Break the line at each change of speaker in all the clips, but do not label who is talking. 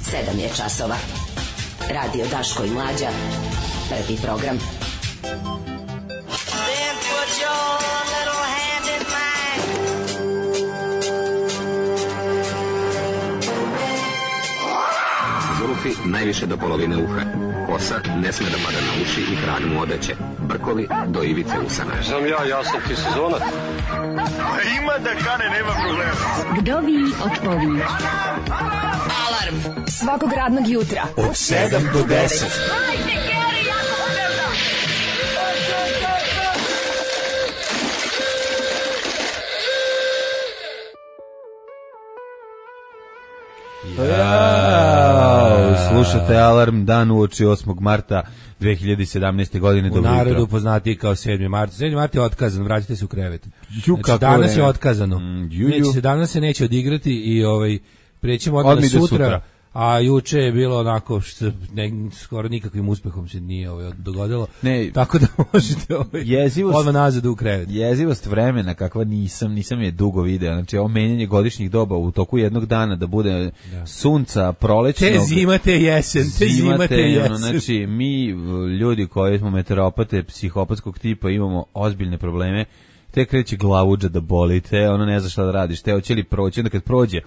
7 je časova. Radio Daško i Mlađa. Prvi program.
Then put your little hand in mine.
Zulufi najviše do polovine uha. Kosa ne sme da pada na uši i krag mu odeće. Brkovi do ivice usana.
Sam ja sam ti sezonac.
Ima da kane, nema problema.
Kdo vi od povih?
Alarm
Svakog radnog jutra
Od 7 do 10.
Slušate Alarm, dan uoči 8. marta 2017. godine.
U narodu poznati kao 7. mart. 7. mart je otkazan, vratite se u krevet. Znači, danas je otkazano. Danas se neće odigrati i prećemo odmah sutra. A juče je bilo onako što skoro nikakvim uspehom se nije dogodilo.
Ne,
tako da možete odmah nazad u krevet.
Jezivost vremena kakva nisam je dugo video. Znači ovo menjanje godišnjih doba u toku jednog dana da bude sunca, prolećnog.
Te zima, te jesen.
Znači mi ljudi koji smo meteoropate psihopatskog tipa imamo ozbiljne probleme. Te kreće glavuđa da boli, te ono ne zna šta da radiš, te hoće li proći, onda kad prođe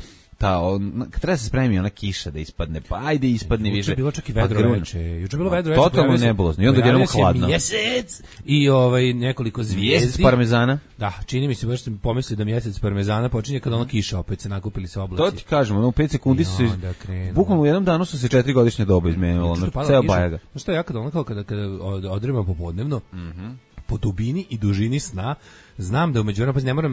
kad treba se spremi ona kiša da ispadne, pa ajde ispadne više.
Juče je bilo čak i vedro veče. Juče je bilo vedro veče.
Totalno nebulozno. I onda jednom hladno.
Mjesec i nekoliko zvijezdi.
Mjesec parmezana?
Da, čini mi se, baš sam pomislio da mjesec parmezana počinje kada ona kiša opet se nakupili se oblaci.
To ti kažem, u 5 sekundi su se, bukvalno u jednom danu su se 4 godišnje doba izmenilo. Ceo bajaga.
Znaš šta, ja kada odremam popodnevno, po dubini i dužini sna, znam da umeđu vremenu,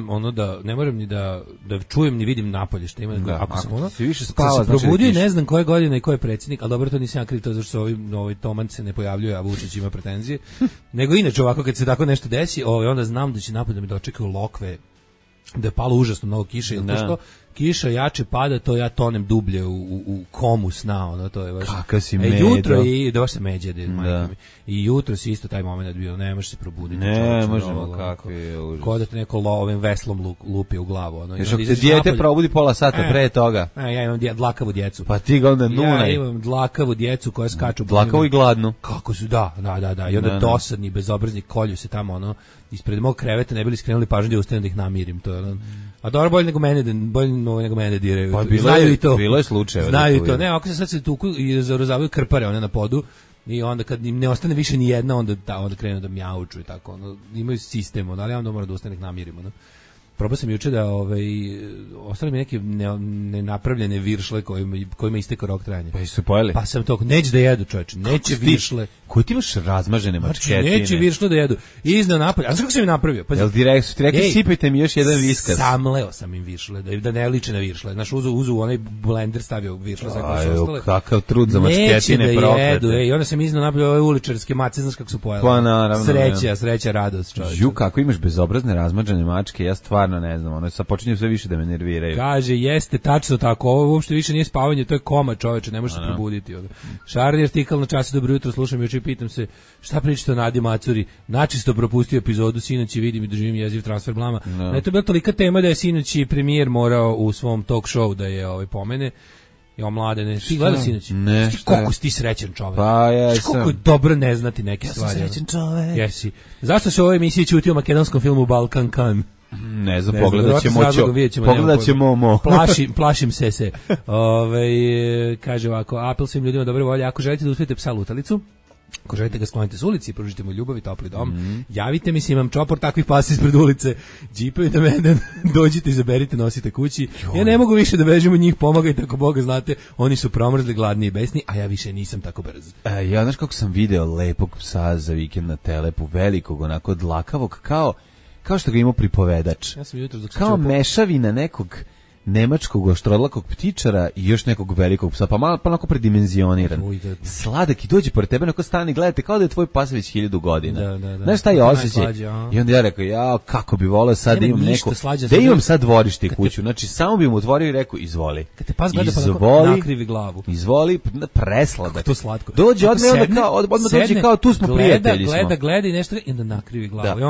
ne moram ni da čujem ni vidim napolje šta ima. Ako sam
se više spava,
se probudio, ne znam koje godine i ko je predsjednik, ali dobro, to nisam ja kriv, to zašto se ovaj Toman se ne pojavljuje, a Vučić ima pretenzije. Nego inače ovako kad se tako nešto desi, onda znam da će napolje da mi dočekaju lokve, da je palo užasno mnogo kiše ili to što kiša jače pada, to ja tonem dublje u komu sna, to je baš.
Kakav si međo.
Jutro i da baš se međe, i jutro si isto taj moment bio, ne možeš se probuditi.
Ne možemo, kako je užas.
Ko da te neko ovim veslom lupi u glavu.
Još ako te dijete probudi pola sata pre toga.
Ja imam dlakavu djecu.
Pa ti ga onda nunaj.
Ja imam dlakavu djecu koja skaču.
Dlakavu i gladnu.
Kako su, da. I onda dosadni, bezobrazni kolju se tamo, ispred mog kreveta ne bili skrenuli pažnju da ustanem da ih namirim. To je a dobro, bolje nego mene diraju.
Pa
znaju i to.
Bilo je slučajeva.
Znaju to. Ne, ako se sad se tuku i zarozavaju krpare one na podu i onda kad im ne ostane više ni jedna, onda krenu da mjauču i tako. Imaju sistem, ali ja onda moram da ustanem da ih namirimo. Probao sam juče da ostali mi neke nenapravljene viršle kojima istekao rok trajanja.
Pa su pojeli?
Pa sam to, neće da jedu, čovječe, neće viršle.
Koji ti imaš razmažene mačketine?
Znači, neće viršle da jedu. Iznao napolje. A znaš kako sam im napravio?
Jel ti rekli sipajte mi još jedan viskaz?
Samleo sam im viršle, da ne liče na viršle. Znaš, uzu onaj blender stavio viršle za koje su ostale.
Kakav trud za mačketine proklete. Neće da jedu,
i onda sam iznao napolje ove uličarske mace, znaš kako su pojeli.
Pa naravno.
Sreća, radost, čovječe.
Ju, kako imaš bezobrazne razmažene mačke, ja stvarno ne znam, sad počinju sve više da me nerviraju.
Kaže, jeste, tačno tako, ovo uopšte više nije spavanje, to je koma, čoveče, ne može se probuditi. Šarni artikal na Času, dobro jutro, slušam juče i pitam se šta pričate o Nadi Macuri, načisto propustio epizodu, sinoć i vidim i doživim jeziv transfer blama. No. To je bila tolika tema da je sinoć i premijer morao u svom talk show da je pomene. Jo, Mladene, ti gledao sinoć?
Ne,
koliko si ti srećan čovek.
Pa ja sam.
Koliko je dobro ne znati neke stvari.
Ja sam srećan čovek.
Jesi. Zašto se u ovoj emisiji ćuti o makedonskom filmu Balkan Kan?
Ne znam, pogledat ćemo
Plašim se. Kaže ovako, apel svim ljudima dobre volje, ako želite da uspijete psa lutalicu, ako želite ga sklonite s ulici i pružite mu ljubav i topli dom, javite mi se, imam čopor takvih pasa ispred ulice, džipujte mene, dođite, izaberite, nosite kući. Ja ne mogu više da bežim od njih, pomagajte ako Boga znate, oni su promrzli, gladni i besni, a ja više nisam tako brz.
Ja znaš kako sam video lepog psa za vikend na Telepu, velikog, onako dlakavog, kao što ga imao pripovedač.
Ja sam jutro
kao mešavina nekog nemačkog oštrodlakog ptičara i još nekog velikog psa, pa malo onako predimenzioniran. Sladak i dođe pored tebe, onako stani, gledate kao da je tvoj pas već 1000 godina. Znaš šta je osjećaj? I onda ja rekao, kako bi voleo sad da imam neko, da imam sad dvorište i kuću. Znači, samo bi mu otvorio i rekao, izvoli.
Kad te pas gleda pa nakrivi glavu.
Izvoli, presladak.
To slatko.
Dođe odmah dođe kao tu smo prijatelji smo.
Gleda i nešto i onda nakrivi glavu.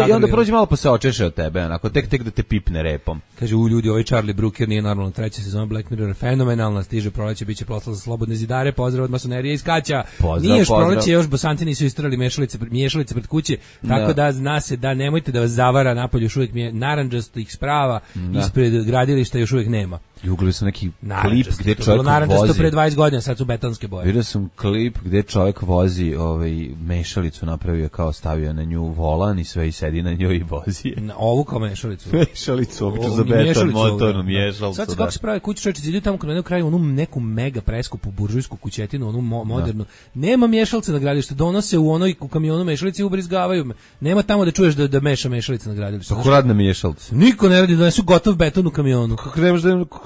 I onda prođe malo pa se očeše od tebe, onako, tek da te pipne repom.
Kaže, u ljudi, ovaj Charlie Brooker nije normalno. Treća sezona Black Mirror je fenomenalna, stiže proleće, biće proslava za slobodne zidare, pozdrav od masonerije iz Kaća. Nije još proleće, još bosanci nisu istrali miješalice pred kuće, tako da zna se da nemojte da vas zavara, napolju još uvijek narandžastih sprava, ispred gradilišta još uvijek nema.
I ugledao sam neki klip gdje čovjek
vozi. Pre 20 godina, sad su betonske boje.
Vidio sam klip gdje čovjek vozi mešalicu, napravio kao stavio na nju volan i sve i sedi na njoj i vozi je.
Na ovu kao mešalicu.
Mešalicu, obično za beton, motornu mješalicu.
Sad se kako se pravi kuće, čovječe, idu tamo na kraju onu neku mega preskupu buržujsku kućetinu, onu modernu. Nema mješalice na gradilištu, donose u kamionu mešalice i ubrizgavaju me. Nema tamo da čuješ da meša mešalice na gradilištu.
Kako radna mješalica?
Niko ne radi, donesu gotov beton u kamionu.
Kako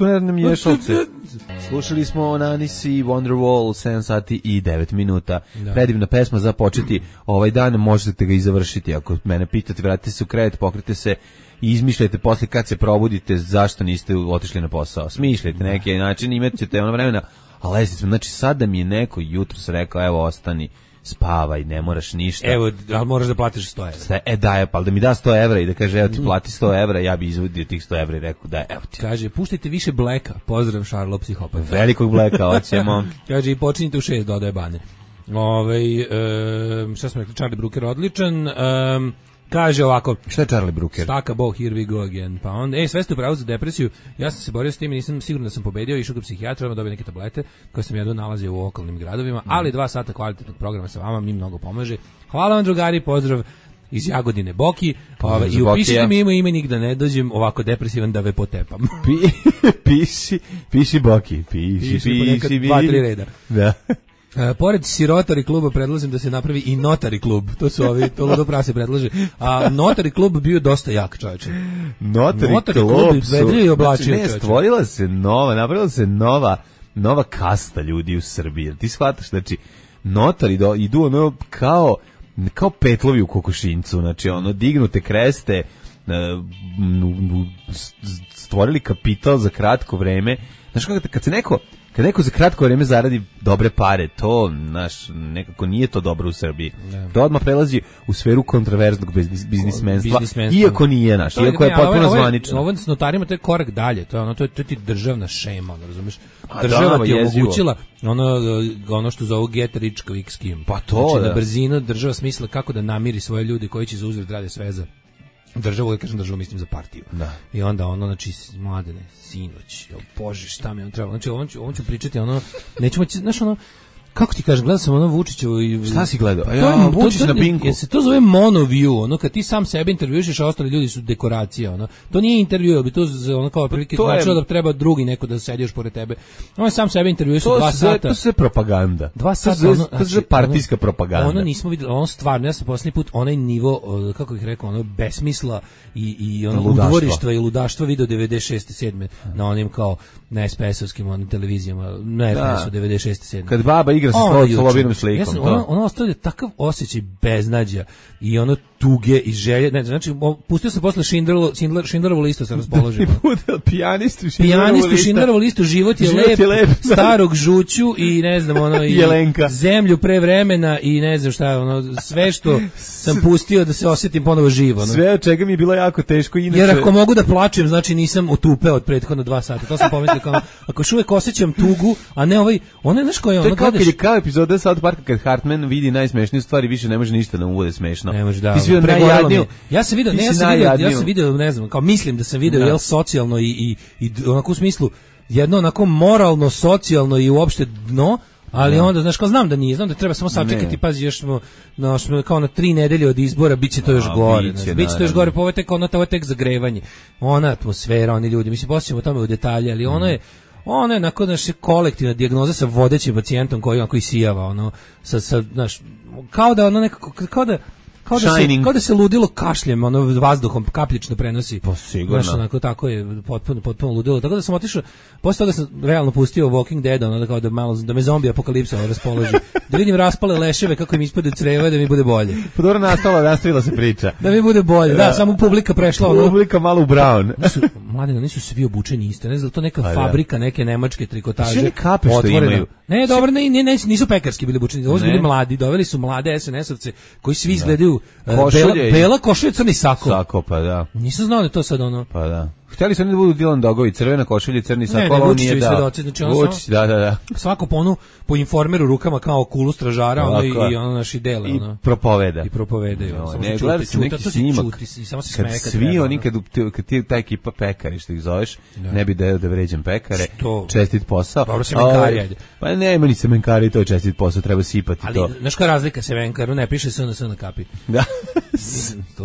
ne radne mješalce? Slušali smo Nanis i Wonderwall, 7 sati i 9 minuta. Predivna pesma za početi ovaj dan, možete ga i završiti. Ako mene pitate, vratite se u krevet, pokrite se i izmišljajte posle kad se probudite zašto niste otišli na posao. Smišljajte neki način, imat ćete ono vremena, a lezite smo. Znači sad da mi je neko jutros rekao, evo ostani, spavaj, ne moraš ništa.
Evo, ali moraš da platiš 100 evra.
Da je, pa da mi da 100 evra i da kaže, evo ti plati 100 evra, ja bi izvodio tih 100 evra i rekao, da, evo ti.
Kaže, puštajte više Blacka, pozdrav Šarlo psihopat.
Velikog Blacka, hoćemo.
Kaže, i počinite u 6, dodaje Bane. Šta smo rekli, Charlie Brooker odličan. Kaže ovako,
šta je Charlie Brooker?
Staka bo, here we go again. Pa onda, sve ste upravo za depresiju. Ja sam se borio s tim i nisam siguran da sam pobedio, išao kod psihijatra, dobio neke tablete koje sam jedno nalazio u okolnim gradovima, ali 2 sata kvalitetnog programa sa vama mi mnogo pomaže. Hvala vam, drugari, pozdrav iz Jagodine Boki. I upišite mi imenik da ne dođem ovako depresivan da ve potepam.
Piši Boki, piši.
2-3 reda.
Da.
Pored Sirotari kluba predlažem da se napravi i Notari klub. To su ovi, to ludo prase predlaže. A Notari klub bio dosta jak, čovječe.
Notari klub su, znači, napravila se nova kasta ljudi u Srbiji. Ti shvataš, znači, notari idu ono kao petlovi u kokošincu, znači ono dignute kreste, stvorili kapital za kratko vreme. Znaš kako, kad neko za kratko vreme zaradi dobre pare, to nekako nije to dobro u Srbiji. To odmah prelazi u sferu kontraverznog biznismenstva, iako nije iako je potpuno zvanično.
Ovo s notarima to je korak dalje, to je ti državna šema, razumeš? Država ti je omogućila ono što zovu get rich quick scheme.
Pa to,
znači, na brzinu država smisla kako da namiri svoje ljude koji će za uzvrat rade sve za državu, ja kažem državu, mislim za partiju. Da. I onda znači, mladene, sinoć, bože, šta mi on treba, znači, on ću pričati, nećemo, znaš, kako ti kažem, gledao sam Vučićevu i...
Šta si gledao? Vučić na Pinku.
Se to zove monoview, kad ti sam sebe intervjuiš, a ostali ljudi su dekoracija, to nije intervju, bi to kao prilike značilo da treba drugi neko da sedi još pored tebe. On je sam sebe intervjuiš 2 sata.
To je propaganda.
2 sata.
To je partijska propaganda.
Nismo vidjeli, stvarno, ja sam posljednji put onaj nivo, kako bih rekao, besmisla i udvorištva i ludaštva video 96. 7. na onim kao na SPS-ovskim televizijama, na RTS-u 96. 7.
Kad baba igra sa Solovinom slikom.
Ono ostavlja takav osjećaj beznađa i tuge i želje. Ne, znači, pustio sam posle Schindlerovu listu, sam raspoložio.
Pijanistu
Schindlerovu listu, život je lep, starog žuću i ne znam, i zemlju pre vremena i ne znam šta, sve što sam pustio da se osjetim ponovo živo.
Sve od čega mi je bilo jako teško. Inače...
Jer ako mogu da plačem, znači nisam otupeo od prethodno 2 sata. To sam pomislio kao, ako još uvijek osjećam tugu, a ne znaš koji je ono,
gledaš... To je kao epizoda South Parka kad Hartman vidi najsmešniju stvar i više ne može ništa da mu bude smešno.
Ne može, da.
Ti si vidio najjadniju.
Ja sam vidio, ne znam, kao mislim da sam vidio socijalno i onako u smislu jedno onako moralno, socijalno i uopšte dno, ali onda, znaš, kao znam da nije, znam da treba samo sačekati, pazi, još smo kao na 3 nedelje od izbora, bit će to još gore. Bit će to još gore, pa ovo je tek zagrevanje. Ona atmosfera, oni ljudi, mislim, posjećamo o tome u detalje, ali ono je onako, znaš, kolektivna dijagnoza sa vodećim pacijentom koji sijava, znaš, kao da ono nekako, kao da se ludilo kašljem, vazduhom kapljično prenosi.
Pa sigurno.
Znaš, onako, tako je potpuno ludilo. Tako da sam otišao, posle toga sam realno pustio Walking Dead, da me zombi apokalipsa raspoloži. Da vidim raspale leševe kako im ispade creva, da mi bude bolje.
Pa dobro, nastavila se priča.
Da mi bude bolje, da, samo publika prešla.
Publika malo u brown.
Mladine, nisu svi obučeni isto, ne znam, to neka fabrika, neke nemačke trikotaže.
Sve kape što imaju.
Ne, dobro, nisu pekarski bili obučeni, ovo su bili mladi, doveli su mlade SNS-ovce koji svi izgledaju bela košulja, crni sako.
Sako, pa da.
Nisu znali to sad
Pa da. Hteli su oni da budu Dylan Dogovi, crvena košulja, crni sako,
ne,
on
Vučić
nije
i
dao.
svedoci, znači on
Vučić, da.
svako po informeru rukama kao kulu stražara, ono i ono naši dele, ono.
I propoveda.
I propovedaju.
Ne, gledali su neki snimak.
Samo se
Kad
smeje
svi oni, kad ti ta ekipa pekari, što ih zoveš, ne bi da vređam pekare, čestit posao.
Dobro, semenkari, ajde.
Pa nema ni semenkari, to je čestit posao, treba sipati to.
Ali, znaš koja razlika semenkaru, ne piše SNS na kapi.
Da,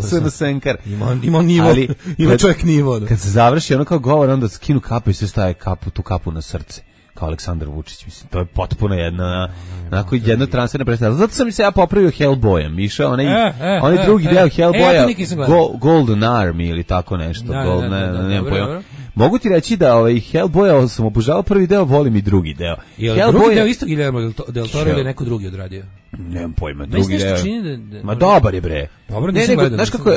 SNS-enkar.
Ima nivo, ima čovjek nivo.
Kad se završi ono kao govor, onda skinu kapu i sve staje tu kapu na srce. Kao Aleksandar Vučić, mislim, to je potpuno jedna transferna predstava. Zato sam se ja popravio Hellboyem, išao onaj drugi deo Hellboya, Golden Army ili tako nešto. Nemam pojma. Mogu ti reći da Hellboya sam obožavao prvi deo, volim i drugi deo.
Je drugi deo isto Guillermo del Toro ili neko drugi odradio?
Nemam pojma, drugi deo.
Ma
dobar je bre.
Dobro, nisam gledao.
Znaš kako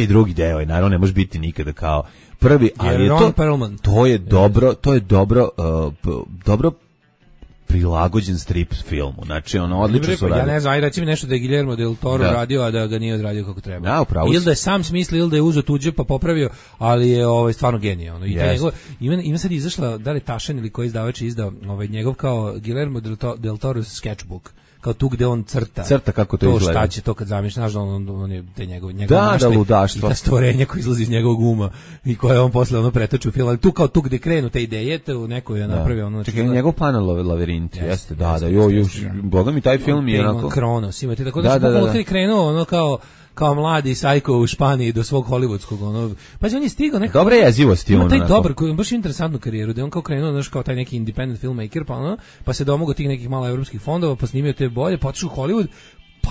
je, drugi deo je, naravno ne može biti nikada kao prvi, ali je to je dobro prilagođen strip filmu. Znači, ono, odlično su radili.
Ja ne znam, aj reci mi nešto da je Guillermo del Toro radio, a da ga nije odradio kako treba.
Ja, upravo.
Ili da je sam smislio, ili da je uzeo tuđe pa popravio, ali je stvarno genijalno. Ima sad izašla, da li Tašan ili koji izdavač je izdao njegov kao Guillermo del Toro sketchbook. Kao tu gde on crta
kako to izgleda.
Šta će to kad zamišljaš, znaš da on je te njegov
ludaštvo.
I ta stvorenja koja izlazi iz njegovog uma i koje on posle pretoči u film, ali tu gde krenu te ideje, u neko je napravio
Čekaj, njegov panel labirint, jeste, boga mi taj film je onako...
Kronos, imate, tako da je krenuo kao mladi sajko u Španiji do svog hollywoodskog pa on je stigao nekako
dobre jezivosti
ima taj dobar koji baš interesantnu karijeru da on kao krenuo znaš kao taj neki independent filmmaker pa se domogao tih nekih malo evropskih fondova pa snimio te bolje pa otišao u Hollywood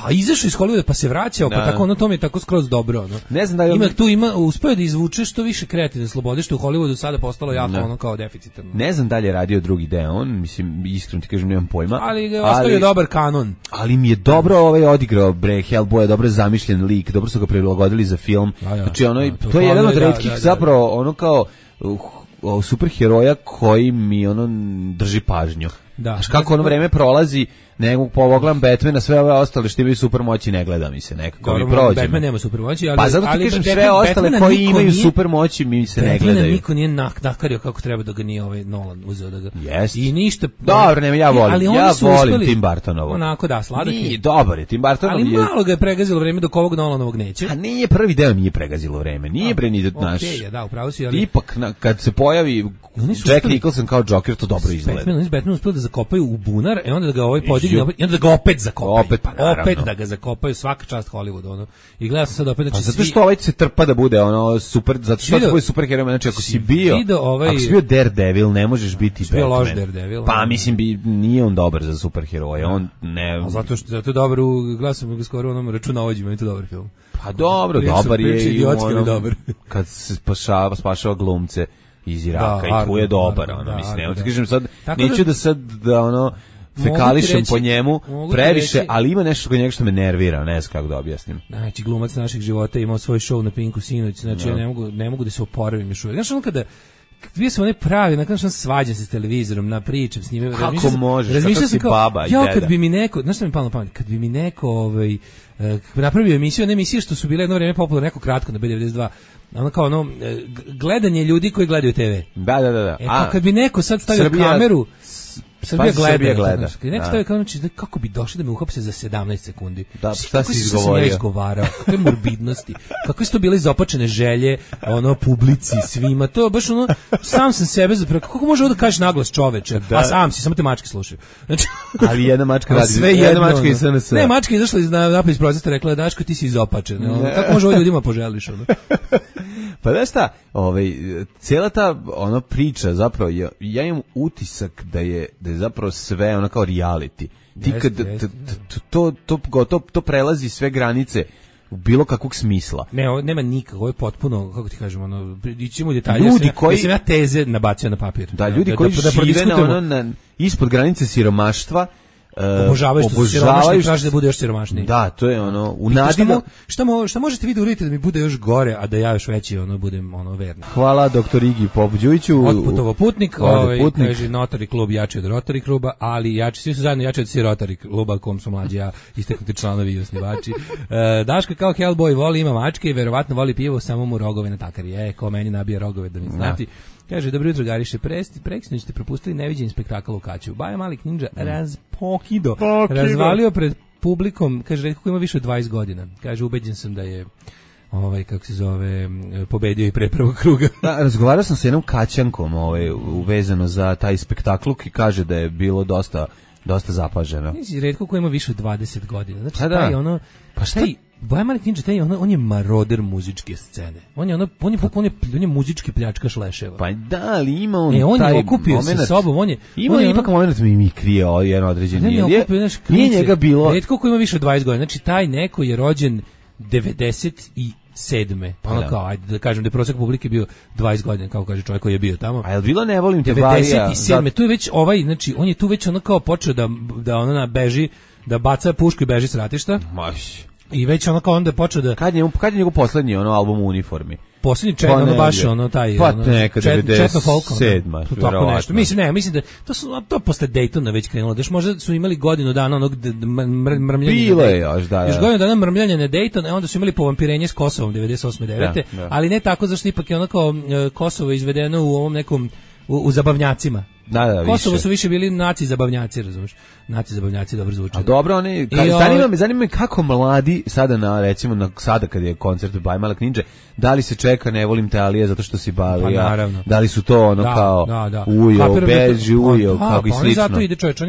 pa izašao iz Hollywooda pa se vraćao pa tako to mi je tako skroz dobro
ne znam da li
uspeo da izvuče što više kreativne slobode što u Hollywoodu sada postalo jako kao deficitarno.
Ne znam da li je radio drugi deo on mislim iskreno ti kažem nemam pojma
ali ga ostavio dobar kanon
ali mi je dobro odigrao Hellboy dobro zamišljen lik dobro su ga prilagodili za film znači to je jedan od retkih zapravo kao superheroja koji mi drži pažnju. Znaš kako vreme prolazi, nego pogledam Batmana, sve ove ostale što imaju supermoći ne gleda mi se nekako mi prođe.
Batman nema supermoći, ali
pa zato ti kažem sve ostale koji imaju supermoći mi se ne gledaju.
Niko nije nakario kako treba da ga nije Nolan uzeo da ga.
Jest.
I ništa.
Dobro, nema ja volim Tim Burtonovu.
Onako da, sladak je.
Dobar je Tim Burtonov.
Ali malo ga je pregazilo vreme dok ovog Nolanovog neće.
A nije prvi deo nije pregazilo vreme. Nije bre ni naš.
Okej, da, upravo si, ali
ipak kad se pojavi Jack Nicholson kao Joker to dobro izgleda.
Batman uspeo da zakopaju u bunar, onda da ga podigne, i onda da ga opet zakopaju. Opet da ga zakopaju, svaka čast Hollywoodu, I gledam sad opet, znači
zato što se trpa da bude super, zato što tvoj superheroj, znači ako si bio Daredevil, ne možeš biti Batman.
Bio loš Daredevil.
Pa mislim nije on dobar za superheroje, on ne.
Zato što je dobar glasam ga skoro onom računovođima, je to dobar film.
Pa dobro, dobar je i
dobar.
Kad se spašava glumce iz Iraka i tu je dobar, mislim, ne kažem sad, neću da sad fekališem po njemu previše, ali ima nešto kod njega što me nervira, ne znam kako da objasnim.
Znači, glumac naših života imao svoj show na Pinku sinoć, znači ja ne mogu da se oporavim još uvijek. Znaš, kada bio sam pravi, nakon što svađam se s televizorom, pričam s njime.
Kako možeš, kako si baba i deda.
Kad bi mi neko, znaš što mi palo na pamet, kad bi mi neko napravio emisiju, ne emisije što su bile jedno vreme popularne, neko kratko na B92, gledanje ljudi koji gledaju TV.
Da.
Kad bi neko sad stavio kameru, Srbija gleda. Neko stavio kameru, kako bi došli da me uhapse za 17 sekundi.
Da, šta si izgovorio?
Izgovarao, kakve morbidnosti, kakve su to bile izopačene želje, publici, svima, to baš sam sam sebe zapravo, kako može ovo da kažeš naglas čoveče, a sam si, samo te mačke slušaju. Znači,
ali jedna mačka radi, jedna mačka iz SNS.
Ne, mačka je izašla napad iz prozora, rekla, Daško, ti si izopačen, kako može ovo ljudima poželiš,
Pa da šta, cijela ta priča zapravo, ja imam utisak da je zapravo sve kao reality. Ti kad to prelazi sve granice u bilo kakvog smisla.
Ne, ovo nema nikako, ovo je potpuno, kako ti kažem, ićemo u detalje. Ljudi koji sam ja teze nabacio na papir.
Da, ljudi koji žive ispod granice siromaštva,
obožavaju što su siromašni i traže da bude još siromašniji.
Da, to je ono u nadi
šta možete vi da uradite da mi bude još gore, a da ja još veći budem verni.
Hvala doktor Igi Popđujiću.
Otputovo putnik, kaže Notari klub jači od Rotary kluba, ali jači, svi su zajedno jači od Rotary kluba, kom su mlađi ja, isteknuti članovi i osnivači. Daška kao Hellboy voli, ima mačke i verovatno voli pivo, samo mu rogove natakari. Ko meni nabije rogove da mi znati. Kaže, dobro jutro, Gariše, preksinoć ste propustili neviđen spektakl u Kaću. Baja Malik Ninja razvalio pred publikom, kaže, retko ko ima više od 20 godina. Kaže, ubeđen sam da je kako se zove, pobedio i pre prvog kruga.
Da, razgovarao sam sa jednom Kaćankom uvezano za taj spektakl i kaže da je bilo dosta zapaženo.
Retko ko ima više od 20 godina. Znači, taj Baja Malik Ninja, on je maroder muzičke scene. On je muzički pljačkaš leševa.
Pa da, ali ima on
taj je okupio moment, sa sobom,
ima ipak moment mi krije jedan određeni. Nije njega bilo.
Retko ko ima više od 20 godina. Znači, taj neko je rođen 97. Kao, ajde da kažem da je prosjek publike bio 20 godina, kao kaže čovjek koji je bio tamo.
A je li bilo ne volim te
97. Tu je već znači, on je tu već kao počeo da beži, da baca pušku i beži s ratišta. I već kao onda je počeo da...
Kad je njegov poslednji album u uniformi?
Poslednji baš taj...
Pa neka 97.
Tako nešto. Mislim da to posle Daytona već krenulo. Daš možda su imali godinu dana onog mrmljanja.
Bilo je još, da.
Još godinu dana mrmljanja na Dayton, onda su imali povampirenje s Kosovom 98-9. Ali ne tako, zašto ipak je kao Kosovo izvedeno u ovom nekom... U zabavnjacima. Kosovo su više bili naci zabavnjaci, razumiješ? Naci zabavnjaci dobro zvuče.
A dobro, zanima me kako mladi sada recimo sada kad je koncert Baja Malik Ninja, da li se čeka ne volim te Alije zato što si Balija?
Pa naravno.
Da li su to kao ujo, beži, ujo, kako i slično.
Pa zato ide čovječ,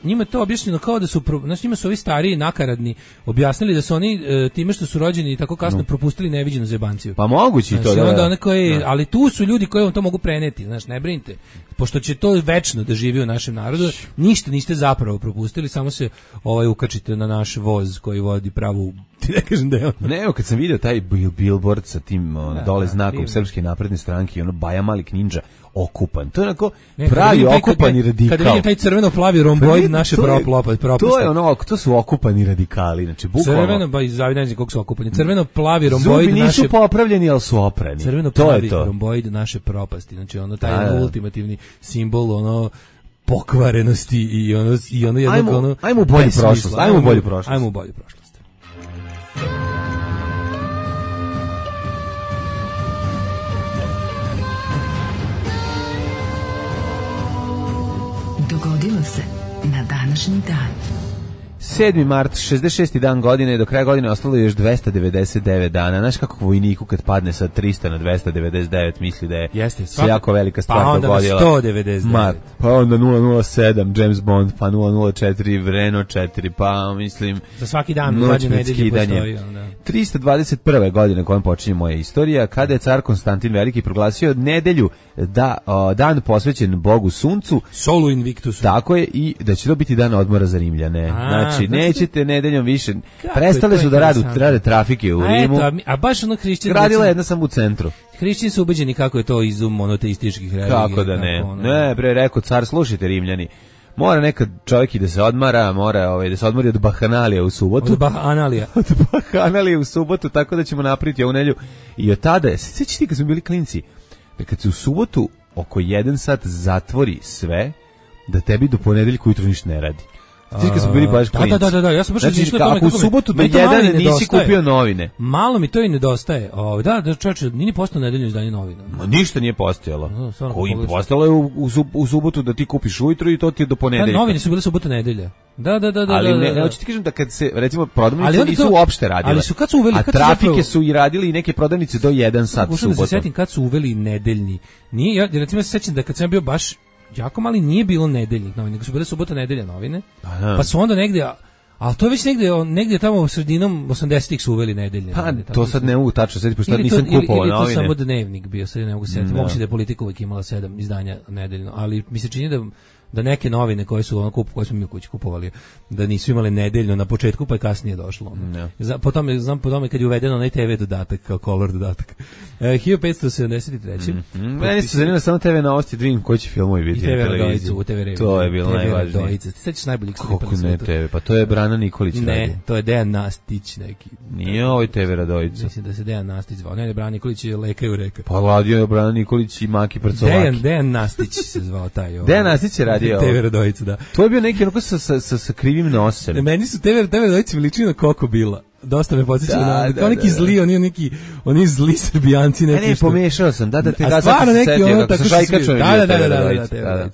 njima to objašnjeno kao da su, njima su ovi stariji nakaradni objasnili da su oni time što su rođeni tako kasno propustili neviđenu zebanciju.
Pa moguće to,
ali tu su ljudi koji vam to mogu preneti, znaš, ne brinite. Pošto će to večno da živi u našem narodu, ništa niste zapravo propustili, samo se ukačite na naš voz koji vodi pravu, ti ne kažem da je on.
Ne, kad sam vidio taj billboard sa tim dole znakom Srpske napredne stranke, Baja Malik Ninja okupan. To je onako pravi okupani radikal.
Kad vidim taj crveno-plavi romboid naše propasti.
To je to su okupani radikali, znači bukvalno.
Crveno, zavidanjem koliko su okupani. Crveno-plavi romboid naše...
Zubi nisu popravljeni, ali su oprani.
Crveno-plavi romboid naše propasti. Znači taj ultimativni simbol, pokvarenosti i jednog...
Ajmo u bolju prošlost.
Dogodilo se na današnji dan.
7. mart, 66. dan godine, do kraja godine ostalo je još 299 dana. Znaš kako vojniku kad padne sa 300 na 299 misli da je se jako velika stvar dogodila.
Pa onda na 199.
Pa onda 007 James Bond, pa 004 Renault 4, pa mislim...
Za svaki dan u zadnje nedelje postoji.
321. godine kojom počinje moja istorija, kada je car Konstantin Veliki proglasio nedelju dan posvećen Bogu Suncu.
Solu Invictusu.
Tako je, i da će to biti dan odmora za Rimljane. Znači, nećete nedeljom više. Prestale su da rade trafike u Rimu.
A baš ono hrišćani...
Gradila jedna sam u centru.
Hrišćani su ubeđeni kako je to izum monoteističkih religija.
Kako da ne. Ne, rekao car, slušajte Rimljani. Mora nekad čovjek i da se odmara, mora da se odmori od bahanalija u subotu.
Od
bahanalija u subotu, tako da ćemo napraviti ovu nedelju. I od tada, sjećaš ti kad smo bili klinci, da kad se u subotu oko 1 sat zatvori sve, da tebi do ponedeljka ujutro ništa ne radi. Ti kad smo bili baš klinci.
Da, ja sam baš
razmišljao o tome kako u subotu do 1 nisi kupio novine.
Malo mi to i nedostaje. Da, čovječe, nije postalo nedeljno izdanje novina.
Ništa nije postojalo. Postojalo je u subotu da ti kupiš ujutro i to ti je do ponedeljka.
Novine su bile subota nedelja. Da.
Ali ne, hoću ti kažem da kad se, recimo, prodavnice nisu uopšte radile.
Ali su kad su uveli...
A trafike su i radili i neke prodavnice do 1 sat subotom.
Da se sjetim kad su uveli nedeljni. Ja recimo se sjećam da kad sam bio baš jako mali nije bilo nedeljnih novina, nego su bile subota nedelja novine. Pa su onda negdje, ali to je već negdje tamo sredinom 80-ih su uveli nedeljne.
Pa to sad ne mogu tačno sjetiti, pošto nisam kupovao novine.
Ili to samo dnevnik bio, sad ne mogu sjetiti. Moguće da je Politika uvijek imala 7 izdanja nedeljno, ali mi se čini da neke novine koje su koje smo mi u kući kupovali, da nisu imale nedeljno na početku, pa je kasnije došlo. Po tome kad je uvedeno onaj TV dodatak, kao color dodatak. 1573.
Meni se zanima samo TV novosti, da vidim koji će filmovi biti na televiziji. To je bilo najvažnije.
Ti sećaš najboljih
stripa na svijetu? Ne TV, pa to je Brana Nikolić.
Ne, to je Dejan Nastić neki.
Nije ovaj TV Radojica.
Mislim da se Dejan Nastić zvao. Ne, Brana Nikolić je Leka i Ureka.
Pa radio je Brana Nikolić i Maki Prcovaki.
Dejan Nastić se zvao taj.
Dejan Nastić je radio
TV Radojica, da.
To je bio neki onako sa krivim nosem.
Meni su TV Radojica veličina na Koko Bila. Dosta me podsjeća na kao neki zli, oni zli Srbijanci neki.
Ne, pomešao sam. Da, te
ga sad se setio kako
šajkačom.
Da.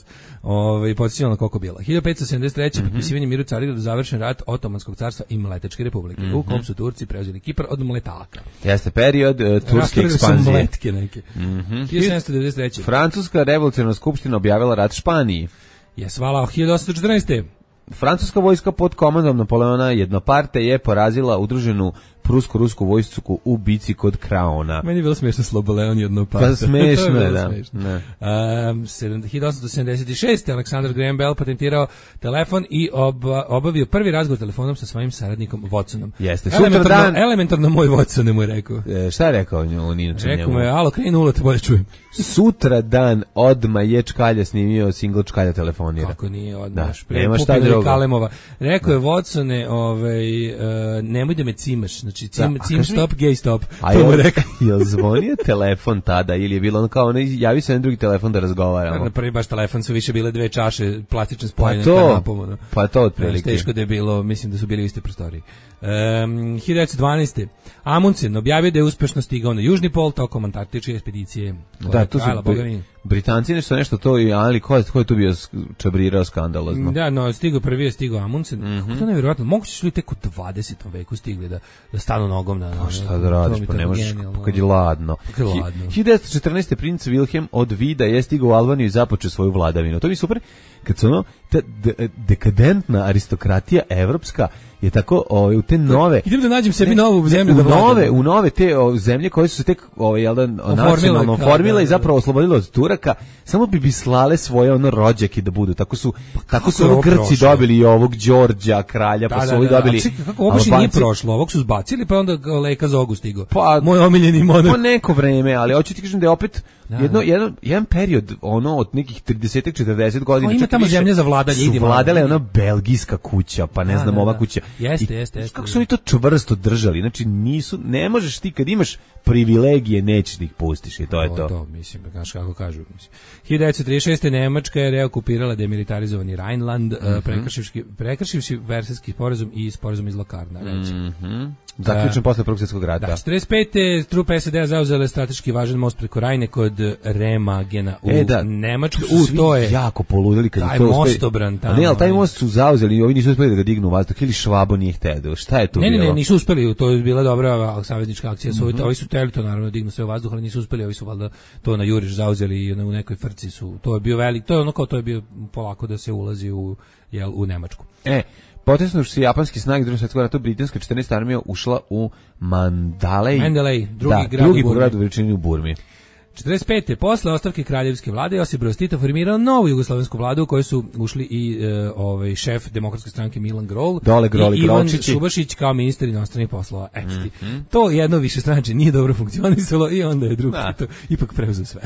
Podsjećao na Koko Bila. 1573. Potpisivanje miru Carigradu, završen rat Otomanskog carstva i Mletečke republike, u kom su Turci preuzeli Kipar od Mletaka.
Jeste period turske ekspanzije.
Mletke neke. 1793.
Francuska revolucionarna skupština objavila rat Španiji.
Hvala, 1814.
Francuska vojska pod komandom Napoleona Jednoparte je porazila udruženu prusko-rusku vojsku u bici kod Kraona.
Meni je bilo smiješno Sloboleon Jednoparte.
Pa smiješno je, da.
1876. Alexander Graham Bell patentirao telefon i obavio prvi razgovor telefonom sa svojim saradnikom Watsonom.
Jeste.
Elementarno moj Watson mu je rekao.
Šta je rekao on inače njemu?
Rekao mu je, alo, kreni nula, te bolje čujem.
Sutra dan odmah je Čkalja snimio single Čkalja telefonira.
Kako nije odmah?
Nema šta drugo.
Kalemova. Rekao je Watsone, nemoj da me cimaš. Znači, cim stop, gay stop.
A je zvonio telefon tada ili je bilo ono kao javi se na drugi telefon da razgovaramo?
Na prvi baš telefon su više bile 2 čaše plastične spojene kanapom.
Pa to otprilike.
Teško da je bilo, mislim da su bili u istoj prostoriji. 1912. Amundsen objavio da je uspešno stigao na Južni pol tokom antarktičke ekspedicije.
Da, to su Britanci nešto to, ali ko je tu bio čabrirao skandalozno?
Da, no, prvi je stigao Amundsen. Kako to nevjerojatno? Moguće su li tek u 20. veku stigli da stanu nogom na...
Pa šta da radiš, pa ne možeš kad je ladno. 1914. princ Wilhelm od Vida je stigao u Albaniju i započeo svoju vladavinu. To mi je super, kad su ta dekadentna aristokratija evropska je tako u te nove...
Idem da nađem sebi novu zemlju da vladam.
U nove te zemlje koje su se tek nacionalno formile i zapravo oslobodile od Turaka, samo bi slale svoje rođake da budu. Tako su Grci dobili i ovog Đorđa, kralja, pa su ovi dobili...
Kako uopće nije prošlo? Ovog su zbacili, pa onda Leka Zogu stigao. Moj omiljeni monarh.
Po neko vreme, ali hoću ti kažem da je opet jedan period od nekih 30-40 godina.
Ima tamo zemlja za vladanje.
Su vladale ona belgijska kuća, pa ne znam, ova kuća.
Jeste.
Kako su oni to čvrsto držali? Znači ne možeš ti kad imaš privilegije, nećeš da ih pustiš i to je to.
To mislim, znaš kako kažu. 1936. Nemačka je reokupirala demilitarizovani Rheinland, prekršivši Versajski sporazum i sporazum iz Lokarna.
Zaključen posle Prvog svjetskog rata.
Da, 45. trupe SAD-a zauzele strateški važan most preko Rajne kod Remagena u Nemačku.
To je jako poludeli kad je to
mostobran tamo.
Ne, ali taj most su zauzeli i ovi nisu uspeli da ga dignu u vazduh ili Švabo nije hteo. Šta je tu bilo?
Ne, nisu uspeli. To je bila dobra saveznička akcija. Ovi su teli to naravno dignu sve u vazduh, ali nisu uspeli. Ovi su valjda to na juriš zauzeli i u nekoj frci su. To je bio velik, to je ono kao to je bio polako da se ulazi u Nemačku.
Potresnuši se japanski snage Drugog svjetskog rata, britanska 14. armija ušla u Mandalay, drugi grad u veličini u Burmi.
45. posle ostavke kraljevske vlade Josip Broz Tito formirao novu jugoslovensku vladu u kojoj su ušli i šef demokratske stranke Milan Grol i Ivan Šubašić kao ministar inostranih poslova. To jedno višestranačje nije dobro funkcionisalo i onda je drugi Tito ipak preuzeo sve.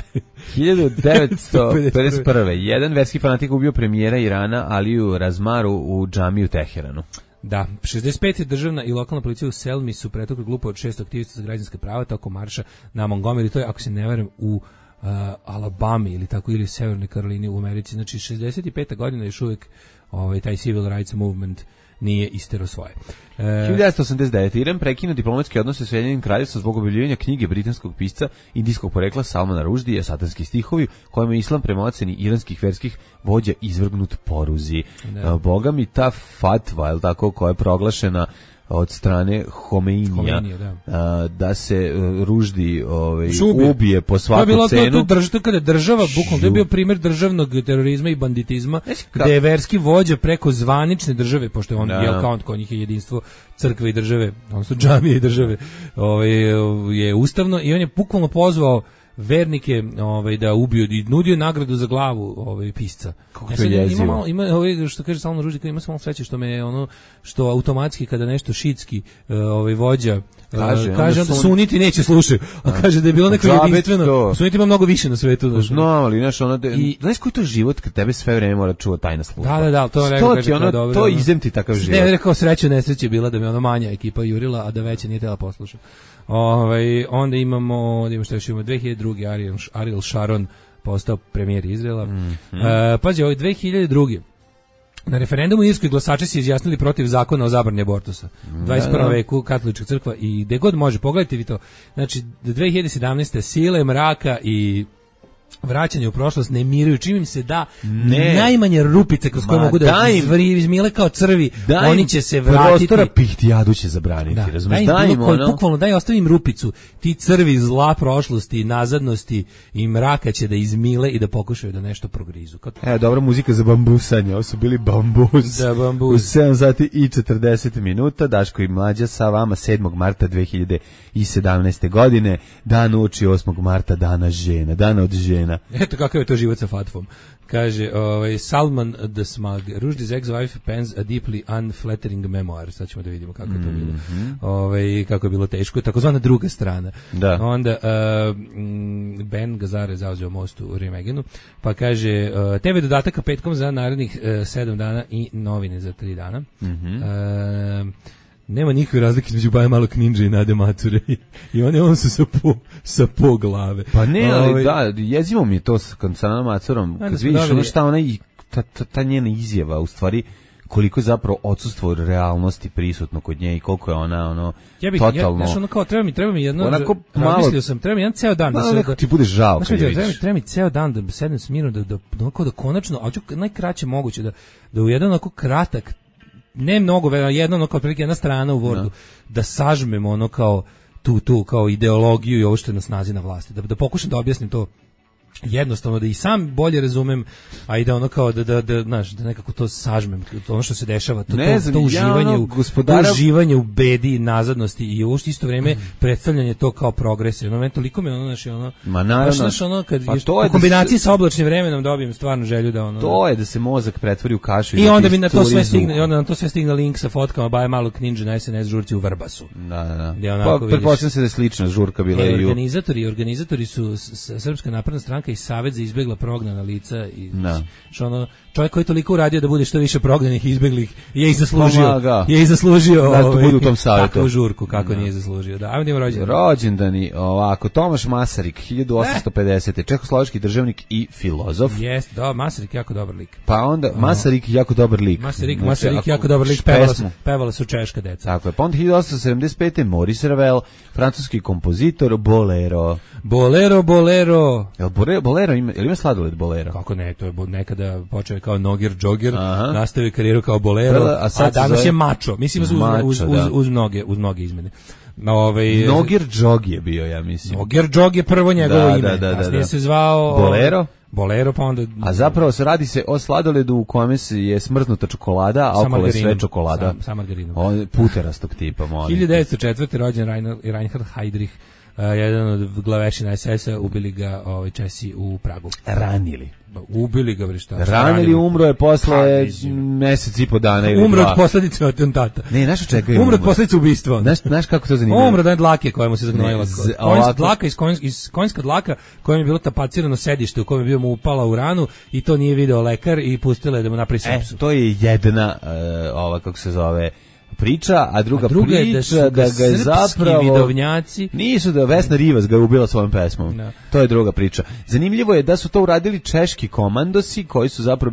1951. Jedan verski fanatik ubio premijera Irana Aliju Razmaru u džamiji u Teheranu.
Da, 65. državna i lokalna policija u Selmi su pretukli grupu od 6 aktivista za građanska prava tokom marša na Montgomery, to je, ako se ne varam, u Alabami ili tako, ili Severnoj Karolini u Americi. Znači, 65. godina još uvijek taj civil rights movement nije istero svoje.
1989. Iran prekinuo diplomatske odnose s Ujedinjenim Kraljevstvom zbog objavljivanja knjige britanskog pisca indijskog porekla Salmana Rushdija Satanski stihovi, kojima je islam prema oceni iranskih verskih vođa izvrgnut poruzi. Boga mi ta fatva, je li tako, koja je proglašena od strane Homeinija da se Ruždi ubije po svaku cenu.
To kada država, bukvalno, to je bio primjer državnog terorizma i banditizma, gde je verski vođa preko zvanične države, pošto je on kao kod njih je jedinstvo crkve i države, odnosno džamije i države, je ustavno, i on je bukvalno pozvao vernike da ubiju i nudio nagradu za glavu pisca.
Kako to je jezivo.
Ima što kaže Salman Rushdie, ima samo sreće što me što automatski kada nešto šitski vođa kaže onda suniti neće slušaju, a kaže da je bilo neko jedinstveno. Suniti ima mnogo više na svetu.
Znam, ali znaš koji to život kad tebe sve vreme mora čuva tajna služba.
Da, to je dobro.
To izem ti takav život.
Ne, rekao sreću nesreće bila da me manja ekipa jurila, a da veća nije tela posluša. Onda imamo, što još imamo 2002. Ariel Sharon postao premijer Izraela. Pazi, 2002. Na referendumu u Irskoj glasači se izjasnili protiv zakona o zabrani abortusa. 21. veku katolička crkva i gde god može, pogledajte vi to. Znači, 2017. sile mraka i vraćanje u prošlost ne miruju, čim im se da najmanje rupice kroz koje mogu da izmile kao crvi, oni će se vratiti.
Prostora pihtijadu će zabraniti, razumiješ?
Bukvalno daj ostavim rupicu, ti crvi zla prošlosti, nazadnosti i mraka će da izmile i da pokušaju da nešto progrizu.
Dobra muzika za bambusanje, ovo su bili bambus.
Da, bambus.
U 7 sati i 40 minuta, Daško i Mlađa sa vama 7. marta 2017. godine, dan uoči 8. marta, dana žena, dana od žena.
Eto kakav je to život sa Fatvom. Kaže, Salman the Smug, Rushdie's ex-wife pens a deeply unflattering memoir. Sad ćemo da vidimo kako je to bilo. Kako je bilo teško. Takozvana druga strana.
Da.
Onda Ben Gazar je zauzeo most u Remegenu, pa kaže, TV dodataka petkom za narednih 7 dana i novine za 3 dana. Nema nikakve razlike između Baje Malog Ninja i Nade Macure i on su sa po glave.
Pa ne, ali jezivo mi je to sa Nadom Macurom, kad vidiš šta ona i ta njena izjava, u stvari koliko je zapravo odsustvo realnosti prisutno kod nje i koliko je ona totalno...
Treba mi jedno, razmislio sam, treba mi jedan ceo dan.
Neko ti bude žao kad je vidiš.
Treba mi ceo dan da sedem smirno, da konačno, a ću najkraće moguće, da u jedan onako kratak, ne mnogo, jedno kao otprilike jedna strana u Wordu, da sažmemo kao tu kao ideologiju i ovo što je na snazi na vlasti, da pokušam da objasnim to jednostavno, da i sam bolje razumem, a i da kao da nekako to sažmem, ono što se dešava, to uživanje u bedi i nazadnosti i u isto vrijeme predstavljanje to kao progres. Toliko mi kad u kombinaciji sa oblačnim vremenom dobijem stvarno želju da
to je da se mozak pretvori u kašu
i onda mi na to sve stigne, i onda na to sve stigne link sa fotkama Baje Malog Ninja na SNS žurci u Vrbasu.
Da. Pa pretpostavljam se da je slična žurka bila i
organizatori su Srpska napredna stranka i Savez za izbegla prognana lica i čovjek koji je toliko uradio da bude što više prognanih i izbeglih je i zaslužio
da to bude u tom savetu
takvu žurku kako nije zaslužio. Da, ajmo
rođendani ovako. Tomaš Masaryk 1850. čehoslovački državnik i filozof.
Jeste, Masaryk jako dobar lik.
Pa onda Masaryk jako dobar lik.
Masaryk jako dobar lik, pevala su češka deca.
Tako je. Pa onda 1875. Maurice Ravel, francuski kompozitor, bolero. Bolero ima sladoled bolero?
Kako ne, to je nekada počeo kao Nogir Džogir, nastavio karijeru kao bolero, a danas je mačo. Mislim uz mnoge izmene.
Nogir Džog je bio, ja mislim.
Nogir Džog je prvo njegovo ime. Kasnije se zvao Bolero, pa onda...
A zapravo radi se o sladoledu u kome je smrznuta čokolada, a okolo je sve čokolada.
Sa margarinom.
Puterastog tipa, molim.
1904. rođen Reinhard Heydrich, jedan od glavešina SS-a, ubili ga Česi u Pragu.
Ranili.
Ubili ga,
ranili, umro je posle mesec i po dana ili
umro od posljedice atentata.
Ne, znaš čega je
umro od posljedice ubistva.
Znaš kako to zanimljivo?
Umro od dlake koja mu se zagnojila. Konjska dlaka kojom je bilo tapacirano sedište u kojem je bio mu upala u ranu i to nije video lekar i pustila je da mu napravi sepsu.
To je jedna, kako se zove, priča, a druga priča da ga je zapravo
vidovnjaci
nisu, da Vesna Rivas ga je ubila svojom pesmom. No. To je druga priča. Zanimljivo je da su to uradili češki komandosi koji su zapravo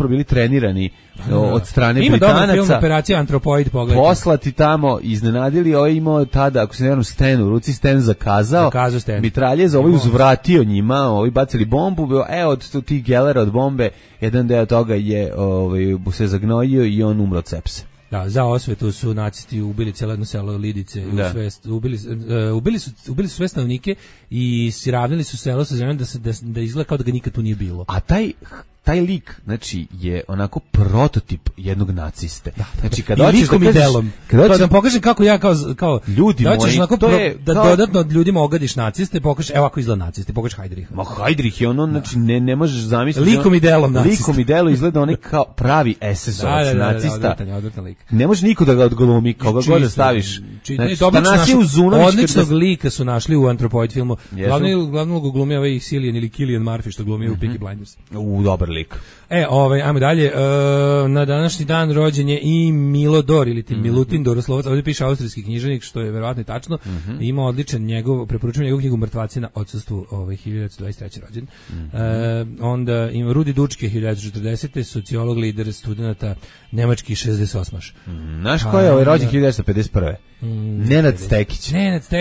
bili trenirani od strane Britanaca. Ima dobar film
Operacija Antropoid, pogledajte.
Poslati tamo, iznenadili, imao tada, ako se ne varam, Sten u ruci, Sten zakazao mitraljez, uzvratio njima, bacili bombu, od tih gelera od bombe, jedan deo toga je se zagnojio i on umro od sepse.
Da, za osvetu su nacisti ubili cijelo jedno selo Lidice, ubili su sve stanovnike i siravnili su selo sa zemljom da izgleda kao da ga nikad tu nije bilo.
A taj taj lik, znači, je onako prototip jednog naciste. Znači, kad
i likom i delom. Kad da pokažem kako ja kao
ljudi
da
moji,
onako
to je
da dodatno od ljudima ogadiš naciste, pokažeš, evo ako izgleda naciste, pokažeš Heidricha.
Ma Heidrich je ono, znači, ne možeš zamisliti.
Likom i delom nacista.
Likom i delom izgleda onaj kao pravi SS-ovac nacista.
Odvratan lik.
Ne može niko da ga odglumi, koga god da staviš. Znači,
odličnog lika su našli u Anthropoid filmu. Glavnog glumi ovaj Cillian ili Cillian Murphy što glumi u Peaky Blinders.
Dobar lik.
Ajmo dalje. Na današnji dan rođen je i Milodor ili Milutin Doroslovac. Ovdje piše austrijski književnik, što je verovatno i tačno. Ima odličan preporučujem njegovu knjigu Mrtvaci na odsustvu, 1923. rođen. Onda ima Rudi Dučke, 1940. Sociolog, lider studenata, nemački 68.
Znaš ko je ovaj rođen 1951. Nenad Stekić.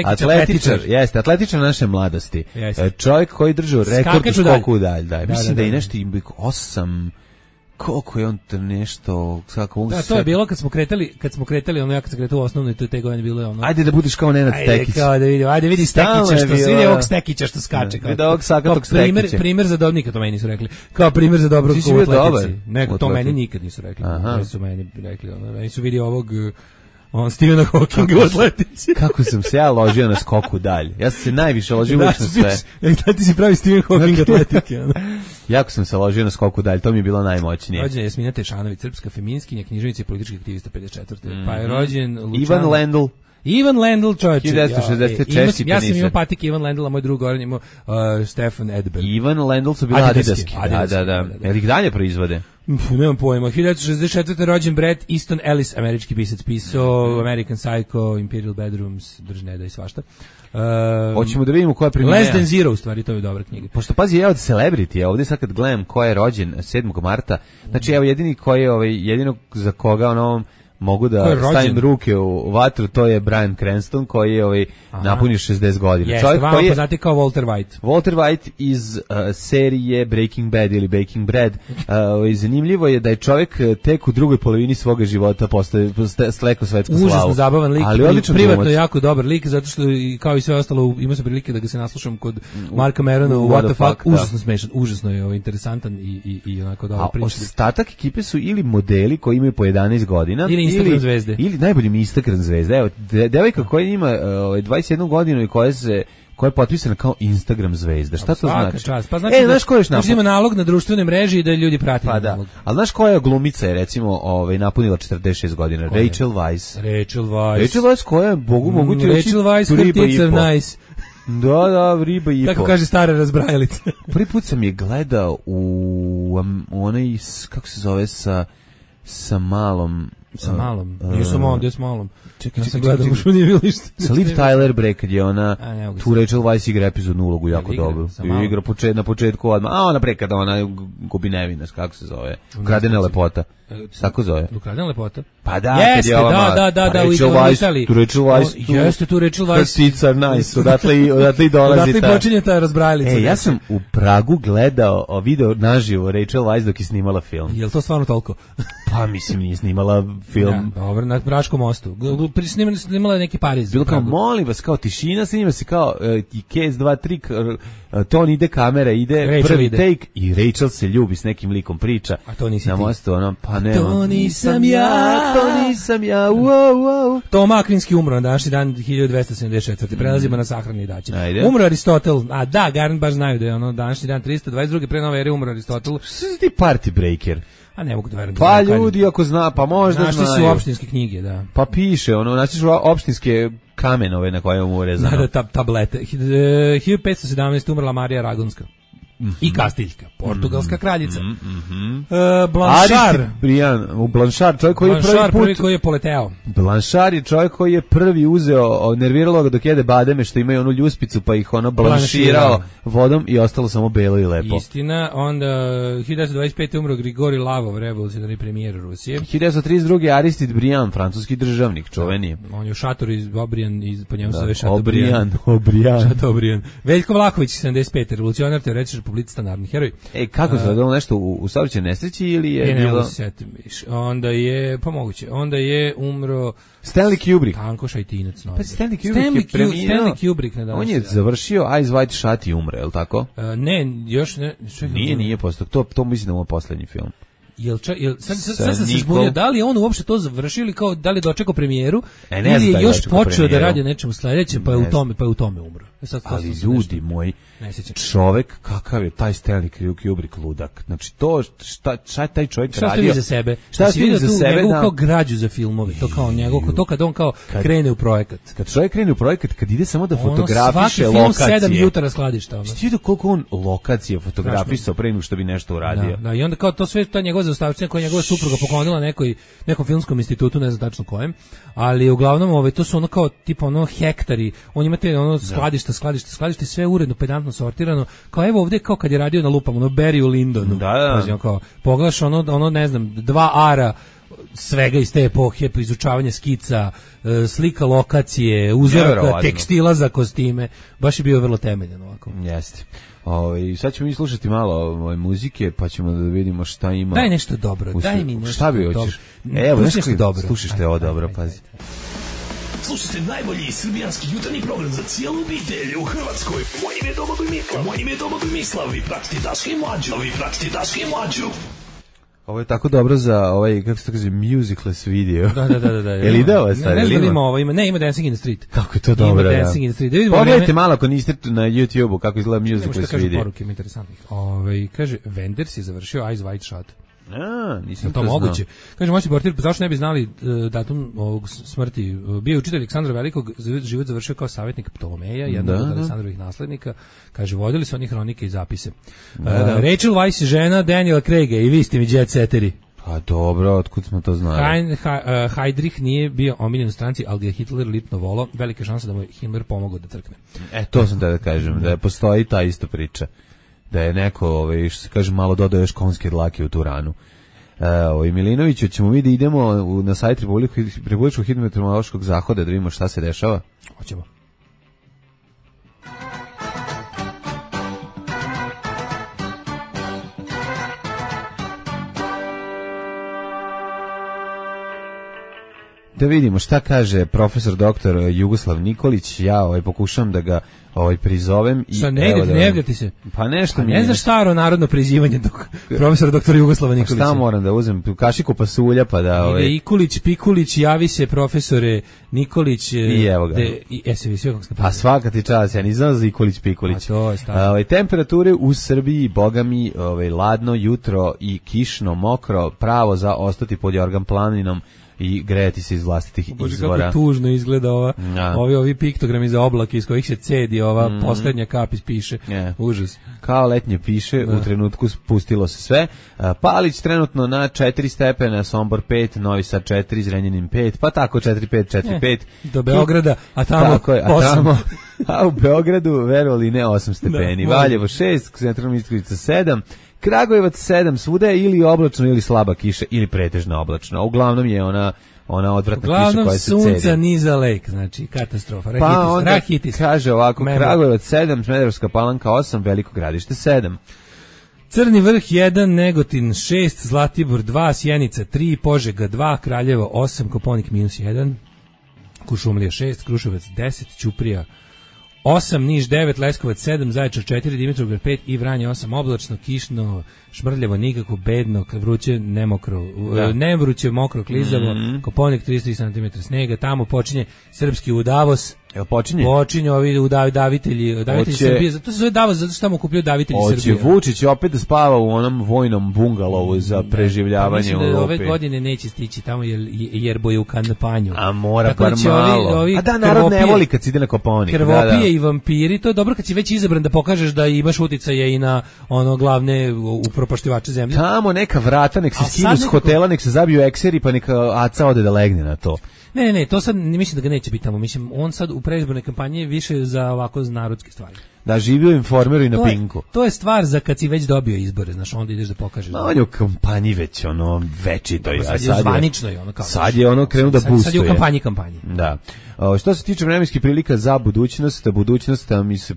Atletičar, jeste, atletičar naše mladosti. Čovjek koji držao rekord u skoku u dalj. Mislim da je nešto 8, koliko je on nešto, kako mogu
to je bilo kad smo kretali, ono ja kad sam kretao u osnovnoj, to je te godine bilo ono.
Ajde da budeš kao Nenad Stekić.
Ajde vidi Stekića što se vidi ovog Stekića što skače.
Vidi ovog sakatog Stekića.
Primjer za dobnika, to meni nisu rekli. Kao primjer za dobrog u atletici. Neko, to meni nikad nisu rekli. Oni su meni rekli, meni su vidi ovog Stephena Hawkinga u atletici.
Kako sam se ja ložio na skoku dalje. Ja sam se najviše ložio uvijek na sve.
Da ti si pravi Stephen Hawking atletike.
Jako sam se ložio na skoku dalje, to mi je bilo najmoćnije.
Rođen je Jasmina Tešanović, srpska feminiskinja, književnica i politički aktivista 54. Pa je rođen
Ivan
Lendl, čovječe.
1964.
Ja sam imao patik Ivan Lendl, a moj drug Goran imao Stefan Edberg.
Ivan Lendl su bili adidaski. Da. Jel ih dalje proizvode?
Nemam pojma. 1964. rođen Bret Easton Ellis, američki pisac, pisao American Psycho, Imperial Bedrooms, Držneda i svašta.
Hoćemo da vidimo ko je premijer.
Less Than Zero, u stvari, to je dobra knjiga.
Pošto pazi, ja od celebrity, ovdje sad kad gledam ko je rođen 7. marta, znači evo jedini koji je, jedino za koga mogu da stavim ruke u vatru, to je Bryan Cranston koji je napunio 60 godina.
Jeste, vama poznati kao Walter White.
Walter White iz serije Breaking Bad ili Baking Bread. Zanimljivo je da je čovjek tek u drugoj polovini svoga života stekao svetsku slavu.
Užasno zabavan lik,
ali
privatno jako dobar lik, zato što kao i sve ostalo imao sam prilike da ga se naslušam kod Marka Merona u What the Fuck. Užasno smešan, užasno je interesantan i onako dobro priča.
Ostatak ekipe su ili modeli koji imaju po 11 godina
Instagram zvezde.
Ili najbolji mi Instagram zvezde. Evo, devojka koja ima 21 godinu i koja je potpisana kao Instagram zvezda. Šta to znači?
Pa znači
znaš ko je još
ima nalog na društvenoj mreži i da ljudi prate nalog.
Ali znaš koja je glumica je recimo napunila 46 godina? Rachel Weisz.
Rachel Weisz
koja je, mogu ti reći,
Rachel Weisz, her nice.
Da, riba i po.
Tako kaže stara razbrajalica.
Prvi put sam je gledao u onaj, kako se zove, sa malom.
Nisam ovdje s malom.
Čekaj.
Sa
Liv Tyler bre, kad je ona tu Rachel Weisz igra epizodnu ulogu jako dobro. Igra na početku odmah. A ona bre kada ona gubi nevinost, kako se zove? Ukradena lepota. Tako zove.
Ukradena lepota?
Pa da,
jeste, da,
Rachel Weisz, tu Rachel Weisz.
Jeste tu Rachel Weisz.
Tits are nice, odatle i dolazi ta.
Odatle počinje ta razbrajalica.
Ja sam u Pragu gledao video naživo Rachel Weisz dok je snimala film.
Je li to stvarno toliko?
Pa mislim nije snimala film.
Dobro, na Praškom mostu. Snimala je neki Pariz.
Bilo kao, molim vas, kao tišina, snima se kao i case 2, 3, ton ide, kamera ide,
Rachel
prvi
ide.
take i Rachel se ljubi s nekim likom priča.
A to nisi
na
ti.
Mostu, pa nema.
To nisam ja.
Wow.
Toma Akvinski umro na današnji dan 1274. Prelazimo na sahrani daće.
Ajde.
Umro Aristotel. A da, Garant baš znaju da je današnji dan 322. pre nove ere umro Aristotel.
Što si ti party breaker?
A ne mogu da verujem.
Pa ljudi ako zna, pa možda
našli
znaju.
Našli su opštinske knjige, da.
Pa piše, našli su opštinske kamenove na koje mu urezano.
Da, tablete. 1517. umrla Marija Ragonska. I Kastiljka, portugalska kraljica.
Blanchard, čovjek koji je
prvi koji je poleteo.
Blanchard je čovjek koji je prvi uzeo, nerviralo ga dok jede bademe što imaju onu ljuspicu pa ih blanširao vodom i ostalo samo belo i lepo.
Istina, onda 1925. umro Grigori Lavov, revolucionarni premijer Rusije.
1932. Aristide Briand, francuski državnik, čuveni.
On je šator iz Obrijan, po njemu se zove
Chateaubriand.
Veljko Vlahović, 75. revolucionar, teoretičar, publicista, narodni heroj.
Kako se radilo nešto u saobraćajnoj nesreći ili je bilo?
Ne setim više. Onda je, pa moguće, onda je umro
Stanley Kubrick.
Tanko Šajtinac.
Pa Stanley Kubrick je preminuo.
Stanley Kubrick na danas.
On je završio Eyes Wide Shut i umre, je li tako?
Ne, još ne.
Nije posle. To mislim da je poslednji film.
Sad sam se zbunio, da li je on uopšte to završio ili kao da li je dočekao premijeru ili je još počeo da radi nečemu sledećem pa je u tome umro.
Ali ljudi moji, čovek kakav je taj Stanley Kubrick ludak. Znači to šta je taj čovjek radio?
Šta ste vi za sebe? Šta ste vi za sebe? Njegovu kao građu za filmove, to kao njegov, to kad on kao krene u projekat.
Kad čovjek krene u projekat, kad ide samo da fotografiše lokacije.
Svaki film 7 jutara skladišta.
Ti vidio koliko on lokacije fotografisao pre nego što bi nešto uradio.
Da, i onda kao to sve ta njegova zaustavština koja njegova supruga poklonila nekom filmskom institutu, ne znam tačno kojem, ali uglavnom to su ono kao tipa ono hektari, on imate ono skladište, sve uredno, pedantno sortirano, kao evo ovde kao kad je radio na lupama, ono Barry u Lindonu.
Da.
Kao, pogledaš ono ne znam, 2 ara svega iz te epohe, izučavanje skica, slika lokacije, uzoraka, tekstila za kostime, baš je bio vrlo temeljan ovako.
Jeste. Sad ćemo mi slušati malo muzike, pa ćemo da vidimo šta ima.
Daj nešto dobro, daj mi nešto.
Šta bi hoćeš? Evo, nešto dobro. Slušajte ovo dobro, pazi.
Slušajte najbolji srbijanski jutarnji program za cijelu obitelj u Hrvatskoj. Moje ime je Domagoj Mislav. Vi pratite Daška i Mlađu.
Ovo je tako dobro za kako se to kaže, musicless video.
Da.
Je li ide ovo stvar?
Ne znam ima ovo, ima Dancing in the Street.
Kako je to dobro,
Ima Dancing in the Street.
Pogledajte malo ako niste na YouTube-u kako izgleda musicless video.
Kaže poruke interesantnih. Kaže, Wenders je završio Eyes Wide Shut.
Nisam
to moguće. Kaže, moći portir, zašto ne bi znali datum ovog smrti? Bio je učitelj Aleksandra Velikog, život završio kao savjetnik Ptolomeja, jednog od Aleksandrovih naslednika. Kaže, vodili su oni hronike i zapise. Rachel Weisz je žena Daniela Craiga i vi ste mi jet setteri.
Pa dobro, otkud smo to znali?
Heydrich nije bio omiljen u stranci, ali ga je Hitler lipno volao. Velika šansa da mu je Himmler pomogao da crkne.
To sam da kažem, da postoji ta ista priča. Da je neko, što se kaže, malo dodao još konjske dlake u tu ranu. Milinoviću, ćemo mi da idemo na sajt Republičkog hidrometeorološkog zahoda da vidimo šta se dešava?
Hoćemo.
Da vidimo šta kaže profesor doktor Jugoslav Nikolić. Ja pokušam da ga prizovem i
ne javljati se.
Pa nešto mi
ne znaš staro narodno prizivanje profesora doktor Jugoslava Nikolića.
Šta moram da uzmem? Kašiku pasulja pa da
Ikulić, Pikulić, javi se profesore Nikolić.
I evo ga. Pa svaka ti čast, ja nisam za Ikulić, Pikulić. Temperature u Srbiji, boga mi, ladno jutro i kišno, mokro, pravo za ostati pod Jorgan planinom i grejati se iz vlastitih izvora.
Kako tužno izgleda ovi piktogrami za oblake iz kojih se cedi ova poslednja kap ispiše. Užas.
Kao letnje piše, u trenutku spustilo se sve. Palić trenutno na 4 stepena, Sombor 5, Novi Sad 4, Zrenjanin 5, pa tako 4-5.
Do Beograda, a tamo 8.
A u Beogradu, verovali ne, 8 stepeni. Valjevo 6, Centralna Mitrovica 7, Kragujevac 7, svuda je ili oblačno ili slaba kiša ili pretežno oblačno. Uglavnom je ona odvratna kiša koja se cedi.
Uglavnom sunca niza lek, znači katastrofa. Rahitis.
Kaže ovako, Kragujevac 7, Smederevska Palanka 8, Veliko Gradište 7.
Crni vrh 1, Negotin 6, Zlatibor 2, Sjenica 3, Požega 2, Kraljevo 8, Koponik -1, Kuršumlija 6, Kruševac 10, Ćuprija 8, Niš 9, Leskovac 7, Zaječar 4, Dimitrovgrad 5 i Vranje 8, oblačno, kišno, šmrljavo, nikako, bedno, vruće, nemokro, ne vruće, mokro, klizavo, Koponik 33 cm snega, tamo počinje srpski Udavos. Počinje ovi davitelji Srbije, zato se zove Davos, zato što tamo kupljaju davitelji Srbije.
Hoće Vučić opet da spava u onom vojnom bungalovu za preživljavanje u Evropi.
Mislim da ove godine neće stići tamo jer boje u kampanju.
A mora bar malo. A da, narod ne voli kad si ide na Koponik.
Krvopije i vampiri, to je dobro kad si već izabran da pokažeš da imaš uticaje i na glavne upropaštivače zemlje.
Tamo neka vrata, nek se skinu s hotela, nek se zabiju ekseri, pa neka Aca ode da legne na to.
Ne, to sad mislim da ga neće biti tamo. Mislim, on sad u predizbornoj kampanji je više za ovako narodske stvari.
Da živi u Informeru i na Pinku.
To je stvar za kad si već dobio izbore, znaš, onda ideš da pokažeš.
On je u kampanji već večito.
Sad je zvanično i kao.
Sad je krenuo da boostuje.
Sad je u kampanji.
Da. Što se tiče vremenskih prilika za budućnost mi se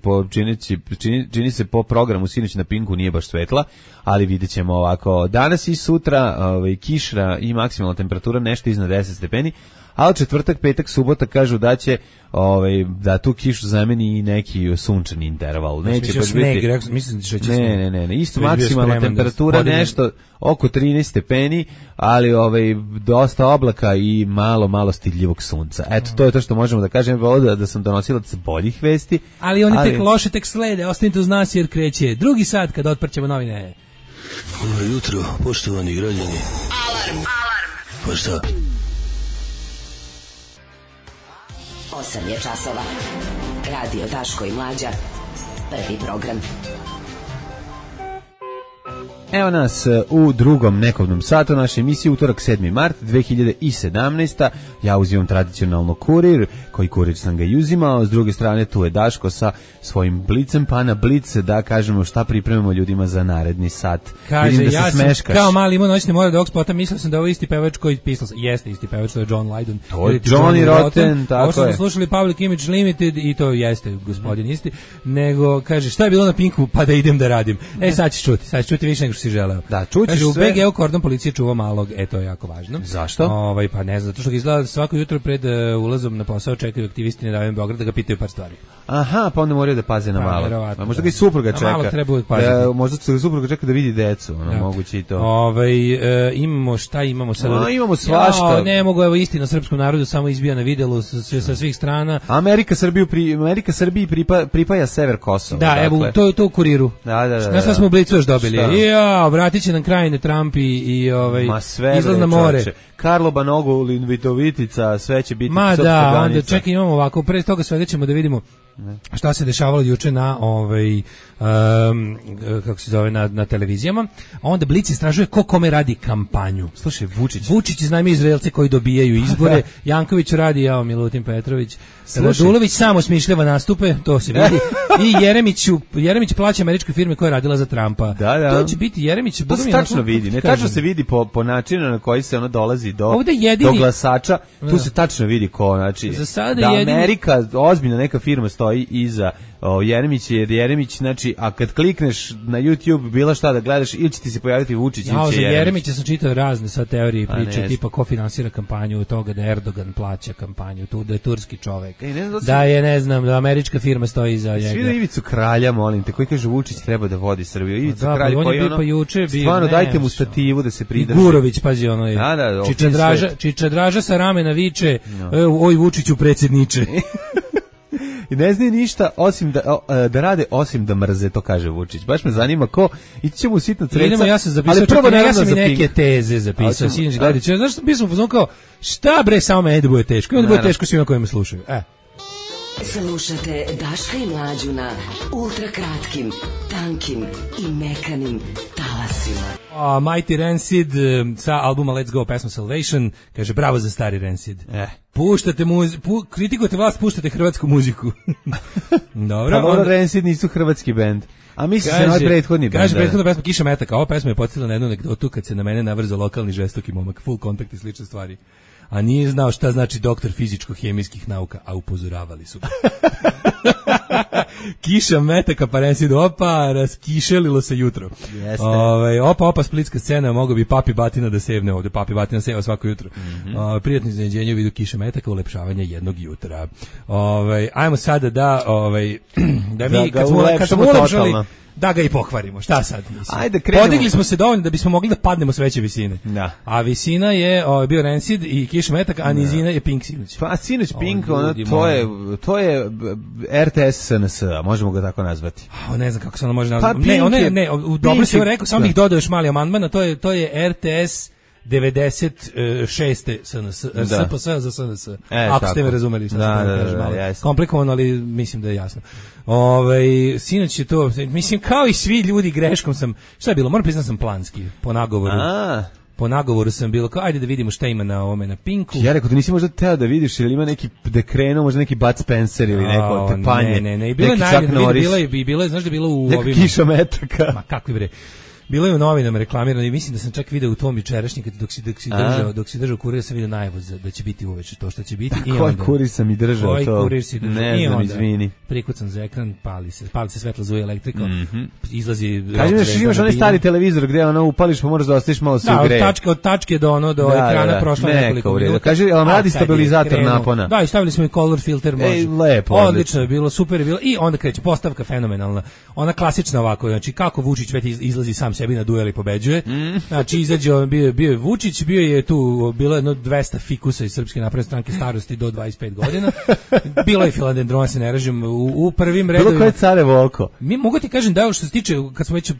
čini se po programu sinoć na Pinku nije baš svetla, ali vidjet ćemo ovako. Danas i sutra kiša i maksimalna temperatura nešto iznad 10 stepeni, a od četvrtak, petak, subota kažu da će da tu kišu zameni i neki sunčani interval. Neće baš biti. Ne. Isto maksimalna temperatura nešto oko 13 stepeni, ali dosta oblaka i malo stidljivog sunca. Eto, to je to što možemo da kažem. Volio da sam donosilac boljih vesti.
Ali oni tek loše tek slede. Ostanite uz nas jer kreće drugi sat kad otprćemo novine.
Dobro jutro, poštovani građani.
Alarm.
Pa šta?
8 je časova. Radio Daško i Mlađa. Prvi program.
Evo nas u drugom nekovnom satu naše emisije, utorak 7. mart 2017. Ja uzimam tradicionalno Kurir, koji Kurir sam ga i uzimao, s druge strane tu je Daško sa svojim blicem, pa na blic da kažemo šta pripremamo ljudima za naredni sat.
Kaže,
Vidim da
ja
se smeškaš.
Kao mali imao noćne more dog spota, mislio sam da ovo isti pevač koji pisao, jeste isti pevač, to je John Lydon.
To je Johnny Rotten, tako
ovo što
je.
Smo slušali Public Image Limited i to jeste gospodin isti, nego kaže šta je bilo na Pinku pa da idem da radim. Sad ćeš čuti više nego što si želeo.
Da, čućiš
sve. U BG-u kordon policije čuva malog, to je jako važno.
Zašto?
Pa ne znam, zato što ga izgleda svako jutro pred ulazom na posao čekaju aktivisti Nedavim Beograd da ga pitaju par stvari.
Aha, pa onda moraju da paze na malo. A možda ga i supruga čeka.
Malo treba uvijek paziti.
Možda se supruga čeka da vidi decu, moguće i to.
Imamo sad?
Imamo svašta.
Ne mogu, evo istina srpskom narodu samo izbija na videlu sa svih strana.
Amerika Srbiji pripaja sever Kosova.
Da, evo, to u Kuriru.
Da.
Znaš šta smo u Blicu još dobili? Ja, vratit će nam krajine Trump i izlaz na more.
Karlo Banogolin, Vitovitica, sve će biti
srpska
granica.
Onda čekaj, imamo ovako, pre toga sve ćemo da vidimo šta se dešavalo juče na kako se zove na televizijama. A onda Blic istražuje ko kome radi kampanju.
Slušaj,
Vučić iznajmi Izraelce koji dobijaju izbore. Janković radi, Milutin Petrović. Radulović samo smišljava nastupe, to se vidi. I Jeremić plaća američkoj firmi koja je radila za Trumpa.
Da.
To će biti Jeremić.
To se tačno vidi. Ne tačno se vidi po načinu na koji se ono dolazi do glasača. Tu se tačno vidi ko, znači da Amerika, ozbiljna neka firma stoji iza Jeremić, jer Jeremić, znači, a kad klikneš na YouTube bilo šta da gledaš, ili će ti se pojaviti Vučić ili će Jeremić.
Jeremića sam čitao razne sad teorije i priče, tipa ko finansira kampanju od toga da Erdogan plaća kampanju, da je turski čovek, da je, ne znam, da američka firma stoji iza njega.
Svi da Ivicu Kralja, molim te, koji kaže Vučić treba da vodi Srbiju. Ivica Kralj koji stvarno dajte mu stativu da se pridrži.
I Gurović, pazi, Čiča Draža sa ramena viče, oj Vučiću predsjedniče.
I ne znaju ništa osim da rade, osim da mrze, to kaže Vučić. Baš me zanima ko, ići ćemo u sitno creca.
Ja sam zapisao, ja sam i neke teze zapisao, sinoć gledajući. Znaš što pismo pozvao kao, šta bre, samo meni da bude teško. I onda bude teško svima koji me slušaju.
Slušate Daška i Mlađu na ultrakratkim, tankim i mekanim talasima.
Mighty Rancid sa albuma Let's Go, pesma Salvation, kaže bravo za stari Rancid. Puštate kritikujete vlast, puštate hrvatsku muziku. Dobro.
Rancid nisu hrvatski bend. A misli se na prethodni bend.
Kaže prethodna pesma Kiša metaka. Ova pesma je podsjetila na jednu anegdotu kad se na mene navrzao lokalni žestoki momak, full kontakt i slične stvari. A nije znao šta znači doktor fizičko-hemijskih nauka, a upozoravali su. Kiša metaka, pa Rancid, raskišelilo se jutro. Opa, splitska scena, mogo bi Papi Batina da sevne ovde. Papi Batina seva svako jutro. Prijatno iznenađenje u vidu kiše metaka, ulepšavanje jednog jutra. Ajmo sada da mi, kad smo ulepšali, da ga i pokvarimo, šta sad?
Ajde, krenemo.
Podigli smo se dovoljno da bismo mogli da padnemo s veće visine.
Da.
A visina je bio Rancid i Kiša metaka, a nizina je Pink sinoć.
Pa sinoć Pink, to je RTS SNS, možemo ga tako nazvati.
Ne znam kako se ono može nazvati. Ne, dobro si joj rekao, samo bih dodao još mali amandman, to je RTS 96. SNS, SPS za SNS. Ako ste me razumeli šta sam kažem, komplikovano, ali mislim da je jasno. Sinoć je to, mislim kao i svi ljudi greškom sam, šta je bilo, moram priznati sam planski, po nagovoru. Po nagovoru sam bilo kao, ajde da vidimo šta ima na ovome na Pinku.
Ja rekao, da nisi možda teo da vidiš, ili ima neki dekrenuo, možda neki Bud Spencer ili neko tepanje.
Ne, i bilo je najbolje, bilo je, znaš da je bilo u
ovim... Kiša metaka.
Ma kakvi bre. bilo je u novinama reklamirano i mislim da sam čak video u tom jučerašnjem dok si držao kurir sam video najavu da će biti uveče to što će biti. I
koji kurir sam i držao to?
Koji kurir si držao?
Ne znam, izvini.
Prikucan za ekran, pali se svetlo, zuje elektrika, izlazi...
Kaži da imaš onaj stari televizor gdje upališ pa moraš da ostaviš malo se ugreje.
Da, od tačke do ekrana prošlo nekoliko minuta.
Kaži, ali radi stabilizator napona.
Da, i stavili smo i color filter, može.
Lepo,
odlično je bilo, super je bilo. I onda kreće postavka fenomenalna. Ona klasična ovako, znači kako Vučić već izlazi sam sebi na duel i pobeđuje. Znači izađe, bio je Vučić, bilo je 200 fikusa iz Srpske napredne stranke starosti do 25 godina. Bilo je filodendron, se ne ražem, u prvim redovima. Bilo
koje carevo oko.
Mogu ti kažem da što se tiče, kad smo već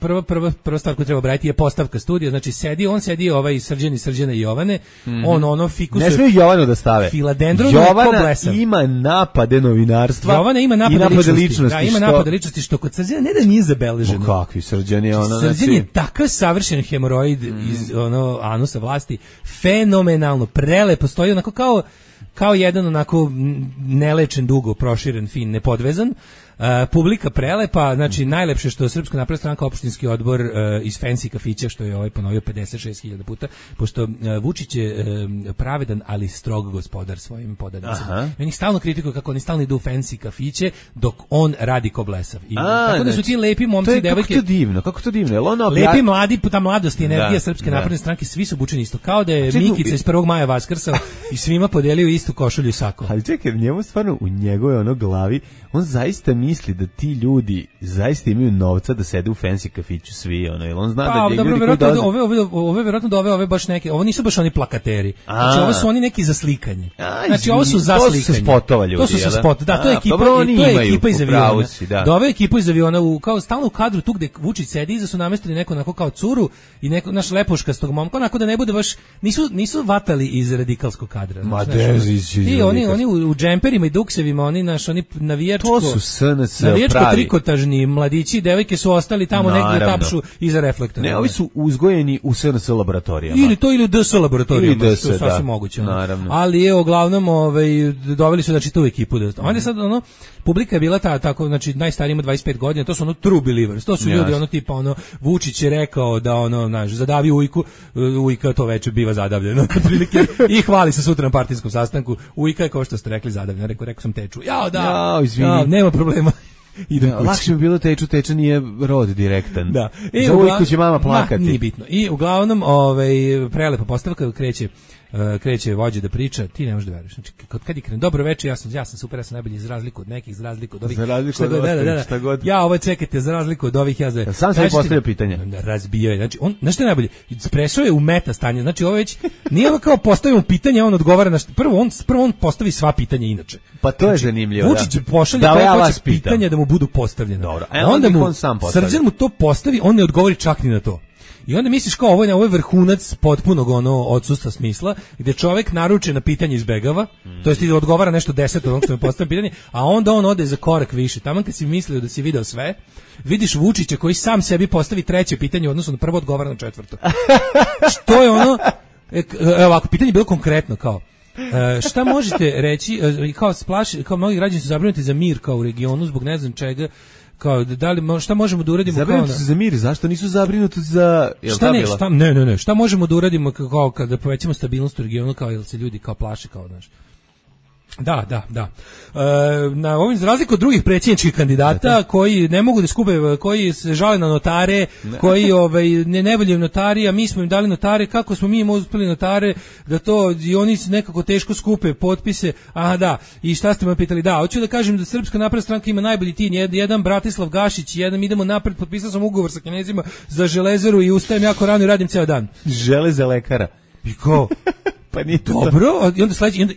prva stvar koju treba obratiti je postavka studija, znači sedi ovaj Srđana i Jovane, ono fikus.
Ne smiju Jovanu da stave.
Filodendron
Jovana ima napade novinarstva.
Jovana ima napade ličnosti. Da, ima napade ličnosti što kod Srđana ne da nije zabeleženo.
Kakvi Srđan je ono.
Srđan je takav savršen hemoroid iz anusa vlasti, fenomenalno, prelepo stoji onako kao jedan onako nelečen, dugo proširen, fin, nepodvezan. Publika prelepa, znači najlepše što je Srpska napredna stranka opštinski odbor iz fancy kafića, što je ponovio 56.000 puta, pošto Vučić je pravedan, ali strog gospodar svojim podanicima. Oni stalno kritikuju kako oni stalno idu u fancy kafiće, dok on radi ko blesav. Tako da su ti lepi momci i devojke...
Kako to divno?
Lepi mladi, ta mladost i energija Srpske napredne stranke, svi su obučeni isto. Kao da je Mikica iz 1. maja vaskrsao i svima podelio istu košulju i sako.
Ali čekaj, njemu stvarno u njegove glavi, on zaista misli da ti ljudi zaista imaju novca da sede u fancy kafiću svi, jer on zna da
ljudi koji dolaze... Ove verovatno da ove baš neke, ovo nisu baš oni plakateri, znači ovo su oni neki za slikanje. Znači ovo su za slikanje.
To su spotova ljudi.
To su spot, da, to je ekipa iz aviona. Da ove ekipa iz aviona, kao stalno u kadru tu gde Vučić sedi, iza su namestili neko onako kao curu i neko naš lepoškastog momka, onako da ne bude baš, nisu vatali iz radikalskog kadra. I oni u džemperima i duksevima, oni navijačko trikotažni mladići i devojke su ostali tamo negdje tapšu iza reflektora.
Ne, ovi su uzgojeni u SNS laboratorijama.
Ili u DS laboratorijama, to je sasvim moguće. Ali uglavnom doveli su znači tu ekipu. Onda sad publika je bila tako, znači najstariji ima 25 godina, to su true believers, to su ljudi tipa Vučić je rekao da zadavi Ujka to veče biva zadavljeno otprilike i hvali se sutra na partijskom sastanku. Ujka je kao što ste rekli zadavljeno, rekao sam teču. Izvini. Nema problema.
Lakše bi bilo teča nije rod direktan. Da. Za Ujku će mama plakati.
Nije bitno. I uglavnom prelepa postavka kreće vođa da priča, ti ne možeš da veruješ. Znači kad je krene dobro veče, ja sam super, ja sam najbolji za razliku od nekih, za razliku od ovih.
Za razliku od šta god.
Ja ovo čekajte, za razliku od ovih
sam sebi postavio pitanje.
Razbijao je. Znači znaš šta je najbolje? Prešao je u meta stanje. Znači ovo već nije kao postavimo pitanje, on odgovara na prvo on postavi sva pitanja inače.
Pa to je zanimljivo.
Vučić pošalje pitanja da mu budu postavljena.
Dobro.
Onda mu Srđan mu to postavi, on ne odgovori čak ni na to. I onda misliš kao ovo je vrhunac potpunog odsustva smisla, gdje čovjek naruče na pitanje izbegava, to jest odgovara nešto 10 od onog što mu postavlja pitanje, a onda on ode za korak više. Tamo kad si mislio da si video sve, vidiš Vučića koji sam sebi postavi treće pitanje u odnosu na prvo, odgovara na četvrto. Što je ovako, pitanje je bilo konkretno kao, šta možete reći, kao mnogi građani su zabrinuti za mir kao u regionu zbog ne znam čega, kao šta možemo da uradimo
zabrinuti su za mir, zašto nisu zabrinuti za
šta možemo da uradimo kao kada povećamo stabilnost u regionu, kao jel se ljudi kao plaše kao Da. Na ovim za razliku od drugih predsjedničkih kandidata koji ne mogu da skupe, koji se žale na notare, koji ne volje notari, a mi smo im dali notare, kako smo mi im uspeli notare da to i oni nekako teško skupe potpise. Aha, da. I šta ste me pitali? Da, hoću da kažem da Srpska napredna stranka ima najbolji tim, jedan Bratislav Gašić, jedan idemo napred, potpisao sam ugovor sa Kinezima za železaru i ustajem jako rano i radim ceo dan.
Železa lekara.
I ko?
Pa nije
dobro,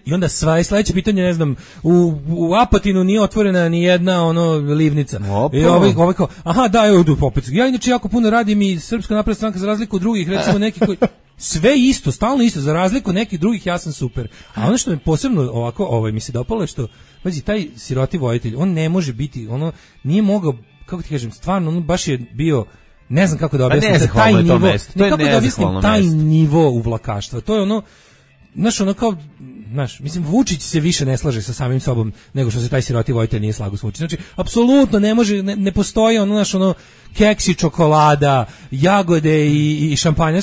i onda sledeće pitanje, ne znam, u Apatinu nije otvorena ni jedna livnica. I ovaj kao, aha, da, evo, opet. Ja inače jako puno radim i Srpska napredna stranka za razliku od drugih, recimo neki koji sve isto, stalno isto, za razliku od nekih drugih ja sam super. A ono što me posebno ovako, mi se dopalo je što, pazi, taj siroti vojitelj, on ne može biti, nije mogao, kako ti kažem, stvarno, on baš je bio, ne znam kako da objasnim taj nivo, kako da objasnim taj nivo uvlakaštva. To je mislim, Vučić se više ne slaže sa samim sobom nego što se taj siroti vojitelj nije slagao s Vučićem. Znači, apsolutno ne može, ne postoji keksi, čokolada, jagode i šampanja,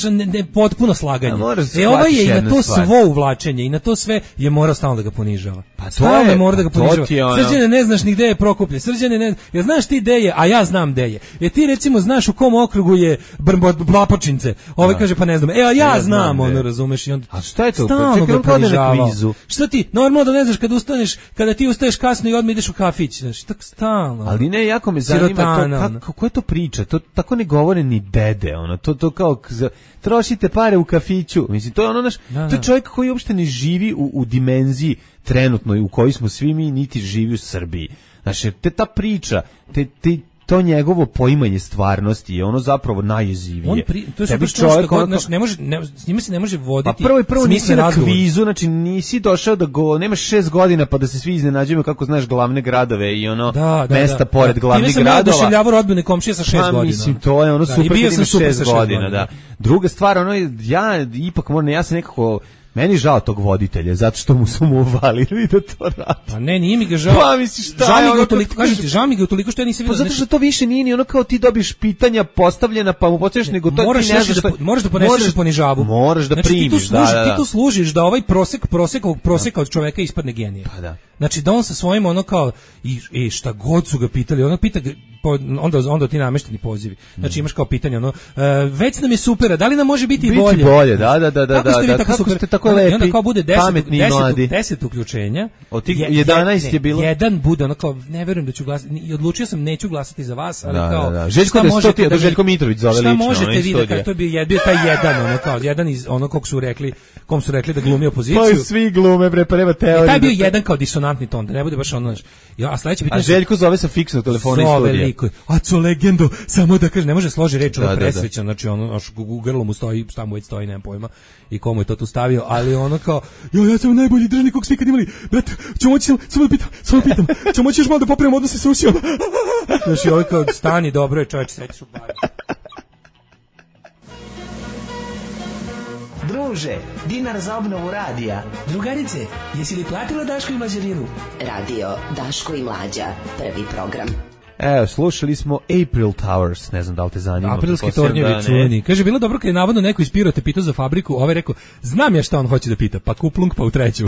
potpuno slaganje. Ovaj je i na to svo uvlačenje i na to sve je morao stalno da ga ponižava.
Pa
stalno je morao da ga ponižava. Srđane, ne znaš ni gde je Prokuplje. Srđane, ne, ja znaš ti gde je, a ja znam gde je. Ti recimo znaš u kom okrugu je Blapočince. Ovaj kaže pa ne znam. A ja znam, ono razumeš i on.
A šta je to?
Stalno ga ponižavao. Šta ti? Normalno da ne znaš kada ti ustaješ kasno i odmah ideš u kafić, znači tako stalno.
Ali ne, jako me zanima to kako je to priča. To tako ne govore ni dede, ono. To kao trošite pare u kafiću. Mislim, to je ono naš, to je čovjek koji uopšte ne živi u dimenziji trenutnoj u kojoj smo svi mi, niti živi u Srbiji. Znači, ta priča, to njegovo poimanje stvarnosti je ono zapravo najjezivije.
To je čovjek ne može, s njime se ne može voditi.
A prvo nisi na kvizu, znači nisi došao da nemaš 6 godina pa da se svi iznenađujemo kako znaš glavne gradove i ono mesta pored glavnih gradova.
Time sam ja oduševljavao rodbine komšije sa 6 godina.
Mislim, to je ono super, i sam 6 godina. Da. Druga stvar, ono ja ipak moram, ja sam nekako, meni žao tog voditelja, zato što su mu uvalili da to radi.
Pa ne, nije mi ga žao.
Pa misliš šta?
Žao mi ga utoliko što ja nisam vidio.
Pa zato što to više nije ni ono kao ti dobiš pitanja postavljena pa mu postaviš, nego to ti ne znaš šta.
Moraš da poneseš ponižavu.
Moraš da primiš,
da. Ti tu služiš da ovaj prosek od čoveka ispadne genije.
Pa da.
Znači da on sa svojim ono kao i šta god su ga pitali, ono pita onda ti namešteni pozivi. Znači imaš kao pitanje ono već nam je super, da li nam može biti bolje?
Biti bolje, da.
Kako ste tako lepi, i onda kao bude 10 uključenja.
Od tih 11 je bilo.
Jedan bude ono kao ne verujem da ću glasati i odlučio sam neću glasati za vas, ali kao
Željko da Željko Mitrović zove lično.
Šta možete vi da to je bio taj jedan ono kao jedan iz ono kom su rekli da glumi opoziciju.
Pa svi glume bre, prema teoriji.
Taj bio jedan kao disonantni ton, da ne bude baš ono. A sledeće pitanje.
A Željko zove sa fiksnog telefona iz studija.
A co legendo, samo da kaže, ne može složi reč, ono presvećan, znači ono, u grlu mu stoji, šta mu već stoji, nemam pojma, i komu je to tu stavio, ali ono kao, ja sam najbolji državnik kog svi kad imali, brate, ću moći, samo pitam, ću moći još malo da popravimo odnose sa Rusijom. Znači, ovo kao, stani, dobro je, čovječ, srećiš u pari.
Druže, dinar za obnovu radija.
Drugarice, jesi li platila Daško i Mlađarinu?
Radio Daško i Mlađa, prvi program.
Evo, slušali smo April Towers, ne znam da li te zanima.
Aprilski tornjevi čuveni. Kaže, bilo dobro kad je navodno neko iz Pirota pitao za fabriku, ovaj rekao, znam ja šta on hoće da pita, pa kuplung pa u treću.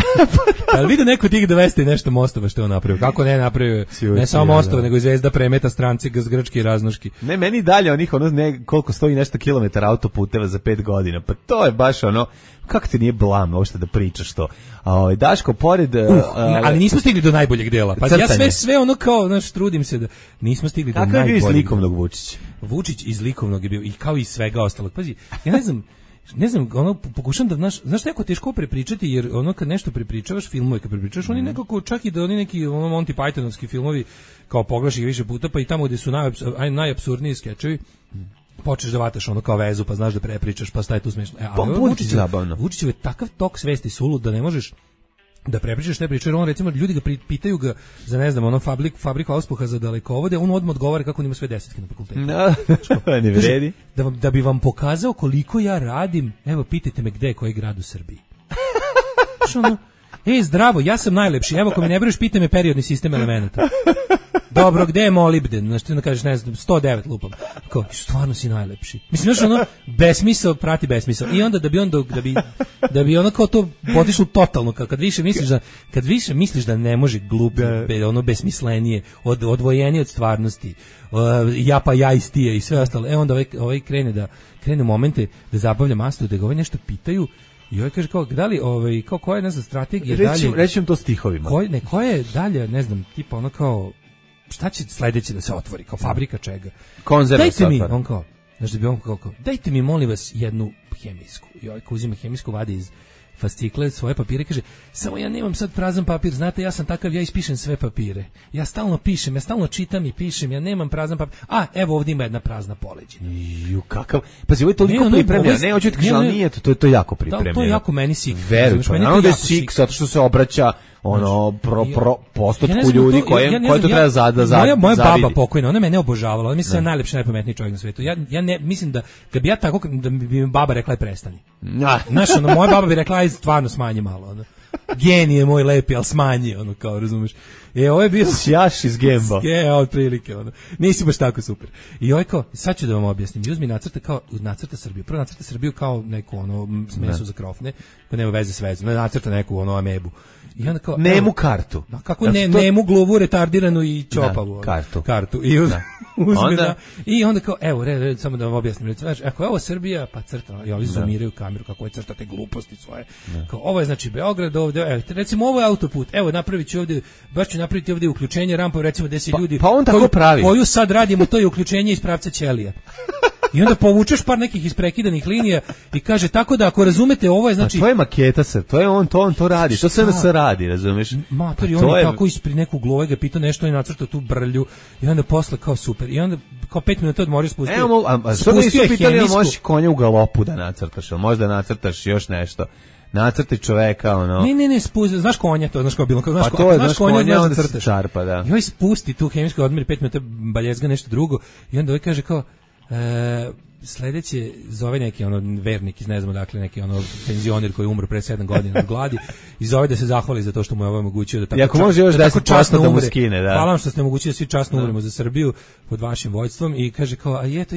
Ali vidi neko tih 200 i nešto mostova što je on napravio. Kako ne napravio? Ne samo mostova, nego i Zvezda premeta stranci, Grčki i raznoški.
Ne, meni dalje onih, koliko stoji nešto kilometara autoputeva za 5 godina. Pa to je baš ono, kako ti nije blam uopšte da pričaš to? Daško, pored...
ali nismo stigli do najboljeg dela. Pa ja sve ono kao, znaš, trudim se da nismo stigli do najboljeg.
Kako je bio iz likovnog Vučića?
Vučić iz likovnog je bio, i kao i svega ostalog. Pazi, ja ne znam, ono, pokušam da, znaš što je jako teško prepričati, jer ono kad nešto prepričavaš, filmove kad prepričavaš, oni nekako, čak i da oni neki Monty Pythonovski filmovi, kao pogledaš ih više puta, pa i tamo gde su najapsurdniji skečevi, počneš da vataš ono kao vezu, pa znaš da prepričaš, pa šta je tu smešno. Vučićev je takav tok svesti sulud da ne možeš da prepričaš ne pričaš, jer on recimo ljudi ga pitaju ga za ne znam ono fabriku auspuha za dalekovode, on odmah odgovara kako on ima sve 10 na fakultetu.
Ne vredi.
Da bi vam pokazao koliko ja radim, evo pitajte me gde je koji grad u Srbiji. Ono, zdravo, ja sam najlepši, evo ako me ne veruješ pitaj me periodni sistem elemenata. Dobro, gde je molibden? Znaš, ti da kažeš, ne znam, 109 lupam. Kao, stvarno si najlepši. Mislim, znaš, ono, besmisao prati besmisao. I onda da bi ono kao to potišlo totalno, kad više misliš da ne može gluplje, ono besmislenije, odvojenije od stvarnosti, ja istije i sve ostalo. Onda ovaj krene momente da zabavlja mastu, da ga ovaj nešto pitaju. I ovaj kaže kao, da li, kao koja je, ne znam, strategija dalje...
Rećem to stihovima.
Koja je dalje, ne znam, tipa ono kao... Šta će sledeće da se otvori, kao fabrika čega?
Konzerva
dajte mi, on kao, znaš da bi on kao, dajte mi molim vas jednu hemijsku. I ovaj ko uzima hemijsku, vadi iz fascikle svoje papire i kaže, samo ja nemam sad prazan papir, znate, ja sam takav, ja ispišem sve papire. Ja stalno pišem, ja stalno čitam i pišem, ja nemam prazan papir. A, evo ovdje ima jedna prazna poleđina.
Kakav, pazi, ovo je toliko pripremljeno, ne, hoću ti kažem, ali nije, to je jako pripremljeno.
To je jako meni sik.
Veruj, naravno da je sik, zato što se obraća postotku ljudi koje to treba zavidi.
Moja baba pokojna, ona mene obožavala, ona mislim da je najlepši, najpametniji čovjek na svijetu. Ja ne mislim da kad bi ja tako, da bi mi baba rekla prestani. Znaš, moja baba bi rekla stvarno smanji malo. genije moj lepi, al smanji, ono, kao, razumeš. Ovo je bio
Sjaš iz Gemba.
Otprilike, ono. Nisi baš tako super. I ovo je kao, sad ću da vam objasnim. Uzmi nacrta Srbiju. Prvo nacrta Srbiju kao neku, ono, smesu za krofne, koja nema veze s vezom. Nacrta neku, ono, amebu. I onda kao,
nemu kartu.
Kako nemu glovu retardiranu i čopavu.
Kartu.
I uzme i onda kao, evo, samo da vam objasnim. Znači, ako je ovo Srbija, pa crta, i ovi zoomiraju kameru, kako je crta te gluposti svoje. Kao, ovo je znači Beograd, ovde, recimo ovo je autoput, evo napravit ću ovde, baš ću napraviti ovde uključenje rampa, recimo gde se ljudi,
pa on tako pravi.
Koju sad radimo, to je uključenje iz pravca Ćelija. I onda povučeš par nekih isprekidanih linija i kaže tako da ako razumete ovo je znači
to je maketa se, to je on to radi, to sve se radi, razumeš?
Matori, on je tako ispred nekog glove ga pitao nešto i nacrtao tu brlju i onda posle kao super i onda kao 5 minuta odmorio spustio.
Evo, a što nisu pitali da možeš konja u galopu da nacrtaš, ili možda nacrtaš još nešto? Nacrti čoveka, ono.
Ne, spusti, znaš konja, to znaš kao bilo,
znaš konja, onda se čarpa, da.
I ovaj spusti tu hemijsku, odmeri 5 minuta, baljezga nešto drugo i onda ovaj kaže kao sledeće zove neki ono vernik iz ne znam dakle neki ono penzioner koji je umro pre 7 godina od gladi i zove da se zahvali za to što mu je ovo omogućio da tako
ako može još 10% da mu skine, da.
Hvala vam što ste omogućili da svi časno umremo za Srbiju pod vašim vođstvom i kaže kao a eto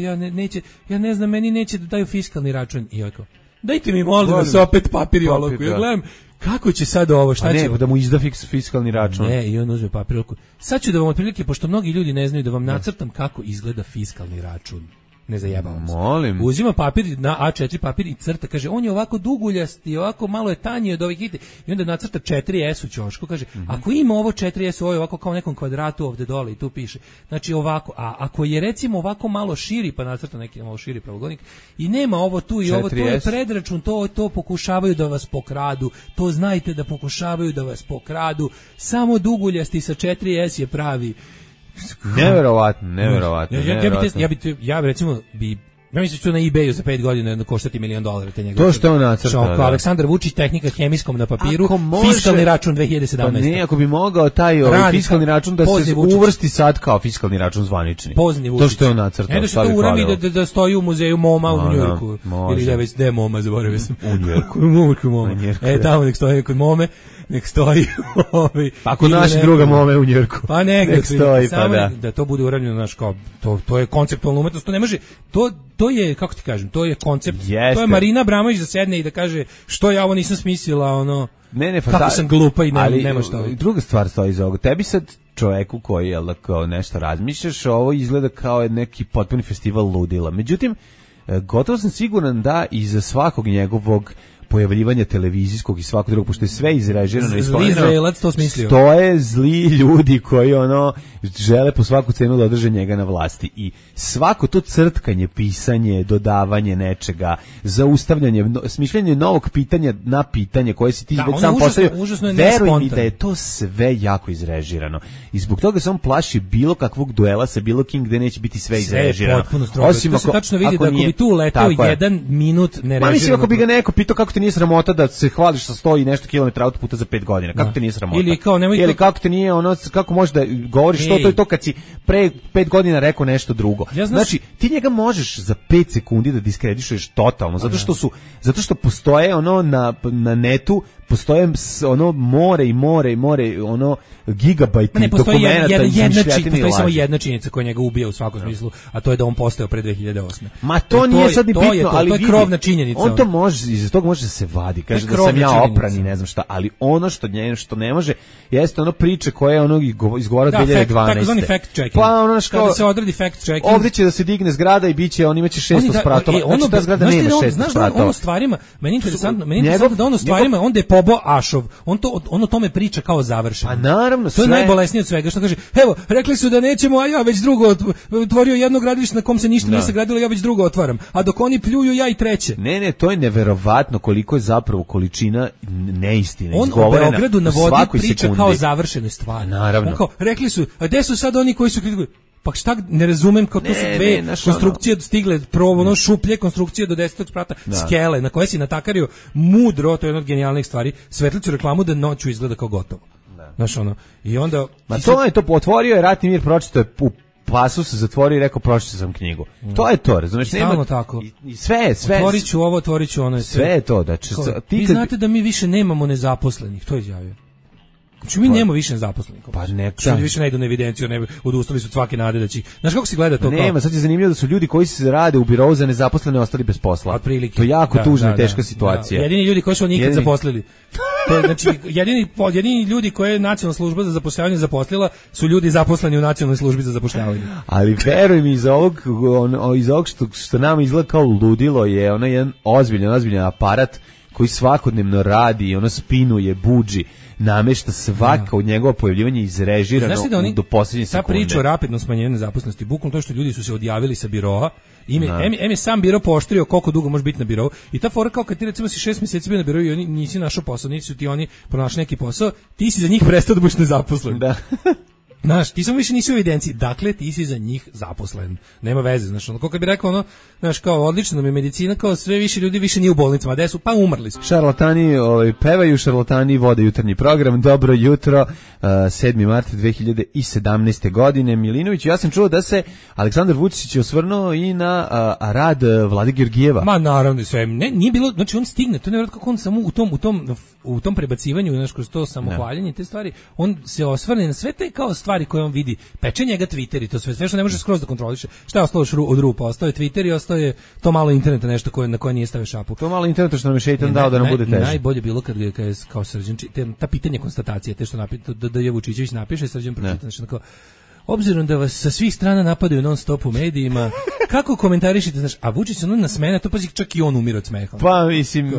ja ne znam meni neće da daju fiskalni račun i ovako dajte mi molim vas opet papir i olovku ja gledam kako će sad ovo, šta će?
Da mu izda fiskalni račun.
Ne, i on uzme papir i olovku. Sad ću da vam otprilike, pošto mnogi ljudi ne znaju da vam nacrtam kako izgleda fiskalni račun. Ne zajebavam se.
Molim.
Uzima papir na A4 papir i crta, kaže, on je ovako duguljast i ovako malo je tanji od ovih ite. I onda nacrta 4S u ćošku, kaže, ako ima ovo 4S, ovo je ovako kao nekom kvadratu ovde dole i tu piše. Znači ovako, a ako je recimo ovako malo širi, pa nacrta neki malo širi pravogolnik i nema ovo tu i 4S. Ovo, to je predračun, to pokušavaju da vas pokradu, to znajte da pokušavaju da vas pokradu, samo duguljasti sa 4S je pravi.
Neverovatno.
Ja recimo ja mislim da ću na eBayu za 5 godina koštati $1 milion te njegove.
To što on nacrta.
Aleksandar Vučić, tehnika hemijskom na papiru, fiskalni račun 2017.
Pa ne, ako bi mogao taj fiskalni račun da se uvrsti sad kao fiskalni račun zvanični. To što je on nacrtao.
Ne da se to urami da stoji u muzeju MoMA u Njujorku. Ili da već de MoMA, zaboravio sam.
U Njujorku.
Tamo nek stoji kod MoMe. Nek stoji
pa kod našeg druga Mome u Njujorku.
Pa nek stoji, pa da to bude uravnjeno, znaš, kao, to je konceptualna umetnost, to ne može, to je, kako ti kažem, to je koncept, to je Marina Abramović da sedne i da kaže, što ja ovo nisam smislila, ono, kako sam glupa i nema šta.
Druga stvar stoji iz ovoga, tebi sad čoveku koji je kao nešto razmišljaš, ovo izgleda kao neki potpuni festival ludila, međutim, gotovo sam siguran da iza svakog njegovog pojavljivanja televizijskog i svakog drugog, pošto je sve izrežirano i stoje zli ljudi koji žele po svaku cenu da održe njega na vlasti i svako to crtkanje, pisanje, dodavanje nečega, zaustavljanje, smišljanje novog pitanja na pitanje koje si ti već sam postavio, veruj mi da je to sve jako izrežirano i zbog toga se on plaši bilo kakvog duela sa bilo kim gde neće biti sve izrežirano.
Osim to se tačno vidi da ako bi tu letao 1 minut nerežirano.
Mislim ako bi ga neko pitao kako te nije sramota da se hvališ sa 100 i nešto kilometara autoputa za 5 godina. Kako te nije sramota? Ili kako te nije kako možeš da govoriš to je to kad si pre 5 godina rekao nešto drugo. Znači, ti njega možeš za 5 sekundi da diskredituješ totalno, zato što postoje na netu postoje more gigabajti dokumenta i izmišljatine.
Postoji samo jedna činjenica koja njega ubija u svakom smislu, a to je da on postao pre 2008.
Ma to nije sad ni bitno, ali
to je krovna činjenica.
On to može, iz tog može da se vadi, kaže da sam ja opran i ne znam šta, ali ono što ne može jeste priče koje izgovara 2012.
Takozvani fact checking.
Pa
kada se odradi fact checking.
Ovdje će da se digne zgrada i biće, on imaće 600 spratova. Znači ta zgrada nema 600 spratova.
Ono stvarima, meni interesantno da ono stvarima, onda je Pobo Ašov, on o tome priča kao završeno.
A naravno,
to je najbolesnije od svega, što kaže, evo, rekli su da nećemo, a ja već drugo otvorio jedno gradilište na kom se ništa nije sagradilo, ja već drugo otvaram. A dok oni pljuju, ja i treće.
Ne, to je neverovatno koliko je zapravo količina neistine
izgovorena. On o Beogradu na vodi priča kao završene stvari.
Naravno.
Kao, rekli su, a gde su sad oni koji su kritikuju? Pa šta, ne razumem, kao to su dve konstrukcije stigle, šuplje konstrukcije do 10. sprata, skele, na koje si natakario mudro, to je jedna od genijalnih stvari, svetlicu reklamu da noću izgleda kao gotovo. Znaš, i onda...
Ma to je to, otvorio je Ratni mir, pročito je pasus zatvorio i rekao pročitao sam knjigu. To je to, razumeš?
Stalno tako.
I sve.
Otvorić ću ono.
Sve je to, znači
vi znate da mi više nemamo nezaposlenih, to je izjavio. Znači mi nemamo više nezaposlenih.
Pa ne,
ljudi više ne idu na evidenciju, ne odustali su od svake nade da će. Znaš kako se gleda to?
Nema, sad je zanimljivo da su ljudi koji se rade u birou za nezaposlene ostali bez posla.
Otprilike.
To je jako tužna i teška situacija.
Jedini ljudi koji su nikad zaposlili. To je, znači jedini ljudi koje je Nacionalna služba za zapošljavanje zaposlila su ljudi zaposleni u Nacionalnoj službi za zapošljavanje.
Ali veruj mi, iz ovog što nam izgleda kao ludilo je onaj jedan ozbiljan aparat koji svakodnevno radi, ono spinuje, budži, namešta svaka od njegova pojavljivanja izrežirano do posljednje sekunde.
Ta priča o rapidnom smanjenju nezaposlenosti, bukvalno to što ljudi su se odjavili sa biroa, je sam biro pooštrio koliko dugo može biti na birou i ta fora kao kad ti recimo si 6 mjeseci bio na birou i oni nisi našao posao, nisi ti oni pronašli neki posao, ti si za njih prestao da budeš nezaposlen.
Da.
Znaš, ti samo više nisi u evidenciji, dakle ti si za njih zaposlen. Nema veze, znaš, ono, kako bi rekao ono, znaš, kao odlično nam je medicina, kao sve više ljudi više nije u bolnicama, gde su, pa umrli su.
Šarlatani pevaju, šarlatani vode jutarnji program, dobro jutro, 7. mart 2017. godine. Milinović, ja sam čuo da se Aleksandar Vučić osvrnuo i na rad Vlade Georgijeva.
Ma naravno, sve, nije bilo, znači on stigne, to ne vjerojatno kako on samo u tom prebacivanju, znaš, kroz to samohvaljenje, te stvari, on se osvrne na sve te kao stvari koje on vidi, peče njega Twitter i to sve što ne može skroz da kontroliše. Šta je ostalo od rupa? Ostao je Twitter i ostao je to malo interneta nešto na koje nije stavio šapu.
To malo interneta što nam je šeitan dao da nam bude teže.
Najbolje bilo kad je kao Srđan, ta pitanje konstatacije, te što da je Vučićević napiše, Srđan pročita, znači kao obzirom da vas sa svih strana napadaju non stop u medijima, kako komentarišite, znaš, a Vučić se na smene, to pazi čak i on umire od smeha.
Pa mislim,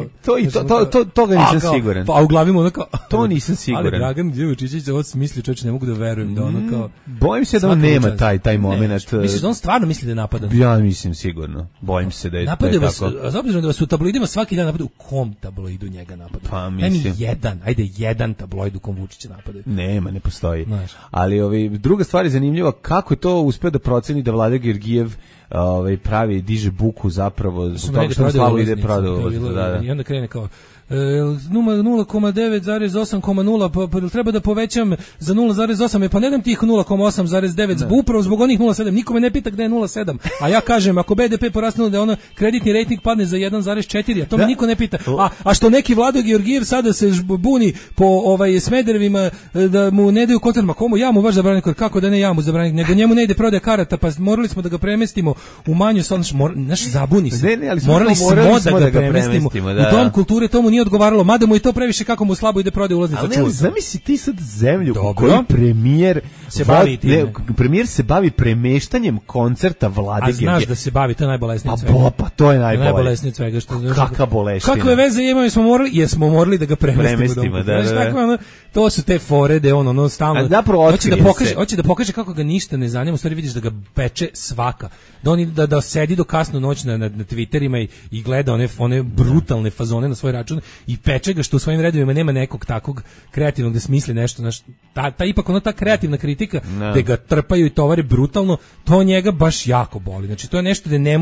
toga nisam siguran.
Pa u glavi mu ono kao,
to nisam siguran.
Ali Dragan Vučićević ovo misli, čovječe, ne mogu da verujem da ono kao.
Bojim se da on nema taj moment.
Misliš da on stvarno misli da je napadan?
Ja mislim sigurno. Bojim se da je tako.
Napadaju vas, obzirom da vas u tabloidima svaki dan napadaju, u kom tabloidu njega napadaju?
Pa mislim.
Jedan tabloid u kom Vučića napadaju.
Nema, ne postoji. Ali druga stvar je zanimljiva, kako je to uspeo da proceni da Vlada Georgijev pravi, diže buku zapravo zbog toga što Slavu ide prodao.
I onda krene kao 0,9,8,0 pa treba da povećam za 0,8, pa ne dam tih 0,8,9 upravo zbog onih 0,7, nikome ne pita gde je 0,7, a ja kažem ako BDP porasne da ono kreditni rejting padne za 1,4, a to me niko ne pita, a što neki Vlado Georgijev sada se buni po Smederevima da mu ne daju koncert, ma komu ja mu baš zabraniti, kako da ne ja mu zabraniti, nego njemu ne ide prodaja karata, pa morali smo da ga premestimo u manju, naš zabuni se, morali smo da ga premestimo u dom kulture, tomu nije odgovaralo, mada mu i to previše kako mu slabo ide prodaja ulaznica.
Ali zamisli ti sad zemlju u kojoj premijer se bavi premeštanjem koncerta Vlade Georgijeva.
A znaš da se bavi, to je najbolesnije od svega.
Pa to je
najbolesnije od svega.
Kakva boleština.
Kakve veze imamo, smo morali da ga premestimo.
Da.
To su te fore da on stalno hoće da pokaže kako ga ništa ne zanima, u stvari vidiš da ga peče svaka. Da sedi do kasno noć na Twitterima i gleda one brutalne fazone na svoj račun i peče ga što u svojim redovima nema nekog takvog kreativnog da smisli nešto, ipak ta kreativna kritika da ga trpaju i tovare brutalno, to njega baš jako boli. Znači to je nešto da ne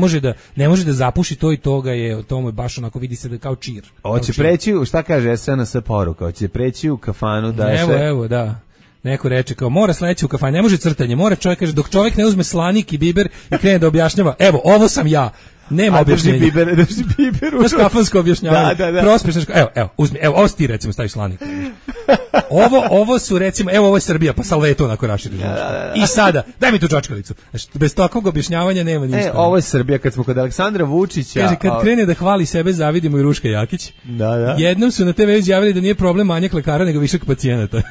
može da zapuši to i toga je, to mu je baš onako vidi se da kao čir.
Hoće preći, šta kaže SNS poruka, hoće preći u kafanu da je
Evo, da. Neko reče kao mora sledeći u kafanu, ne može crtanje, mora čovjek, kaže dok čovjek ne uzme slanik i biber i krene da objašnjava, evo, ovo sam ja. Nema objašnjenja.
Drži biber.
Znaš kafansko objašnjavanje.
Da.
Prospješno, evo, uzmi, evo, ovo ti recimo staviš slanik. Ovo su recimo, evo ovo je Srbija, pa salveto onako raširi. I sada, daj mi tu čačkalicu. Bez takvog objašnjavanja nema ništa.
Ovo je Srbija, kad smo kod Aleksandra Vučića.
Kaže, kad krene da hvali sebe, zavidimo i Ruška Jakić.
Da.
Jednom su na TV izjavili da nije problem manjak lekara, nego višak pacijenata.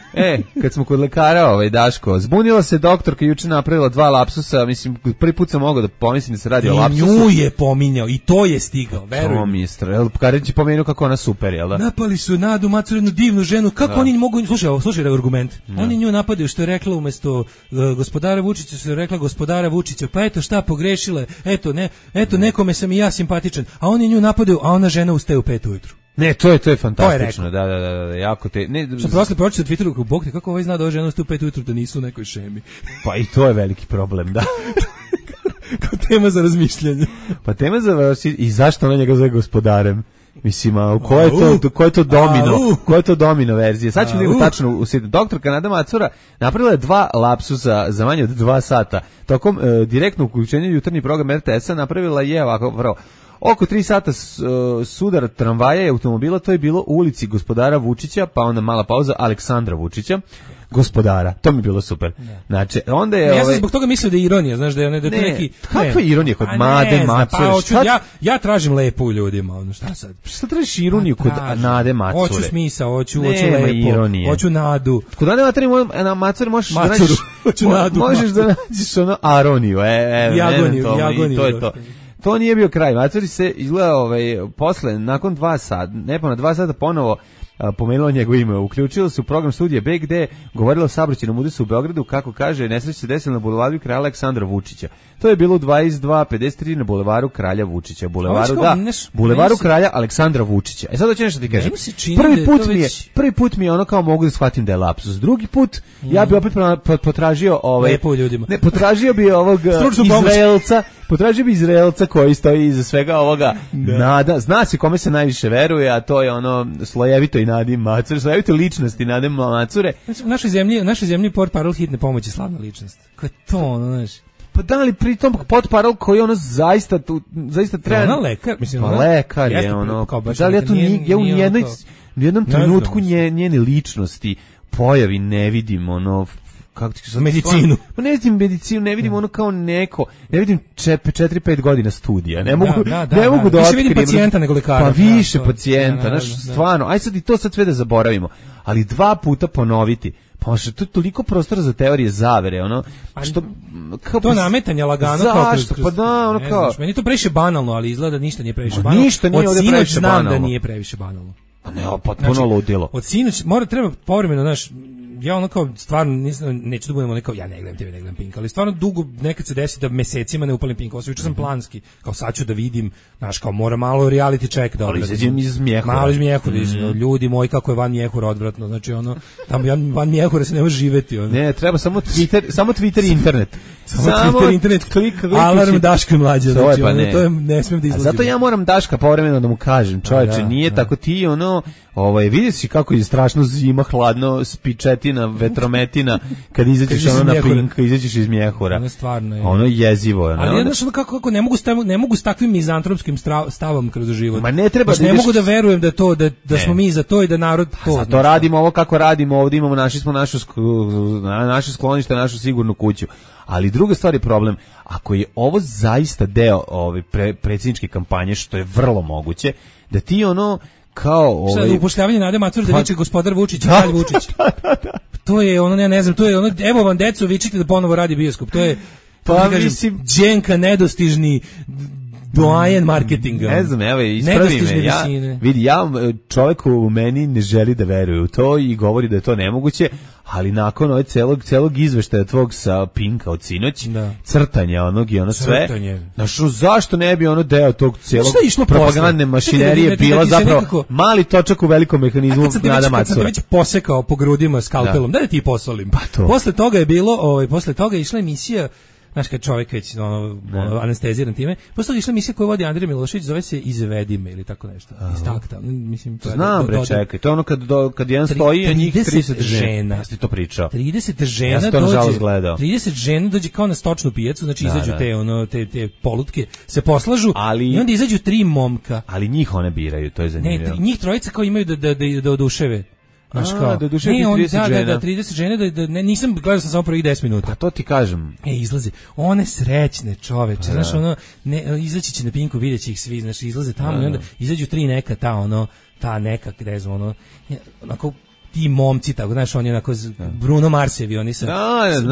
Kad smo kod lekara, Daško, zbunila se doktorka, juče napravila 2 lapsusa, mislim, prvi put sam mogao da pomislim da se radi o lapsusu.
Nju je pominjao i to je stigao, verujem.
To mi je Karić je pomenuo kako ona super, jel da?
Napali su Nadu Macuru, jednu divnu ženu, kako oni mogu, slušaj argument, oni nju napadaju što je rekla umjesto gospodara Vučića, što je rekla gospodara Vučića, pa eto šta pogrešile, eto nekome sam i ja simpatičan, a oni nju napadaju, a ona žena ustaje u 5 ujutru.
Ne, to je fantastično, da, jako te...
Što prošli pročite u Twitteru, bog te, kako ovaj zna da ova žena ustaje u 5 ujutru da nisu u nekoj šemi.
Pa i to je veliki problem, da.
Kao tema za razmišljanje.
Pa tema za i zašto ona njega zove gospodarem? Mislim, a ko je to domino? Ko je to domino verzija? Sad ćemo vidjeti tačno. Doktorka Nada Macura napravila je 2 lapsusa za manje od 2 sata. Tokom direktnog uključenja jutarnji program RTS-a napravila je ovako prvo. Oko 3 sata sudar tramvaja i automobila, to je bilo u ulici gospodara Vučića, pa onda mala pauza Aleksandra Vučića. Gospodara, to mi je bilo super. Znači, onda je
ja sam zbog toga mislio da je ironija, znaš da je to neki
kakva ironija kod Nade Macure?
Ja tražim lepo u ljudima, ono šta sad?
Šta tražiš ironiju kod Nade Macure?
Hoću smisao, hoću lepo, hoću nadu.
Kod Nade Macure možeš da nađeš možeš da nađeš ono aroniju,
jagoniju,
to je to. To nije bio kraj. Macuri se izgleda posle, nakon 2 sata, nepona 2 sata ponovo pomenuo njegovo ime. Uključilo se u program studija B gde govorilo o saobraćajnom udesu u Beogradu, kako kaže, nesreća se desila na bulevaru kralja Aleksandra Vučića. To je bilo u 22:53 na bulevaru kralja Vučića. Bulevaru kralja Aleksandra Vučića. E sad hoćeš nešto ti kažem. Prvi put mi je ono kao mogu da shvatim da je lapsus. Drugi put ja bih opet potražio
lepo ljudima.
Ne, potražio bi ovog Izraelca. Potražio bi Izraelca koji stoji iza svega ovoga. Nada, zna se kome se najviše veruje, a to je ono slojevito i Nadi Macure, slojevito ličnosti Nade Macure.
U našoj zemlji portparol hitne pomoći slavna ličnost. Ko je to, ono, znaš?
Pa da li pritom portparol koji ono zaista treba...
Ona lekar, mislim.
Pa lekar je ono. Da li ja u jednom trenutku njene ličnosti pojavi ne vidim ono... kako ti kažem,
medicinu.
Pa ne vidim medicinu, ne vidim ono kao neko, ne vidim 4-5 godina studija. Ne mogu da otkrijem.
Više vidim pacijenta nego lekara.
Pa više pacijenta, znaš, stvarno. Aj sad i to sad sve da zaboravimo. Ali 2 puta ponoviti. Pa što to je toliko prostora za teorije zavere, ono, što
kao to nametanje lagano
kao kroz, pa da, ono kao.
Meni to previše banalno, ali izgleda ništa nije previše banalno.
Ništa nije ovdje previše
banalno.
Znam
da nije previše banalno.
Pa ne, potpuno ludilo.
Od sinoć treba povremeno, znaš, ja ono kao stvarno neću da budemo nekao, ja ne gledam TV, ne gledam Pink, ali stvarno dugo nekad se desi da mesecima ne upalim Pink, juče sam planski, kao sad ću da vidim, znaš, kao mora malo reality check da
izađem iz Mjehura.
Malo iz Mjehura, ljudi moji kako je van Mjehura odvratno, znači ono, tamo van Mjehura se ne može živeti. Ono.
Ne, treba samo Twitter i internet.
Samo Twitter, internet, klik, alarm Daško i Mlađa, znači ono, to je, ne smijem da izlazim.
Zato ja moram Daška povremeno da mu kažem, čovječe, nije tako ti, ono, vidi si kako je strašno zima, hladno, spičetina, vetrometina, kad izađeš ono na Pink, izađeš iz Mjehura.
Ono stvarno je.
Ono jezivo je.
Ali znaš, kako ne mogu s takvim mizantropskim stavom kroz život.
Ma ne treba
ne mogu da verujem da smo mi za to i da narod to.
Zato radimo ovo kako radimo, ovdje imamo naše sklonište, našu sigurnu kuću. Ali druga stvar je problem, ako je ovo zaista deo predsjedničke kampanje, što je vrlo moguće, da ti ono kao
šta je upošljavanje Nade Macure da viče gospodar Vučić i kralj Vučić. To je ono, ja ne znam, to je ono, evo vam deco, vičite da ponovo radi bioskop. To je,
pa mislim,
Đenka nedostižni doajen marketinga.
Ne znam, evo, ispravi me. Vidi, čovjek u meni ne želi da veruje u to i govori da je to nemoguće, ali nakon ove celog izveštaja tvog sa Pinka od sinoć, crtanja onog i ono sve, znaš, zašto ne bi ono deo tog celog propagandne mašinerije bila zapravo mali točak u velikom mehanizmu Nada Macure.
Kad sam već posekao po grudima skalpelom, da ti posolim. Posle toga je bilo, posle toga je išla emisija, znaš, kad čovjek već anesteziran time, posle toga išla emisija koju vodi Andrija Milošević, zove se Izvedi me ili tako nešto. Iz takta. Mislim,
znam, bre, čekaj, to je ono kad jedan stoji, a njih 30 žena. Ja ti to pričao.
30 žena
ja to nažalost gledao.
30 žena dođe kao na stočnu pijacu, znači izađu te polutke, se poslažu i onda izađu 3 momka.
Ali njih one biraju, to je zanimljivo.
Ne, njih trojica kao imaju da oduševe.
Da duše 30 žena.
Da, 30 žena, nisam gledao sam samo prvih 10 minuta.
Pa to ti kažem.
Izlaze, one srećne čoveče, znaš, ono, izaći će na Pinku, vidjet će ih svi, znaš, izlaze tamo i onda izađu 3 neka, ta neka, ne znam, ono, onako, ti momci, tako, znaš, oni onako, Bruno Marsevi, oni sa,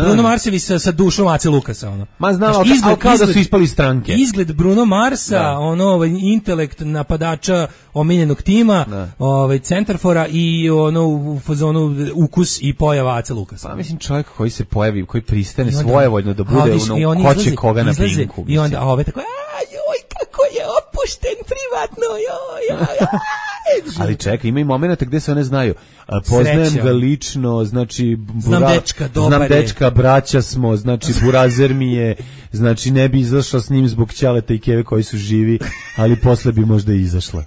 Bruno Marsevi sa dušom Ace Lukasa, ono.
Ma znam, ali kao da su ispali stranke.
Izgled Bruno Marsa, ono, intelekt napadača omiljenog tima, centarfora i ono, u fazonu ukus i pojava Ace Lukasa.
Pa mislim, čovjek koji se pojavi, koji pristane svojevoljno da bude ono, ko će koga na Pinku.
I onda, ove tako, joj, kako je opušten privatno, joj.
Ali čekaj, ima i momenata gde se one znaju. Poznajem ga lično, znači
znam
dečka, braća smo, znači burazer mi je, znači ne bi izašla s njim zbog ćaleta i keve koji su živi, ali posle bi možda izašla.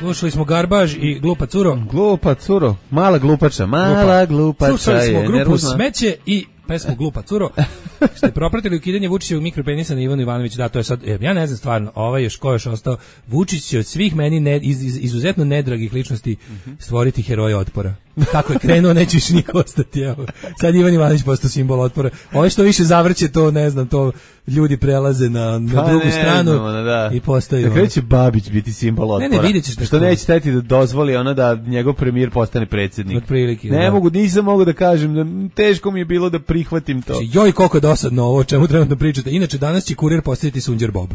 Slušali smo Garbaž i Glupa curo.
Glupa curo, mala glupača, mala glupača.
Slušali smo
je
grupu
nervozna.
Smeće i pesmu Glupa curo. Ste propratili ukidanje Vučićevog mikropenisa na Ivanu Ivanović, da, to je sad, ja ne znam stvarno, ovaj još ko još ostao, Vučić će od svih meni izuzetno nedragih ličnosti stvoriti heroja otpora. Kako je krenuo, neće više niko ostati, evo. Sad Ivan Ivanović postao simbol otpora. Ovo što više zavrće, to ne znam, to ljudi prelaze na drugu stranu i postaju.
Na kraju će Babić biti simbol otpora.
Ne, vidjet ćeš.
Što neće teti da dozvoli ono da njegov premijer postane predsjednik.
Otprilike.
Nisam mogu da kažem, da teško mi je bilo da prihvatim to.
Joj, koliko je dosadno ovo, o čemu trebamo da pričate. Inače, danas će kurir postaviti Sunđer Bob.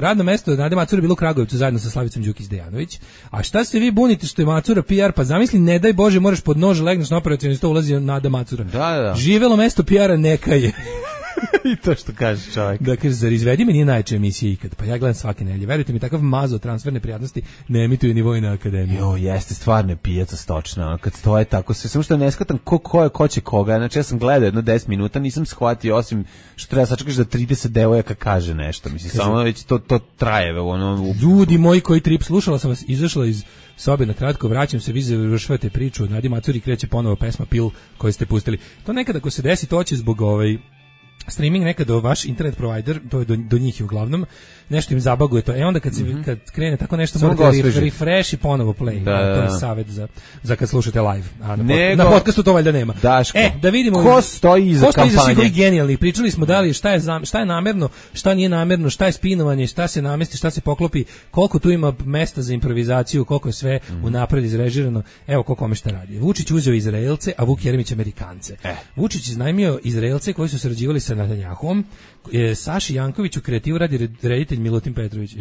Radno mesto Nade Macura bilo u Kragujevcu zajedno sa Slavicom Đukić-Dejanović. A šta se vi bunite što je Macura PR? Pa zamisli, ne daj Bože, moraš pod nož legneš na operacioni sto, ulazi Nada Macura.
Da.
Živelo mesto PR-a neka je.
I to što kaže čovjek.
Da kaže, zar izvedi mi nije najjača emisija ikad? Pa ja gledam svake nedelje. Verujte mi, takav mazo transferne prijatnosti ne emituje ni Vojna akademija.
Jo, jeste stvarno pijaca stočna. Kad stoje tako sve, samo što ne shvatam ko će koga. Znači ja sam gledao jedno 10 minuta, nisam shvatio osim što treba sačekaš da 30 devojaka kaže nešto. Mislim, samo već to traje.
Ljudi moji koji trip, slušala sam vas, izašla iz sobe na kratko, vraćam se, vi završavate priču, Nadi Macuri kreće ponovo pesma Pil koju ste pustili. To nekada ako se desi, to će zbog streaming nekada vaš internet provider, to je do njih i uglavnom, nešto im zabaguje to. Onda kad krene tako nešto, morate refresh i ponovo play. To je savjet za kad slušate live. A na podcastu to valjda nema.
Daško,
da vidimo
ko stoji iza kampanje.
Svih ovih genijalnih. Pričali smo da li šta je namerno, šta nije namerno, šta je spinovanje, šta se namesti, šta se poklopi, koliko tu ima mesta za improvizaciju, koliko je sve unapred izrežirano. Evo ko kome šta radi. Vučić uzeo Izraelce, a Vuk Jeremić Amerikance. Vučić iznajmio Izraelce koji su sarađivali sa Netanjahom, Saši Jankoviću kreativu radi reditelj Milutin Petrović.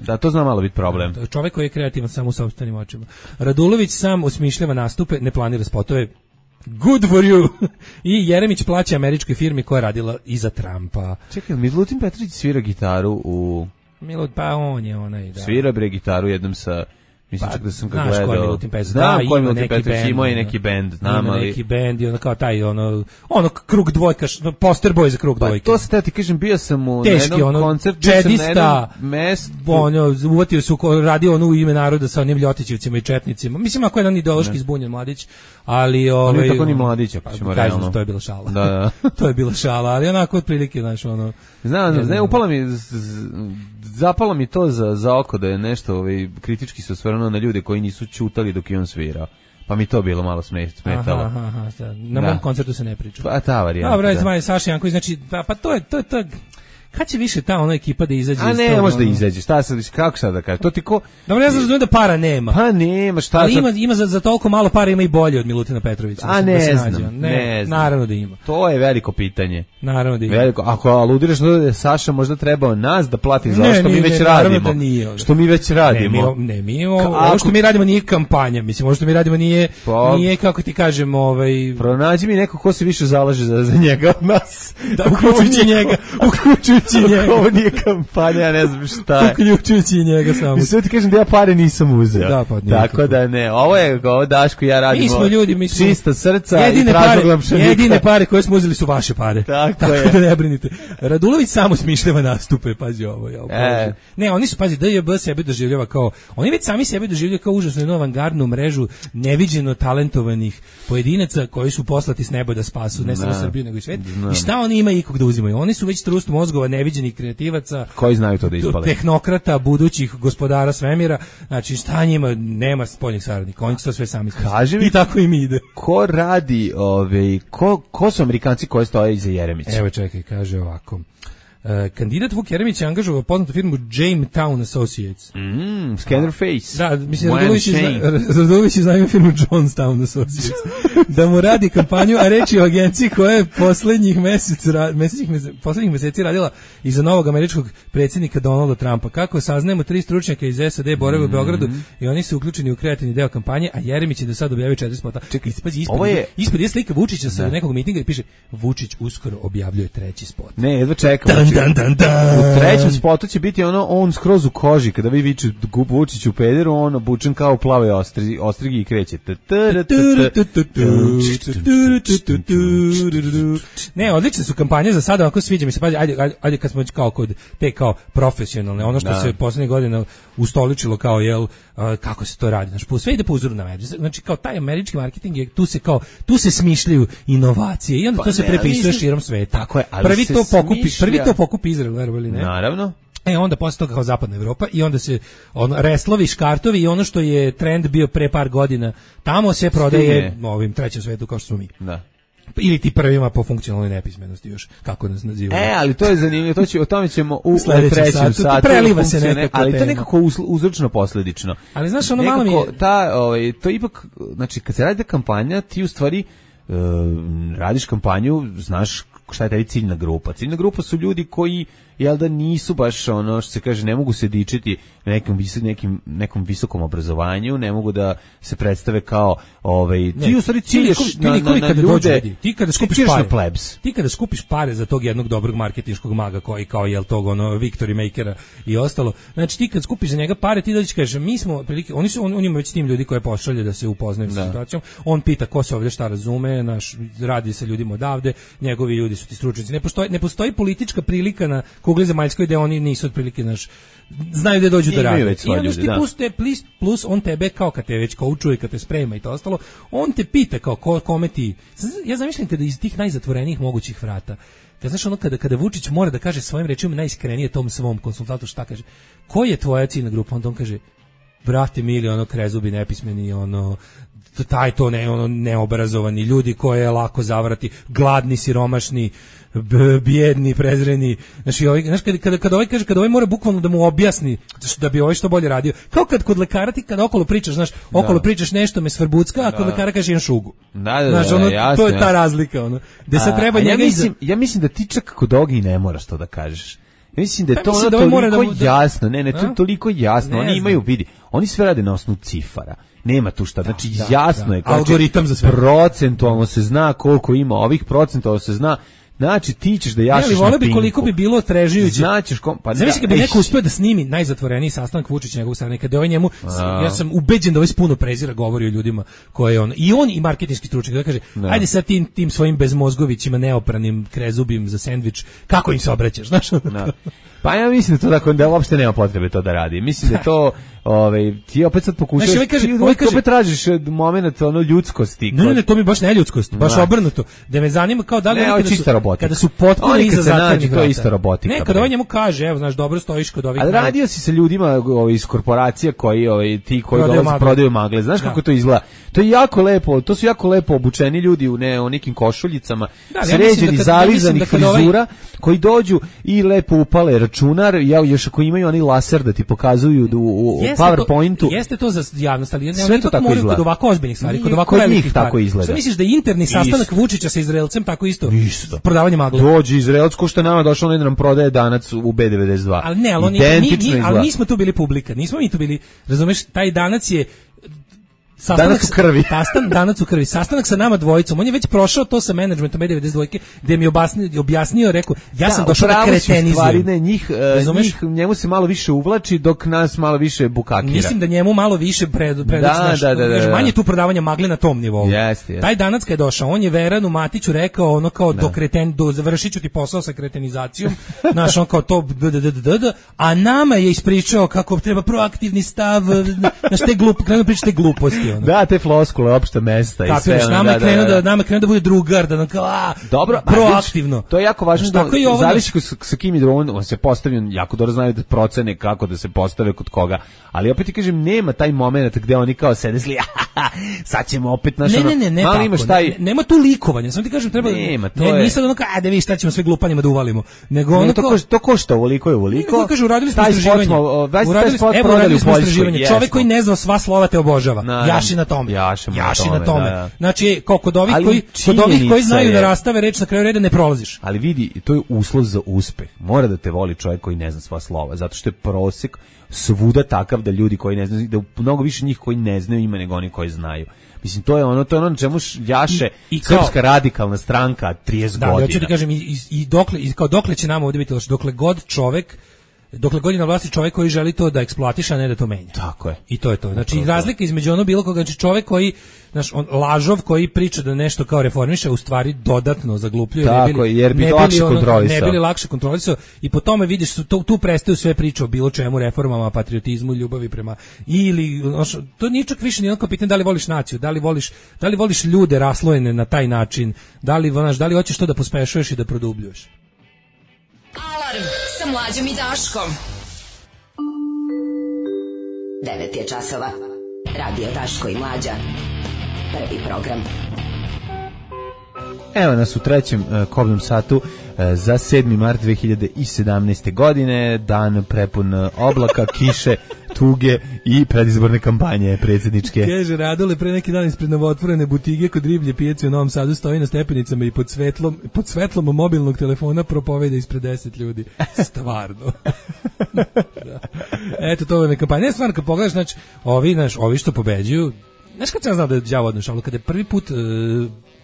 Da, to zna malo biti problem.
Čovjek koji je kreativan samo u sopstvenim očima. Radulović sam osmišljava nastupe, ne planira spotove. Good for you. I Jeremić plaća američkoj firmi koja je radila iza Trumpa.
Čekaj, Milutin Petrović svira gitaru u...
Pa on je onaj, da.
Svira bre gitaru jednom sa... Mislim čak da sam ga gledao.
Znaš ko je Milutin Petrović?
Znam ko je Milutin Petrović, imao je neki bend.
Ima neki bend i ono kao taj, ono krug dvojka, poster boy za krug dvojke.
Pa to se ti kažem, bio sam u
jednom
koncertu,
čedista, uvatio su, radio u ime naroda sa onim Ljotićevcima i četnicima. Mislim, ako je jedan ideološki zbunjen mladić, ali...
On je tako ni mladić, ako ćemo realno.
To je bila šala.
Da.
To je bila šala, ali onako otprilike, znaš, ono...
Znam, zapalo mi to za oko da je nešto kritički se osvrnuo na ljude koji nisu ćutali dok je on svirao. Pa mi to bilo malo smetalo.
Na mom koncertu se ne priča.
Pa ta varijanta.
Dobro, Saša Janković, znači, pa to je kad će više ta ona ekipa da izađe iz toga?
A ne može da izađe, kako sad da kažem? To ti ko...
Dobro, ja znam da para nema.
Pa nema, šta
ali ima za toliko malo para, ima i bolje od Milutina Petrovića.
A ne znam.
Naravno da ima.
To je veliko pitanje.
Naravno da ima.
Ako aludiraš da je Saša možda trebao nas da plati za što mi već radimo. Što mi već radimo.
Ovo što mi radimo nije kampanja, mislim, ovo što mi radimo nije kako ti kažem,
pronađi mi neko ko se više zalaže za njega od nas.
Uključujući njega.
Ovo nije kampanja, ja ne znam šta je.
Uključujući njega samo.
I sve ti kažem da ja pare nisam uzeo.
Da, pa nije.
Tako da ne, ovo Daško i ja radimo.
Mi smo ljudi,
čista srca i tražoglam pšenika.
Jedine pare koje smo uzeli su vaše pare.
Tako je.
Da ne brinite. Radulović samo smišljava nastupe, pazi ovo. Ne, oni su, pazi, DJB sebe doživljava kao, oni već sami sebe doživljaju kao užasno jednu avangardnu mrežu neviđeno talentovanih pojedinaca koji su poslati s neba da spasu, ne samo Srbiju, nego i svet. I šta oni imaju ikog da uzimaju? Oni su već trust mozgova neviđenih kreativaca,
koji znaju to da ispale,
tehnokrata, budućih gospodara svemira. Znači šta njima, nema spoljnih saradnika, oni to sve sami smisli. I tako im ide.
Ko radi, ko su Amerikanci koji stoje iza Jeremića?
Evo čekaj, kaže ovako. Kandidat Vuk Jeremić je angažovao poznatu firmu Jamestown Associates.
Scanner Face.
Da, mislim, Radulović je znao firmu Johnstown Associates. Da mu radi kampanju, a reč je o agenciji koja je poslednjih meseci radila iza novog američkog predsjednika Donalda Trumpa. Kako saznajemo, 3 stručnjaka iz SAD borave u Beogradu i oni su uključeni u kreativni deo kampanje, a Jeremić je do sada objavio 4 spota. Čekaj, ispod je slika Vučića sa nekog mitinga i piše Vučić uskoro objavljuje 3. spot.
Ne, jedva čekamo. U trećem spotu će biti on skroz u koži, kada vi viču Vučić u pederu, on obučen kao u plavoj ostrigi i kreće.
Ne, odlične su kampanje za sada, ako sviđa mi se, ajde kad smo kao kod te kao profesionalne, ono što se poslednjih godina ustoličilo kao kako se to radi, znači sve ide po uzoru na Ameriku. Znači kao taj američki marketing je tu se smišljaju inovacije i onda to se prepisuje širom sveta.
Tako je, ali
prvi to pokupi Izrael, verovali ne?
Naravno.
Onda posle toga kao zapadna Evropa i onda se reslovi, škartovi i ono što je trend bio pre par godina, tamo se prodaje ovim trećem svetu kao što smo mi.
Da.
Ili ti prvima po funkcionalnoj nepismenosti još, kako nas nazivaju.
Ali to je zanimljivo, o tome ćemo u trećem satu.
Preliva se nekako
ali to nekako uzročno posledično.
Ali znaš, ono malo mi je...
to ipak, znači, kad se radi kampanja, ti u stvari radiš kampanju, znaš šta je taj ciljna grupa. Ciljna grupa su ljudi koji nisu baš ono što se kaže, ne mogu se dičiti nekom visokom obrazovanju, ne mogu da se predstave kao ti u stvari cilješ na ljude,
ti kada skupiš pare za tog jednog dobrog marketinškog maga koji kao tog Victory Makera i ostalo, znači ti kad skupiš za njega pare, ti dođeš kažeš mi smo prilike, on ima već tim ljudi koje pošalje da se upoznaju sa situacijom, on pita ko se ovdje šta razume, radi sa ljudima odavde, njegovi ljudi su ti stručnjaci, ne postoji politička prilika na kugli zemaljskoj gde oni nisu otprilike znaju da dođu da rade. I onda ti plus on tebe kao kad te već koučuje, kad te sprema i to ostalo, on te pita kao kome ti. Ja zamišljam kada iz tih najzatvorenijih mogućih vrata, znaš kada Vučić mora da kaže svojim rečima najiskrenije tom svom konsultantu šta kaže, ko je tvoja ciljna grupa, onda on kaže brate mili, krezubi, nepismeni, neobrazovani ljudi koje je lako zavarati, gladni, siromašni, bijedni, prezreni. Znači, kada ovaj mora bukvalno da mu objasni da bi ovaj što bolje radio. Kao kad kod lekara ti kada okolo pričaš, znaš, okolo pričaš nešto me svrbucka, a kod lekara kaže imam šugu.
Jasno.
To je ta razlika, gde se treba njega
ja mislim da ti čak kod ovoga i ne moraš to da kažeš. Ja mislim da je to toliko jasno. Ne, to je toliko jasno. Oni imaju, vidi, oni sve rade na osnovu cifara. Nema tu šta, znači jasno je.
Algoritam za sve.
Procentualno se zna koliko ima ovih, procentualno se zna. Znači ti ćeš da jašiš na Pinku.
Koliko bi bilo trežujuće.
Značiš
zamisli kad bi neko uspeo da snimi najzatvoreniji sastanak Vučić njegov strane, kada ovaj njemu, ja sam ubeđen da ovaj puno prezira govori o ljudima koje on i marketinški stručnjak da kaže, ajde sad tim svojim bezmozgovićima neopranim krezubim za sendvič, kako im se obraćaš, znaš?
Pa ja mislim da uopšte nema potrebe to da radi. Mislim da to ti opet sad pokušaš, ti opet tražiš moment ljudskosti.
Ne, to mi baš ne ljudskost, baš obrnuto. Da me zanima kao da li kada su potpuno iza zatvorenih vrata.
To je isto robotika.
Ne, kada ovaj njemu kaže, evo, znaš, dobro stojiš kod ovih.
Ali radio si sa ljudima iz korporacija koji dolaze prodaju magle. Znaš kako to izgleda? To je jako lepo, to su jako lepo obučeni ljudi u nekim košuljicama, sređeni, zalizanih frizura, koji dođu i lepo upale računar, još ako imaju oni laser da ti pokazuju u PowerPointu.
Jeste to za javnost, ali
sve to tako izgleda.
Kod ovako ozbiljnih stvari, kod ovako velikih
tako izgleda.
Šta misliš da je interni sastanak Vučića sa Izraelcem tako isto? Prodavanje magle.
Dođe Izraelac ko što je nama došao, da nam prodaje Danac u B92.
Ali ne, ali nismo tu bili publika, nismo mi tu bili, razumeš, taj Danac je
Danac u krvi.
Danac u krvi. Sastanak sa nama dvojicom. On je već prošao to sa menadžmentom B92, gde mi objasnio, rekao, ja sam došao da kretenizujem.
Njemu se malo više uvlači, dok nas malo više bukakira.
Mislim da njemu malo više manje tu prodavanja magle na tom nivou.
Yes.
Taj Danac kad je došao, on je Veranu Matiću rekao kao završit ću ti posao sa kretenizacijom, znaš, on kao to, a nama je ispričao kako treba proaktivni stav, znaš, krenu pričati gluposti.
Da, te floskule, opšte mesta i sve.
Nama krenu da bude drugar, da nam kao,
dobro,
proaktivno.
To je jako važno, zavisi sa kim je on se postavio, jako dobro znaju da procene kako da se postave kod koga, ali opet ti kažem, nema taj moment gde oni kao sede zli, sad ćemo opet naš
nema tu likovanja, samo ti kažem, treba, nisam ono kao, da vi šta ćemo sve glupanjima da uvalimo, nego ono kao,
to košta ovoliko je ovoliko,
kažu, uradili smo istraživanje, čovek koji ne zna sva slova te obožava. Jaši na tome. Da. Znači, kod ovih koji znaju da rastave reč na kraju reda ne prolaziš.
Ali vidi, to je uslov za uspeh. Mora da te voli čovjek koji ne zna sva slova, zato što je prosek svuda takav da ljudi koji ne znaju, da mnogo više njih koji ne znaju ima nego oni koji znaju. Mislim, to je ono na čemu jaše Srpska radikalna stranka 30 godina.
Da, hoću ti kažem, dokle će nama ovdje biti loše, dokle god je na vlasti čovjek koji želi to da eksploatiše, a ne da to menja.
Tako je.
I to je to. Znači, razlika između ono bilo koga, znači čovjek koji, lažov koji priča da nešto kao reformiše, u stvari dodatno zaglupljuje.
Tako je, jer bi lakše kontrolisao.
Ne bili lakše kontrolisao i po tome vidiš, tu prestaju sve priče o bilo čemu, reformama, patriotizmu, ljubavi prema, ili, to nije čak više nijedno pitanje da li voliš naciju, da li voliš ljude raslojene na taj način, da li hoćeš to da pospešuješ i da produbljuješ.
Alarm sa Mlađom i Daškom.
9 je časova. Radio Daško i Mlađa. Prvi program.
Evo nas u trećem kobnom satu za 7. mart 2017. godine, dan prepun oblaka, kiše, tuge i predizborne kampanje predsjedničke.
Kaže Radole, pre neki dan ispred novootvorene butige kod riblje pijace u Novom Sadu stoji na stepenicama i pod svetlom mobilnog telefona propoveda ispred 10 ljudi. Stvarno. Da. Eto, to je kampanja. Ne, stvarno, kad pogledaš, znači, ovi što pobeđuju, znaš kad sam znao da je đavo odnoš, ali kada je prvi put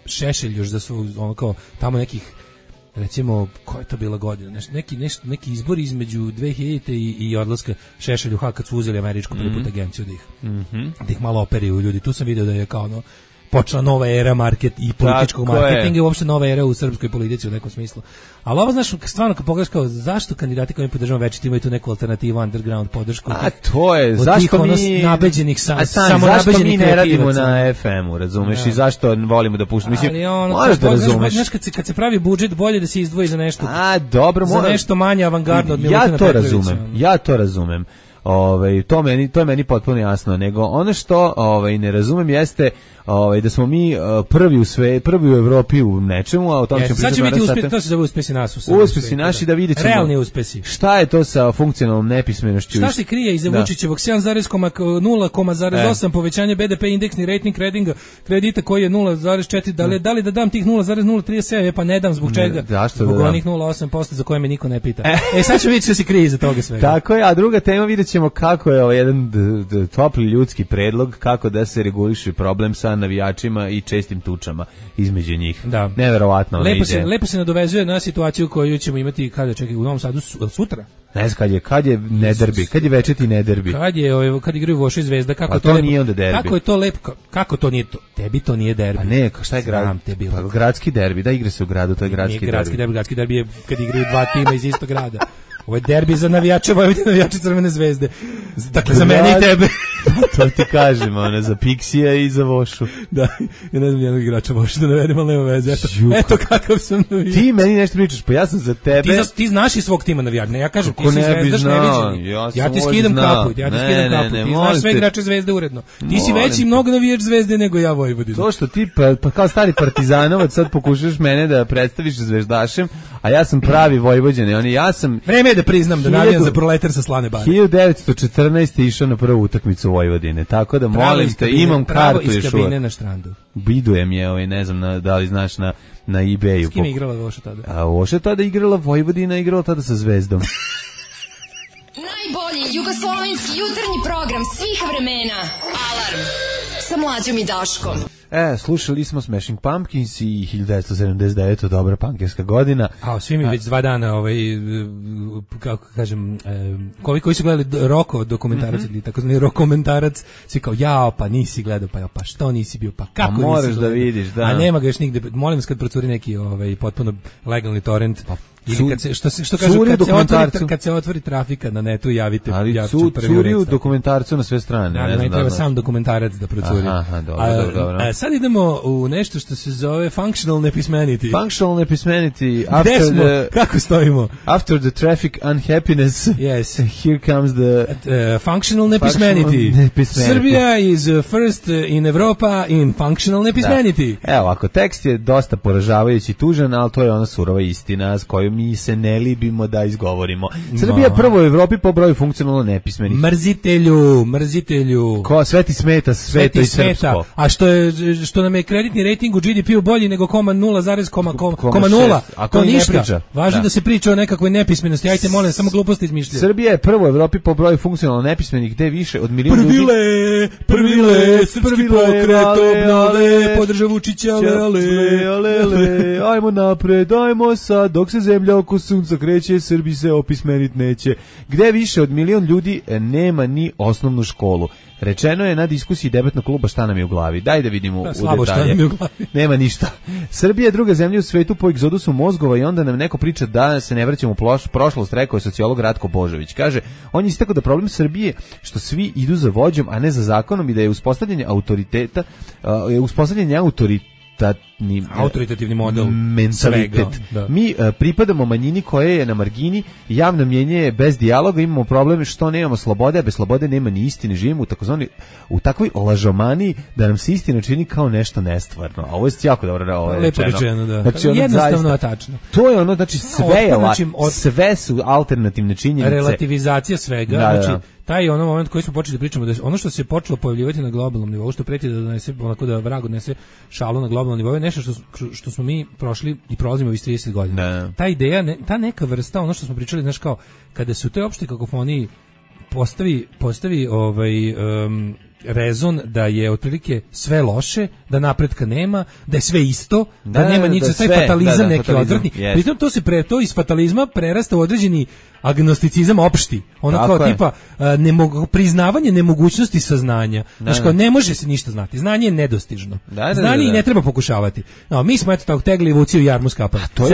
Šešelj još da su ono kao tamo nekih, recimo, koja je to bila godina, neki izbor između 2000 i odlaska Šešelj u Hag kad su uzeli američku prvi put agenciju da ih malo operiju ljudi. Tu sam vidio da je kao ono počela nova era i političkog marketinga i uopšte nova era u srpskoj politici u nekom smislu. Ali ovo, znaš, stvarno kad pogledaš kao zašto kandidati koji podržavaju večiti imaju tu neku alternativu, underground podršku.
A to je, zašto mi
nabeđenih
zašto mi ne radimo na FM-u, razumeš, i zašto volimo da puštamo. Mislim, možeš da razumeš.
Znaš, kad se pravi budžet, bolje da se izdvoji za nešto.
Dobro,
za nešto manje avangardno od Milutina Petrovića.
Ja to razumem. To je meni potpuno jasno, nego ono što ne razumem jeste da smo mi prvi u Evropi u nečemu, a o tom ćemo pričati.
Sad će biti uspjeh, to se zove uspjesi nas.
Uspjesi naši, da vidjet ćemo.
Realni uspjesi.
Šta je to sa funkcionalnom nepismenošću?
Šta se krije iza Vučićevog 7,0,8 povećanje BDP, indeksni rating kredita koji je 0,4, da li da dam tih 0,037, pa ne dam zbog čega? Zbog onih 0,8% za koje me niko ne pita. Sad ćemo vidjeti što se krije iza toga svega.
Tako je, a druga tema, vidjet ćemo kako je jedan topli ljudski predlog, kako da se reguliše problem sa navijačima i čestim tučama između njih. Da. Neverovatno ona ide.
Lepo se nadovezuje na situaciju koju ćemo imati u Novom Sadu sutra.
Ne znam kad je nederbi, kad je večeti nederbi.
Kad igraju Voša i Zvezda, kako
to nije onda derbi.
Kako je to lepo, kako to nije to? Tebi to nije derbi.
Pa ne, šta je gradski derbi, da igra se u gradu, to je gradski derbi.
Gradski derbi je kad igraju dva tima iz istog grada. Ovo je derbi za navijače Vojvodine, navijače Crvene Zvezde. Dakle, za mene i tebe.
To ti kažem, za Piksija i za Vošu.
Da, ja ne znam jednog igrača Vošu da navedem, ali nema veze. Eto kakav sam navijač.
Ti meni nešto pričaš, pa ja sam za tebe.
Ti znaš i svog tima navijača. Ne, ja kažem, ti si Zvezdaš neviđeni. Ja ti skidam kapu. Ti znaš sve igrače Zvezde uredno. Ti si veći mnogo navijač Zvezde nego ja Vojvodina.
To što ti, pa kao stari partizanovac, sad pokušaš mene da predstaviš Zvezdašem, a ja sam pravi Vojvođanin.
Vreme je da priznam da navijam za Proletar sa Slane Bare.
1914. išao na prvu utakmicu Vojvodine, tako da molim te, imam kartu još uvijek.
Pravo iz kabine na štrandu.
Bidujem je, ne znam da li znaš na eBayu.
S kim je igrala Voša tada?
A Voša tada igrala Vojvodina, igrala tada sa Zvezdom.
Najbolji jugoslovenski jutarnji program svih vremena. Alarm sa Mlađom i Daškom.
Slušali smo Smashing Pumpkins i 1979. dobra pankerska godina.
Svi mi već 2 dana, kako kažem, koji su gledali Roko dokumentarac, ili takozvani rokomentarac, svi kao, pa nisi gledao, pa što nisi bio, pa kako nisi gledao.
Moraš da vidiš, da.
A nema ga još nigde, molim vas kad procuri neki potpuno legalni torrent, ili što kažu, kad se otvori trafika na netu, javite.
Ali curi u dokumentarcu na sve strane.
Ne treba sam dokumentarac da procuri.
Aha, dobro.
Sad idemo u nešto što se zove functional nepismenity.
Functional nepismenity.
Gde smo? Kako stojimo?
After the traffic unhappiness,
yes.
Here comes the
functional nepismenity. Serbia is first in Europa in functional nepismenity.
Evo, ako tekst je dosta poražavajući i tužan, ali to je ona surova istina s kojom mi se ne libimo da izgovorimo. Srbija je prvo u Evropi po broju funkcionalno nepismenih.
Mrzitelju.
Ko sve ti smeta, sveto i srpsko.
A što nam je kreditni rating u GDP-u bolji nego 0,0, to ništa. Važno da se priča o nekakvoj nepismenosti. Ajte, molim, samo gluposti izmišljaju.
Srbija je prvo u Evropi po broju funkcionalno nepismenih, gde više od milion ljudi.
Prvile, srpski pokret obnove, podrža Vučića, ale.
Ajmo napred, ajmo sad, dok se zemlja oko sunca kreće, Srbi se opismenit neće. Gde više od milion ljudi nema ni osnovnu školu. Rečeno je na diskusiji debatnog kluba šta nam je u glavi. Daj da vidimo u detalje.
Šta nam je u glavi.
Nema ništa. Srbija je druga zemlja u svetu po egzodusu mozgova i onda nam neko priča da se ne vraćamo u prošlost, rekao je sociolog Ratko Božović. Kaže, on je istakao da problem Srbije što svi idu za vođom, a ne za zakonom i da je uspostavljanje
autoritativni model
mentalitet.
Da.
Mi pripadamo manjini koja je na margini, javno mnjenje je bez dijaloga, imamo problem što nemamo slobode, a bez slobode nema ni istine, živimo u takvoj lažomaniji da nam se istina čini kao nešto nestvarno. A ovo je jako dobro
lepo rečeno, da.
Znači,
jednostavno je tačno.
To je ono, znači sve su alternativne činjenice.
Relativizacija svega, znači taj ono moment koji smo počeli da pričamo, da ono što se počelo pojavljivati na globalnom nivou, što preti da donese, onako da vrag odnese šalu na globalnom nivou, je nešto što smo mi prošli i prolazimo već 30 godina. Ta ideja, ta neka vrsta, ono što smo pričali, znaš, kao kada se u toj opštoj kakofoniji postavi rezon da je otprilike sve loše, da napretka nema, da je sve isto, da nema ničega, taj fatalizam neki odvrtni. Pritom to iz fatalizma prerasta u određeni agnosticizam opšti. Ono kao tipa priznavanje nemogućnosti saznanja. Znači kao ne može se ništa znati. Znanje je nedostižno. Znanje i ne treba pokušavati. No, mi smo eto tako tegli vuciju jarmu skapali.
To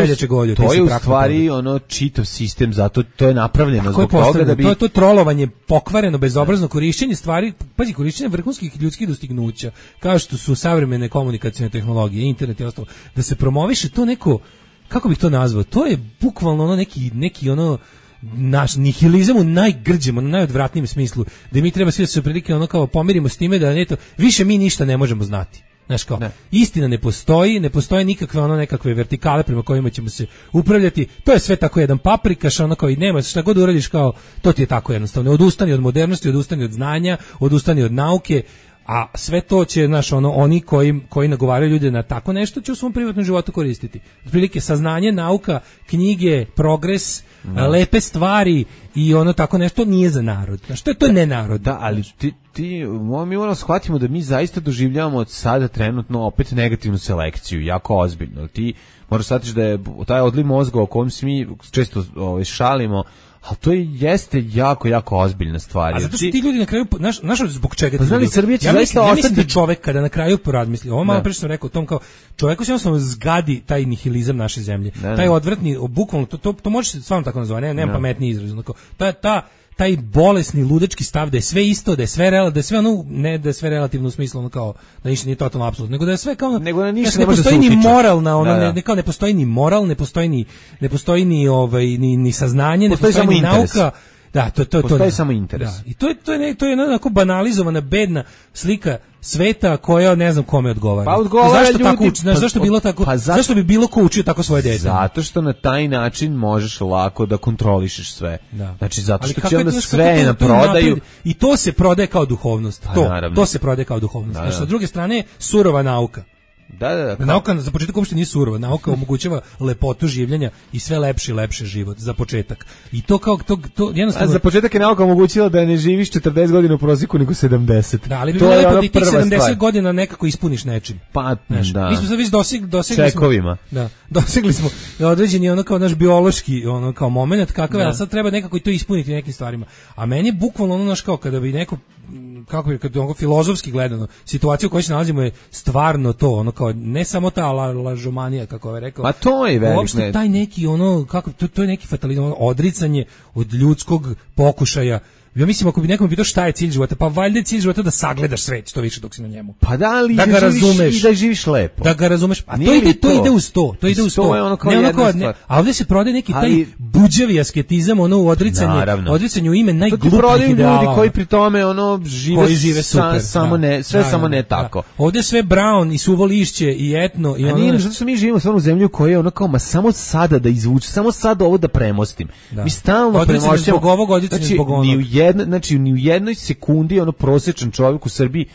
je u stvari ono čitav sistem, zato to je napravljeno zbog toga da bi...
To je trolovanje, pokvareno, bezobrazno korišćenje stvari, pazi, korišćenje vrhunskih ljudskih dostignuća, kao što su savremene komunikacione tehnologije, internet i ostalo, da se promoviše to neko, kako bih to nazvao, to je bukvalno ono neki ono naš nihilizam u najgrđem, ono najodvratnijem smislu, da mi treba svi da se prilike ono kao pomirimo s time da neto, više mi ništa ne možemo znati. Znaš kao, istina ne postoje nikakve ono nekakve vertikale prema kojima ćemo se upravljati, to je sve tako jedan paprikaš, ono kao i nema, šta god uradiš kao, to ti je tako jednostavno, odustani od modernosti, odustani od znanja, odustani od nauke, a sve to će, znaš, oni koji nagovaraju ljude na tako nešto će u svom privatnom životu koristiti. Otprilike saznanje, nauka, knjige, progres, lepe stvari i ono tako nešto nije za narod. Znaš, to je nenarod.
Da, ali mi moramo shvatimo da mi zaista doživljavamo od sada trenutno opet negativnu selekciju, jako ozbiljno. Ti moraš shvatiti da je taj odliv mozga o kojem se mi često šalimo, ali to jeste jako, jako ozbiljna stvar.
A zato što ti ljudi na kraju, znaš zbog čega ti
ljudi... Srbija će zaista
ostati... Ja mislim da čovek kada na kraju porazmisli, ovo malo prije sam rekao o tom kao, čoveku se jednostavno zgadi taj nihilizam naše zemlje. Taj odvratni, bukvalno, to može se stvarno tako nazvati, nema pametni izraz. Taj bolesni ludački stav da je sve isto, da je sve ono, ne da je sve relativno u smislu ono kao da ništa nije totalno apsolutno, nego da je sve kao
nego da ništa
ne postoji ni moralna, ono kao ne postoji ni moral, ne postoji ni saznanje, ne postoji ni nauka. Da, to
je samo interes.
Da. I to je onako banalizovana, bedna slika sveta koja ne znam kome odgovara.
Pa odgovara
zašto tako uči? Zašto bilo tako? Zašto bi bilo ko učio tako svoje dete?
Zato što na taj način možeš lako da kontrolišeš sve.
Da.
Znači zato što će onda sve na prodaju
i to se prodaje kao duhovnost. To se prodaje kao duhovnost. Znači, sa druge strane surova nauka.
Da.
Nauka za početak uopšte nije surova. Nauka omogućava lepotu življenja i sve lepši i lepše život za početak. I to kao to jednostavno.
A za početak je nauka omogućila da ne živiš 40 godina u prosjeku nego 70.
Da, ali bi bilo lepo da tih 70 godina nekako ispuniš nečim.
Pa da.
Mi smo sad već dosegli
čekovima.
Da. Dosegli smo određeni ono kao naš biološki ono kao momenat kakav je, a sad treba nekako i to ispuniti nekim stvarima. A meni je bukvalno ono naš kao kada bi neko kako bi kad onako filozofski gledano situacija u kojoj se nalazimo je stvarno to ono kao ne samo ta lažomanija kako je rekao.
Pa to je veliko.
Uopšte taj neki ono kako to je neki fatalizam, odricanje od ljudskog pokušaja Ja mislim ako bi nekom pitao šta je cilj života, pa valjda je cilj života da sagledaš svet što više dok si na njemu.
Pa da li
da ga razumeš
i da živiš lepo.
Da ga razumeš. A
to
ide uz to. To ide uz to.
Je ono kao jedna stvar.
A ovdje se prodaje neki taj buđavi asketizam, ono u odricanju ime najglupljih ideala.
Ljudi koji pri tome ono žive super, samo ne tako.
Ovdje sve brown i suvo lišće i etno i
ono. A nije, zato što mi živimo stvarno u zemlji u kojoj je ono kao ma samo sada da izvuče, samo sada ovo da premostim. Mi stalno premošćamo
zbog ovog odricanja zbog onog.
Ni u jednoj sekundi ono prosječan čovjek u Srbiji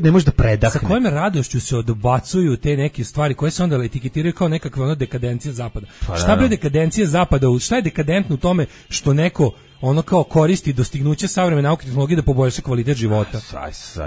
ne može da predahne.
Sa kojom radošću se odbacuju te neke stvari koje se onda etiketiraju kao nekakva ono dekadencija zapada. Šta bre dekadencija zapada? Šta je dekadentno u tome što neko ono kao koristi dostignuće savremene nauke i tehnologije da poboljša kvalitet života?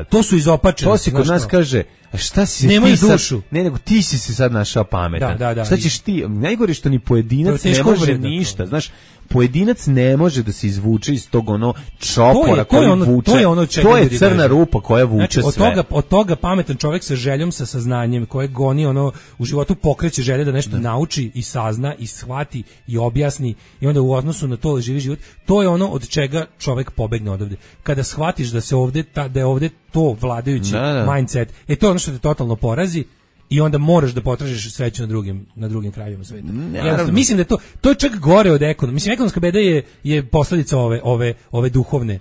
To su izopačeni.
To se kod nas kaže, a šta si
nemoj
ti
dušu.
Ne, nego ti si se sad našao pametan. Šta ćeš ti? Najgore što ni pojedinac ne može ništa, znaš. Pojedinac ne može da se izvuče iz tog ono čopora koji vuče. To je crna rupa koja vuče sve.
Od toga pametan čovjek sa željom, sa saznanjem, koje goni ono u životu pokreće želje da nešto nauči i sazna i shvati i objasni i onda u odnosu na to živi život. To je ono od čega čovjek pobegne odavde. Kada shvatiš da se ovdje da je ovdje to vladajući mindset, to je ono što te totalno porazi. I onda moraš da potražiš sreću na drugim krajevima sveta. Mislim da je to je čak gore od ekonomije. Mislim, ekonomska beda je posljedica ove duhovne.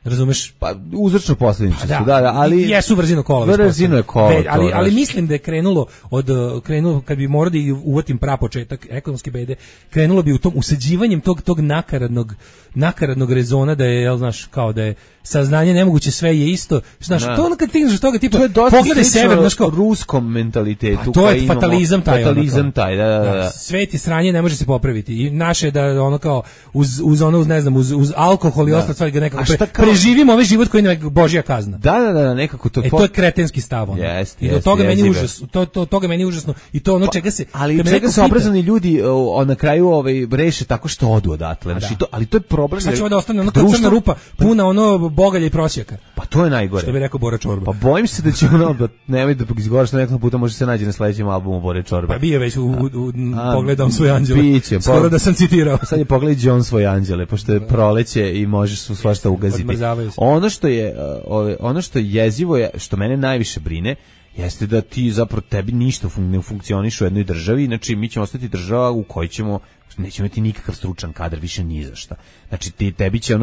Razumeš?
Pa uzročno posljedice su, da, ali
jesu brzino kola.
Brzino je kola.
Ali mislim da je krenulo kad bi morao da uvatim prapočetak ekonomske bede, krenulo bi u tom usađivanjem tog nakaradnog rezona da je, jel znaš, kao da je saznanje nemoguće, sve je isto. Znaš, to ono kad stigneš toga tipa, pogledaj sever, znaš kao
ruskom mentalitetu.
To je fatalizam taj.
Da.
Svet i sranje ne može se popraviti. I naše da ono kao uz alkohol i ostalo stvari ga nekako preživimo ovaj život koji je božja kazna.
Da, nekako to.
To je kretenski stav. I do toga meni užasno. Toga meni užasno i to ono čega se.
Ali čega se obrazovani ljudi na kraju reše tako što odu odatle. Ali to je problem.
Šta će da ostane ono kao crna rupa puna ono bogalja i prosjaka.
Pa to je najgore.
Što bi rekao Bora Čorba.
Pa bojim se da će ono nemoj da izgovaraš nekoliko puta, može se naći na sledećem albumu Bore Čorbe.
Pa bio već pogledam svoj anđele. Skoro da sam citirao.
Sad je pogledaj John svoj anđele, pošto je proleće i možeš svašta ugaziti. Ono što je jezivo je, što mene najviše brine, jeste da ti zapravo tebi ništa ne funkcioniš u jednoj državi, znači mi ćemo ostati država u kojoj nećemo imati nikakav stručan kadar, više ni za šta. Znači tebi će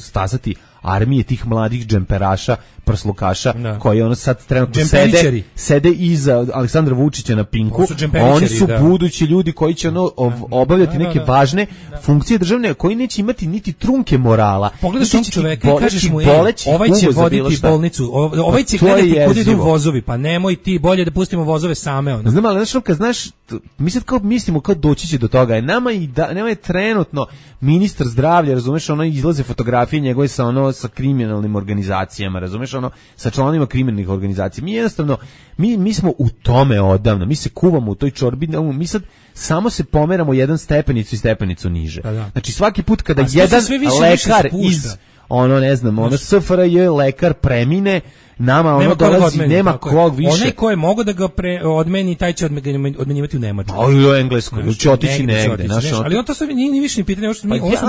stasati armije tih mladih džemperaša, prslukaša, koji sad trenutno sede iza Aleksandra Vučića na Pinku. Oni su budući ljudi koji će obavljati neke važne funkcije državne, koji neće imati niti trunke morala.
Pogledaš tog čoveka i kažeš mu, ovaj će voditi bolnicu, ovaj će gledati kuda idu vozovi, pa nemoj ti, bolje da pustimo vozove same.
Znam, ali znaš, mi sad kao mislimo kao doći će do toga, nama je trenutno ministar zdravlja, razumeš, izlaze fotografije njegove sa kriminalnim organizacijama, razumeš, sa članovima kriminalnih organizacija. Mi jednostavno, mi smo u tome odavno, mi se kuvamo u toj čorbi, mi sad samo se pomeramo jedan stepenicu i stepenicu niže. Znači svaki put kada jedan lekar iz SFRJ lekar premine, nama dolazi, nema kog više.
Onaj ko je mogao da ga odmeni, taj će odmenjivati u Nemačku.
U Engleskoj, će otići negde.
Ali on to sad nije više ni pitanje.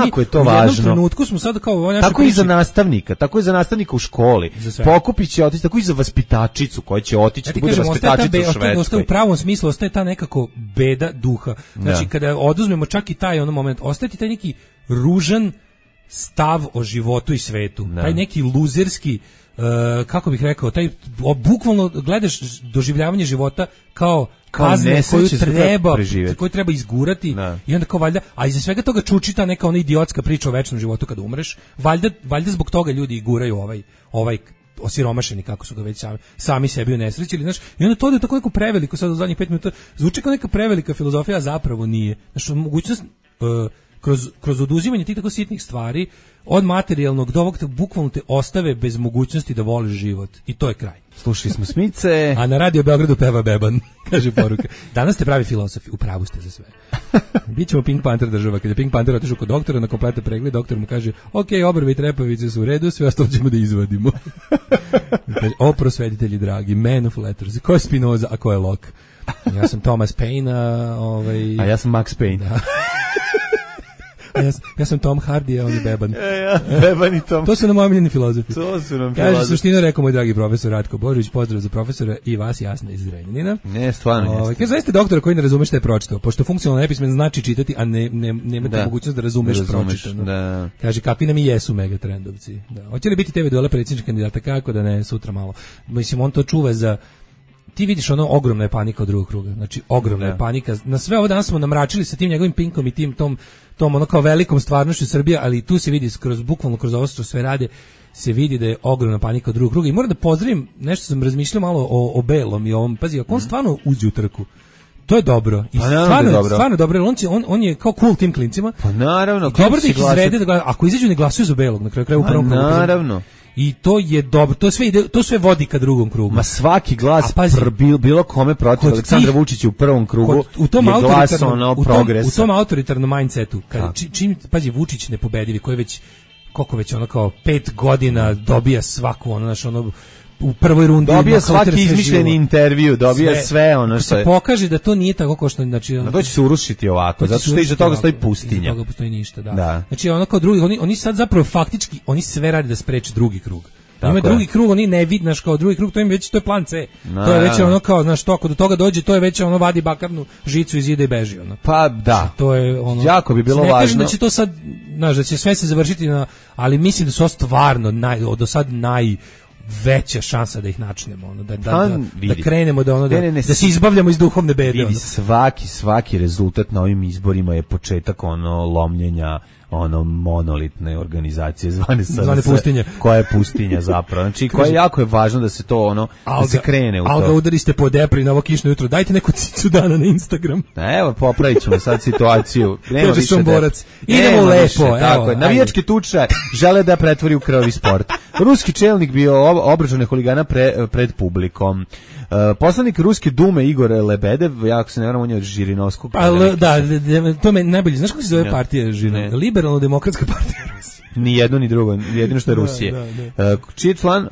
Jako je to važno.
U jednom trenutku smo sad kao...
Tako i za nastavnika u školi. Pokupit će otići, tako i za vaspitačicu koja će otići, da bude vaspitačica u Švedskoj.
U pravom smislu ostaje ta nekako beda duha. Znači kada oduzmemo čak i taj moment, ostaje ti taj neki ružan stav o životu i svetu. Taj neki luzerski, kako bih rekao, taj bukvalno gledaš doživljavanje života kao kazne koju treba izgurati i onda kao valjda, a iza svega toga čuči ta neka ona idiotska priča o večnom životu kada umreš, valjda zbog toga ljudi i guraju ovaj osiromašeni, kako su ga već sami sebi unesrećili, znaš, i onda to je tako neko preveliko, sad u zadnjih 5 minuta zvuči kao neka prevelika filozofija, a zapravo nije. Znaš, mogućnost kroz oduzimanje tih tako sitnih stvari od materijalnog do ovog bukvalno te ostave bez mogućnosti da voliš život i to je kraj.
Slušali smo Smice.
A na Radio Beogradu peva Beban, kaže poruka. Danas ste pravi filozofi, upravu ste za sve. Bićemo Pink Panther država. Kad je Pink Panther otišao kod doktora na kompletan pregled, doktor mu kaže: "Ok, obrve i trepavice su u redu, sve ostalo ćemo da izvadimo." Kaže: "O prosvetitelji dragi, man of letters. Ko je Spinoza, a ko je Locke?" Ja sam Thomas Paine,
a ja sam Max Payne.
Da. Ja sam Tom Hardy, a on je Beban.
Beban i Tom.
To su nam omiljeni filozofi.
To su nam
Kaže, suštino rekao moj dragi profesor Ratko Božović, pozdrav za profesora i vas jasno iz Zrenjanina.
Ne, stvarno jeste.
Kaže, zaista doktora koji ne razume šta je pročitao, pošto funkcionalno nepismen znači čitati, a nemate mogućnost da razumeš pročitano.
Da.
Kaže, kakvi nam i jesu megatrendovci. Da. Hoće li biti TV duela predsjedničkih kandidata, kako da ne, sutra malo. Mislim, on to čuva za... Ti vidiš ogromna je panika od drugog kruga. Znači, ogromna je panika. Na sve ovo danas smo namračili sa tim njegovim Pinkom i tom ono kao velikom stvarnošću Srbije, ali tu se vidi bukvalno kroz ovo što sve rade, se vidi da je ogromna panika od drugog kruga. I moram da pozdravim, nešto sam razmišljao malo o Belom i ovom, pazi, ako on stvarno uđe u trku, to je dobro. I stvarno dobro. On je kao cool tim klincima.
Pa naravno.
Dobro da ih izrede, ako izađu ne glasuju za Belog na kraju u prvom krugu.
Naravno.
I to je dobro, to sve vodi ka drugom krugu.
Ma svaki glas bilo kome protiv Aleksandra Vučića u prvom krugu je glas progresa.
U tom autoritarnom mindsetu, čim pazi Vučić nepobedivi, koji već koliko već ono kao 5 godina dobija svaku u prvoj rundi
dobija svaki izmišljeni intervju, dobija sve ono što
se pokaže da to nije tako kao što
to će se urušiti ovako, zato što iza toga stoji pustinja.
Iza toga postoji ništa, da. Znači ono kao drugi, oni sad zapravo faktički oni sve rade da spreče drugi krug. Ima drugi krug, oni ne vidnaš kao drugi krug, to je plan C. To je već ono kao, znaš, to ako do toga dođe, to je već ono vadi bakarnu žicu iz zida i beži ono.
Pa da.
To je ono.
Jako bi bilo važno.
Ne kažem da će to sad, znaš, da će sve se završiti ali mislim da su stvarno do sad veća šansa da ih načnemo, da krenemo da se izbavljamo iz duhovne bede.
Vidi, svaki rezultat na ovim izborima je početak lomljenja monolitne organizacije zvane
pustinje.
Koja je pustinja zapravo. Znači, koja jako je važno da se to da se krene u to.
Alga, udariste po depri na ovo kišno jutro. Dajte neku cicu dana na Instagram.
Evo, popravit ćemo sad situaciju. Nema više
idemo lepo.
Tako je. Navijačke tuče žele da pretvori u krvavi sport. Ruski čelnik bio obračune huligana pred publikom. Poslanik Ruske dume Igor Lebedev, jako se ne varam, on je od Žirinovskog.
Da, to me najbolje. Znaš kako se zove partija Žirinovskog? Liberalno-demokratska partija Rusije.
Ni jedno ni drugo, jedino što je Rusije. Čiji član,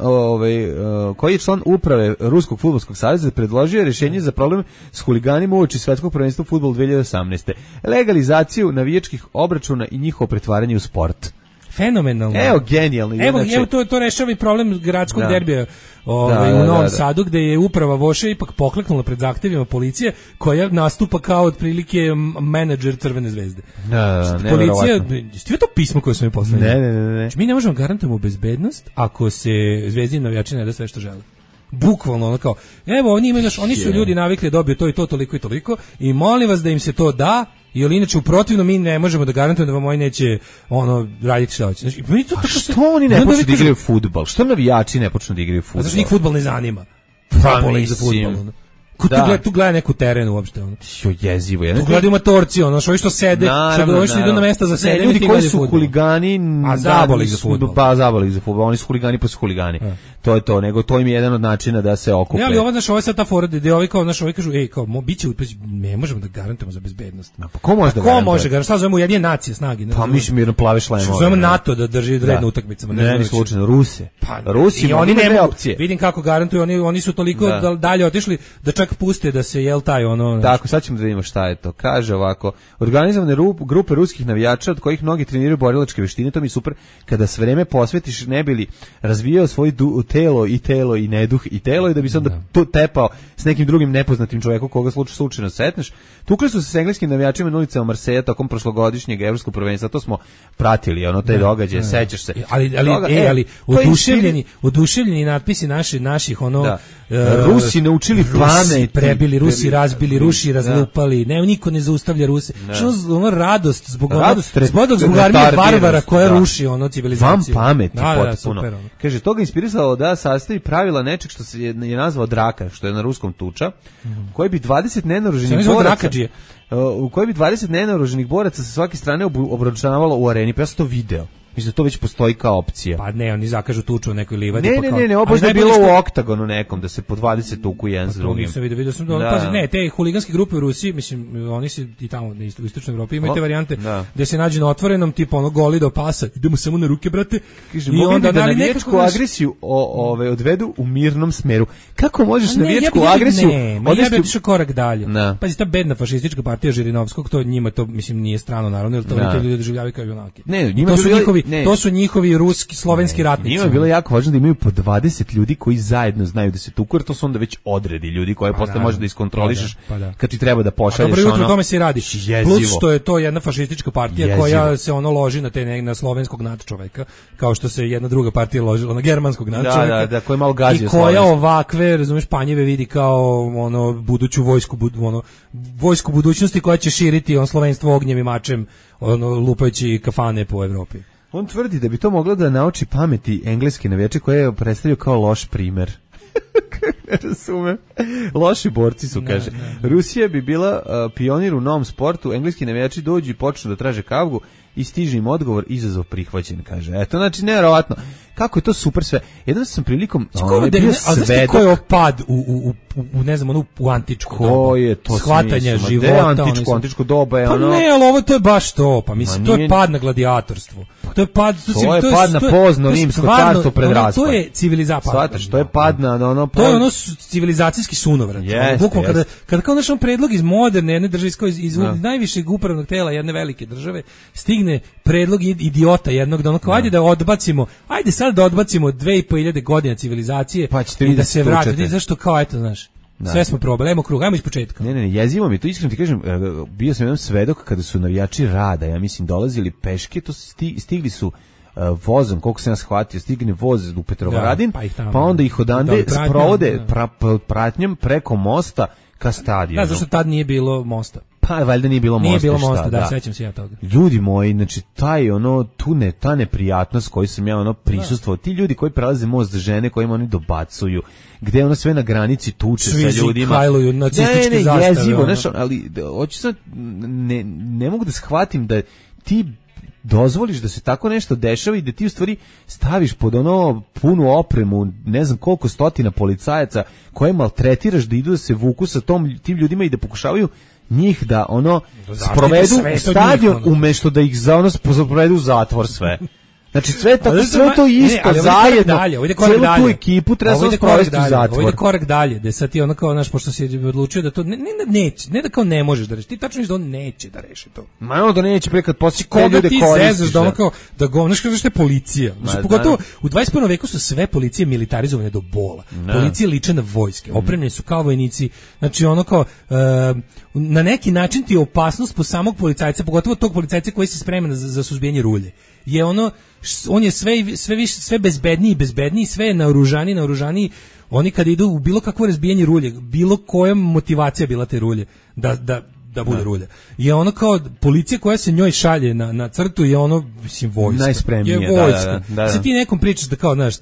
koji je član uprave Ruskog fudbalskog saveza predložio rješenje za problem s huliganima uoči svetskog prvenstva u fudbalu 2018. Legalizaciju navijačkih obračuna i njihovo pretvaranje u sport.
Fenomenalno.
Evo, genijalno.
Evo to rešava i problem gradskog derbija u Novom Sadu, gde je uprava Voše ipak pokleknula pred zahtevima policije, koja nastupa kao otprilike menadžer Crvene zvezde. Policija, ste to pismo koje smo mi poslali?
Ne.
Mi ne možemo garantujemo bezbednost ako se zvezdini navijači ne da sve što žele. Bukvalno ono kao, evo oni su ljudi navikli da dobiju to i to, toliko i toliko, i molim vas da im se to da, jer inače u protivno mi ne možemo da garantujemo da vam oni neće raditi šta hoće. Znači,
što oni ne počnu da igraju fudbal? Što navijači ne počnu da igraju fudbal?
Zato što njih fudbal ne zanima. Zabole ih za fudbal. Tu gleda neku terenu uopšte.
Jezivo.
Tu gledaju matorci, ovi što sede, što idu na mesta za sedenje.
Ljudi koji su huligani,
zabole ih za fudbal.
Pa zabole ih za fudbal, oni su huligani pa su huligani. To je to, nego to im je jedan od načina da se okupe.
Ali ovo je sad ta fora gde ovi kažu, biće, ne možemo da garantujemo za bezbednost.
Pa ko može da garantuje?
Ko može garantuje? Šta zovemo Ujedinjene nacije snage?
Pa mi mirno plave šlemove.
Zovemo NATO da drži red na utakmicama.
Ne, slučajno, Ruse. Rusi,
oni nemaju opcije. Vidim kako garantuju, oni su toliko dalje otišli da čak puste da se taj
Tako, sad ćemo da vidimo šta je to. Kaže ovako, organizovane grupe ruskih navijača od kojih mnogi treniraju borilačke veštine, to mi je super, kada sve vreme posvetiš ne bi li razvijao svoj telo i neduh i telo i da bi se onda to tepao s nekim drugim nepoznatim čovjekom koga slučajno setneš. Tukli su se s engleskim navijačima na ulicama Marseja tokom prošlogodišnjeg evropskog prvenstva, to smo pratili, te događaje, sećaš se.
Ali oduševljeni natpisi naših
Rusi naučili pamet,
prebili Rusi, razbili Rusi, razlupali, niko ne zaustavlja Ruse. Što radost zbog armije barbara koja ruši civilizaciju.
Vam pameti potpuno. Kaže, toga inspirisalo da sastavi pravila nečeg što se je nazvao draka, što je na ruskom tuča, koji bi 20 nenaoruženih boraca u kojoj bi 20 nenaoruženih boraca sa svake strane obračunavalo u areni. Pa ja sam to video. Mislim da to već postoji kao opcija.
Pa ne, oni zakažu tuču u nekoj livadi.
Ne, ovo je bilo u oktagonu nekom, da se po 20 tuku jedan s drugim.
To nisam vidio sam pazi, ne, te huliganske grupe u Rusiji, mislim, oni se i tamo u istočnoj Evropi imaju te varijante gde se nađe na otvorenom, tipa ono goli do pasa, idemo samo na ruke, brate.
Kaže, i onda da navijačku agresiju odvedu u mirnom smeru. Kako možeš navijačku agresiju
odvesti? Ja bih išao korak dalje. Pazi, ta bedna fašistička partija Žirinovskog, to njima to, mislim, nije strano, naravno, jer to te ljudi doživljavaju kao junaki. To su njihovi ruski, slovenski ratnici.
Njima je bilo jako važno da imaju po 20 ljudi koji zajedno znaju da se tuku, jer to su onda već odredi ljudi koje posle možeš da iskontrolišeš kad ti treba da pošalješ.
Dobro jutro, tome se radi. Plus što je to jedna fašistička partija koja se loži na slovenskog nadčoveka, kao što se jedna druga partija ložila na germanskog nadčoveka.
Da, koja je malo gazio
i koja ovakve, razumeš, panjeve vidi kao buduću vojsku budućnosti koja će širiti slovenstvo ognjem i mačem, lupajući kafane po Evropi.
On tvrdi da bi to moglo da nauči pameti engleske navijače koje je predstavio kao loš primer. Ne razumem. Loši borci su, kaže. Rusija bi bila pionir u novom sportu, engleski navijači dođu i počnu da traže kavgu i stiže im odgovor, izazov prihvaćen, kaže. Eto, znači, nevjerovatno. Kako je to super sve. Jedan sam prilikom bio svedok.
Ko je opad u ne znam, u antičko doba? Shvatanja života.
Antičko doba je
pa ono... Pa ne, ali ovo to je baš to. Pa mislim, to je pad na gladijatorstvo. To je pad
na pozno rimsko carstvo pred raspad.
To je civilizacija.
Shvataš, to je pad na ono...
To je ono civilizacijski sunovrat. Bukvalno kada kao naš predlog iz moderne jedne države, iz najvišeg upravnog tela jedne velike države, stigne predlog idiota jednog, da ono kao, ajde sad da odbacimo 2500 godina civilizacije i da se vrati. Zašto kao, eto, znaš, sve smo probali, ajmo krug, ajmo iz početka.
Ne, jezivo mi to, iskreno ti kažem, bio sam jedan svedok kada su navijači Rada, ja mislim, dolazili peške, to stigli su vozom, koliko sam ja shvatio, stigne voz u Petrovaradin, pa onda ih odande sprovode pratnjom preko mosta ka stadionu.
Da, zašto tad nije bilo mosta?
Pa valjda nije bilo mosta.
Nije bilo mosta, da, sećam se ja toga.
Ljudi moji, znači ta neprijatnost koju sam ja prisustvovao, ti ljudi koji prelaze most za žene, kojima oni dobacuju, gde ono sve na granici tuče sa ljudima.
Hajluju nacističke zastave.
Jezivo, znači, ali hoću sad, ne mogu da shvatim da ti dozvoliš da se tako nešto dešava i da ti u stvari staviš pod ono punu opremu, ne znam koliko stotina policajaca koje maltretiraš da idu da se vuku sa tim ljudima i da pokušavaju njih da sprovedu u stadion umjesto da ih sprovedu u zatvor sve. Znači sve to isto zajedno, cijelu tu ekipu treba samo sprovesti u zatvor.
Ovo ide korak dalje, da sad ti ono kao, znaš, pošto si odlučio da to, ne da kao ne možeš da reši, ti tačno da on neće da reši to.
Ma ono da neće pre kad poslije koje ljude koristiš.
Koga ti zezaš da ono kao, da govnaš kao što je policija. Znači, pogotovo u 21. veku su sve policije militarizovane do bola. Policije liče na vojske, opremljeni su kao vojnici, znači ono kao, na neki način ti je opasnost po samog policajca, pogotovo tog policajca koji se sprema za suzbijanje rulje. Je ono, on je sve bezbedniji, sve je naoružaniji. Oni kad idu u bilo kakvo razbijanje rulje, bilo koja motivacija bila te rulje, da bude rulja. Je ono kao policija koja se njoj šalje na crtu, je ono, mislim, vojska.
Najspremnije,
je vojska. Da. Se ti nekom pričaš da kao, znaš,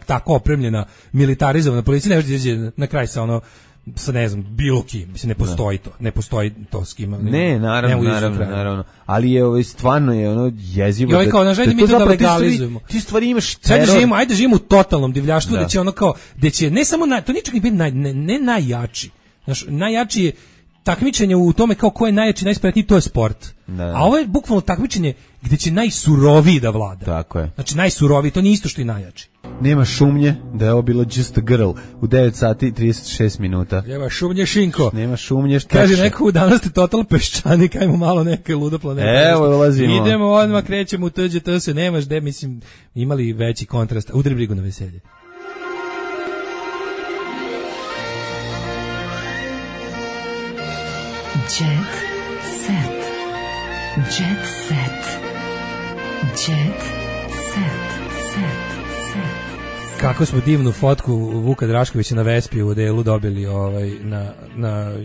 tako opremljena, militarizovana policija, ne može na kraj sa ono, sa ne znam, bilo kim, mislim, ne postoji to s kima.
Ne, naravno. Ali je stvarno je ono jezivo.
I ovaj kao, nažalj, mi to da legalizujemo.
Ti stvari imaš teror.
Ajde živimo u totalnom divljaštvu, da će ono kao, da će ne samo, to nije čak ni biti ne najjači. Znaš, najjači je takmičenje u tome kao ko je najjači, najspretniji, to je sport. A ovo je bukvalno takmičenje gde će najsuroviji da vlada.
Tako je.
Znači najsuroviji, to nije isto što i najjači.
Nema šumnje da je ovo bilo Just a Girl u 9 sati 36 minuta.
Nema šumnje šinko.
Nema šumnje štekše.
Kaže neko, danas ste total peščanik, ajmo malo neke luda planeta.
Evo, ulazimo.
Idemo odmah, krećemo u TGT, se nemaš gde, mislim, imali veći kontrast. Udri brigu na veselje.
Jet set. Jet set. Jet set.
Kako smo divnu fotku Vuka Draškovića na Vespi u delu dobili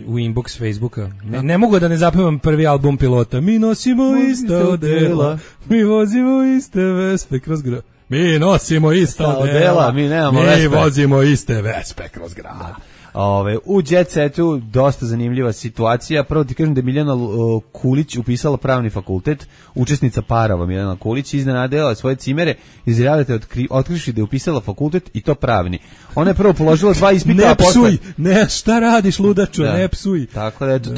u inbox Facebooka. Ne mogu da ne zapevam prvi album Pilota. Mi nosimo ista odela, mi vozimo iste Vespe kroz grad. Mi nosimo ista odela,
mi nemamo Vespe.
Mi vozimo iste Vespe kroz grad.
U Jet Setu dosta zanimljiva situacija. Prvo ti kažem da je Miljana Kulić upisala pravni fakultet, učesnica Parova Miljana Kulić, iznenadila svoje cimere, izjavljate otkrivši da je upisala fakultet i to pravni. Ona je prvo položila 2 ispita,
ne psuj, ne, šta radiš ludaču, ne psuj.
Tako da eto,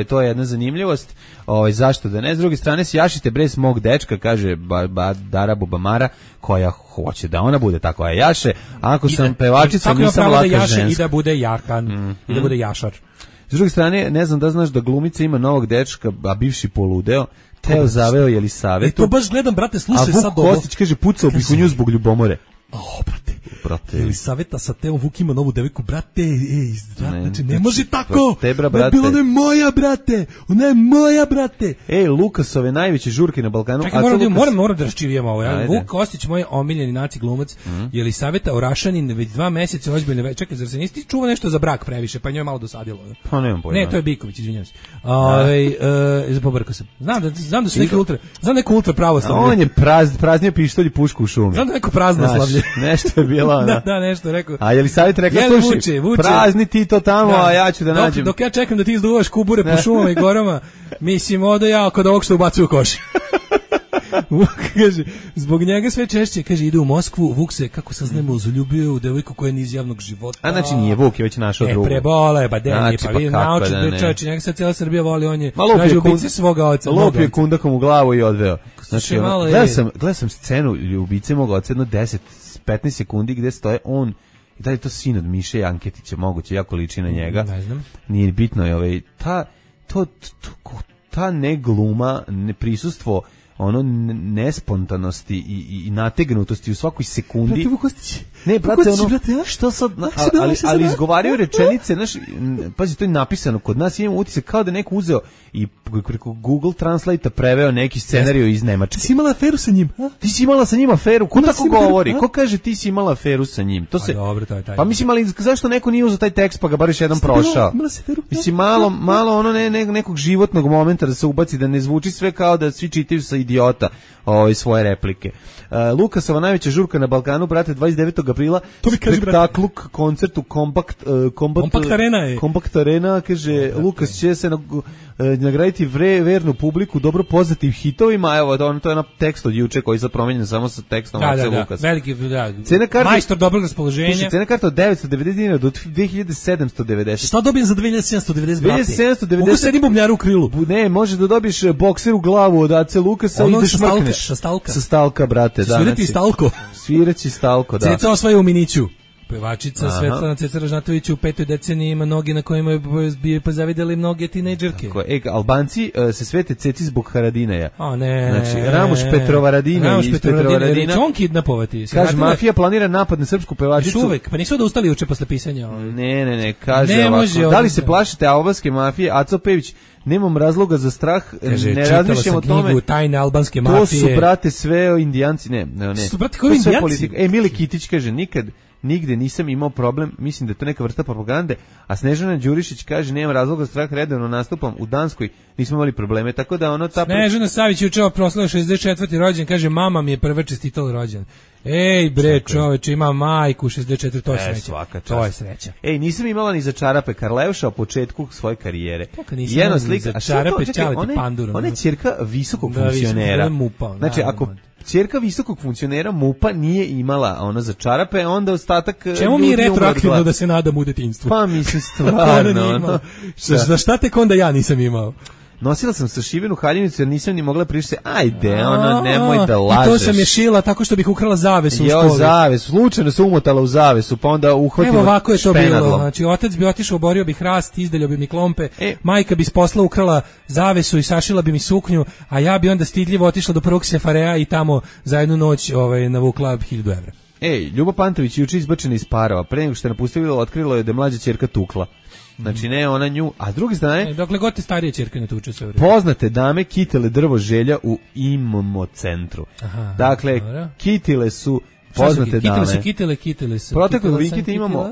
to je jedna zanimljivost. Zašto da ne? S druge strane se jašite bre mog dečka, kaže Dara Bubamara, koja hoće da ona bude takva jaše. Ako sam pevačica, nisam laka ženska.
I da bude jakan, i da bude jašar.
S druge strane, ne znam da znaš da glumica ima novog dečka, a bivši poludeo, Teo zaveo Jelisavetu.
To baš gledam, brate, slušaj sad ovo.
A Vuk Kostić kaže, pucao bih u nju zbog ljubomore.
Brate. Jelisaveta sa Teom Vuk ima novu devojku, brate, znači ne može tako.
Tebra, brate.
Ona je moja, brate. Ona je moja, brate.
Lukasove najveće žurke na Balkanu.
Čekaj, moram da raščivijemo ovo. Vuk Kostić, moj omiljeni naci glumac, Jelisaveta Orašanin, već 2 meseca ozbiljne. Čekaj, zar se nisi čuva nešto za brak previše, pa njoj malo dosadilo?
Pa nemam pojma.
Ne, to je Biković, izvinjavam se. Pobrkao sam. Znam da su neki ultra pravoslavlje.
On je praznio pištolj i pušku u šumi.
Znam da neko praznoslavlje.
Nešto je bilo ono.
Da, nešto rekao.
A Jelisaveta rekla, slušaj, prazni ti to tamo, a ja ću da nađem.
Dok ja čekam da ti izduvaš kubure po šumama i gorama, mislim, odo ja kod ovog što ubacuju u koš. Vuk kaže, zbog njega sve češće, kaže, ide u Moskvu, Vuk se, kako saznemo, zaljubio u devojku koja je iz javnog života.
A znači nije Vuk, je već našao drugu.
Prebole, ba denje, pa vi naučite, čovječi, njega sad cijela Srbija voli, on je nađe ubice svoga oca.
Lopio je kundakom u glavu i odveo. Znači, gledao sam scenu ubice moga oca, jedno 10-15 sekundi gde stoje on, i da je to sin od Miše Janketića, moguće, jako liči na njega.
Ne znam.
Nije bitno je ta ne gluma, ne prisustvo, ono nespontanosti i nategnutosti u svakoj sekundi.
Brate, Vukostić.
Ne, brate, ono, što sad, ali izgovaraju rečenice, znaš, pazi, to je napisano, kod nas imamo utisak kao da neko uzeo i preko Google Translate-a preveo neki scenariju iz Nemačke.
Ti si imala aferu sa njim?
Ti si imala sa njim aferu? Ko tako govori? Ko kaže ti si imala aferu sa njim? To se,
dobro, to je taj.
Pa mislim, ali zašto neko nije uzeo taj tekst pa ga bar još jedan prošao? Mislim, malo ono nekog životnog momenta da se ubaci, da ne zvuči sve kao da svi čitaju sa idiota svoje replike. Lukasova najveća žurka na Balkanu, brate, 29. aprila, spektakluk, koncertu Kompakt Arena, kaže, Lukas će se nagraditi vernu publiku dobro poznatim hitovima, evo, to je na tekst od juče koji je promijenjen samo sa tekstom Ace Lukas.
Veliki, majstor dobrog raspoloženja.
Cena karta od 990 dinara do 2790.
Šta dobijem za 2790, brate?
2790.
Mogu sedim bubnjar u krilu.
Ne, može da dobiješ bokser u glavu od Ace Lukasa i da šmrkneš.
Sa
stalka, brate.
Svirati stalko.
Sviraći stalko, da.
Ceca osvaja u Miniću. Pevačica Svetlana Ceca Ražnatović u 5. deceniji ima noge na kojima je pozavideli mnoge tinejdžerke.
Albanci se svete Ceci zbog Haradinaja.
O ne.
Znači, Ramuš Petrovaradina iz Petrovaradina.
Će on kidnapovati.
Kaže, mafija planira napad na srpsku pevačicu.
Uvek, pa nisu da ustali juče posle pisanja.
Ne, kaže ovako. Da li se plašite albanske mafije? Aco Pević, nemam razloga za strah,
kaže,
ne razmišljam o tome.
Tajne albanske mafije.
To su, brate, sve indijanci. Ne.
Su, brate, koji indijanci?
Mile Kitić kaže, nigde nisam imao problem, mislim da je to neka vrsta propagande, a Snežana Đurišić kaže, nemam razloga za strah, redovno nastupam u Danskoj, nismo imali probleme, tako da ono...
Snežana Savić juče proslavila 64. rođendan, kaže, mama mi je prva čestitala rođendan. Ej bre, čoveče, ima majku 64, to je sreća. To je sreća.
Ej, nisam imala ni za čarape Karleuša u početku svoje karijere.
Jedna slika, a čarape Čaleti Pandura.
Ona je ćerka visokog funkcionera. Znači, ako ćerka visokog funkcionera MUP-a nije imala ono za čarape, onda ostatak...
Čemu mi je retroaktivno da se nadam u detinjstvu?
Pa mislim stvarno.
Za šta tek onda ja nisam imao?
Nosila sam sašivenu haljinicu jer nisam ni mogla prišti. Ajde, nemoj da lažeš.
I to sam je šila tako što bih ukrala zavesu u školi.
Zavesu, slučajno se umotala u zavesu, pa onda uhvatila špenadlom.
Evo ovako je to bilo. Znači, otac bi otišao, oborio bi hrast, izdeljao bi mi klompe, majka bi s posla ukrala zavesu i sašila bi mi suknju, a ja bi onda stidljivo otišla do prvog sefarea i tamo za jednu noć navukla 1000 evra.
Ljuba Pantović juče izbačena iz Parova. Pre nego što je napustila, otkrilo je da je mlađa ćerka tukla. Znači ne ona nju, a s druge strane
dokle god te starije ćerke ne tuče sve.
Poznate dame kitile drvo želja u IMMO centru. Dakle, kitile su poznate dame.
Kitele se.
Protekle vikende imamo,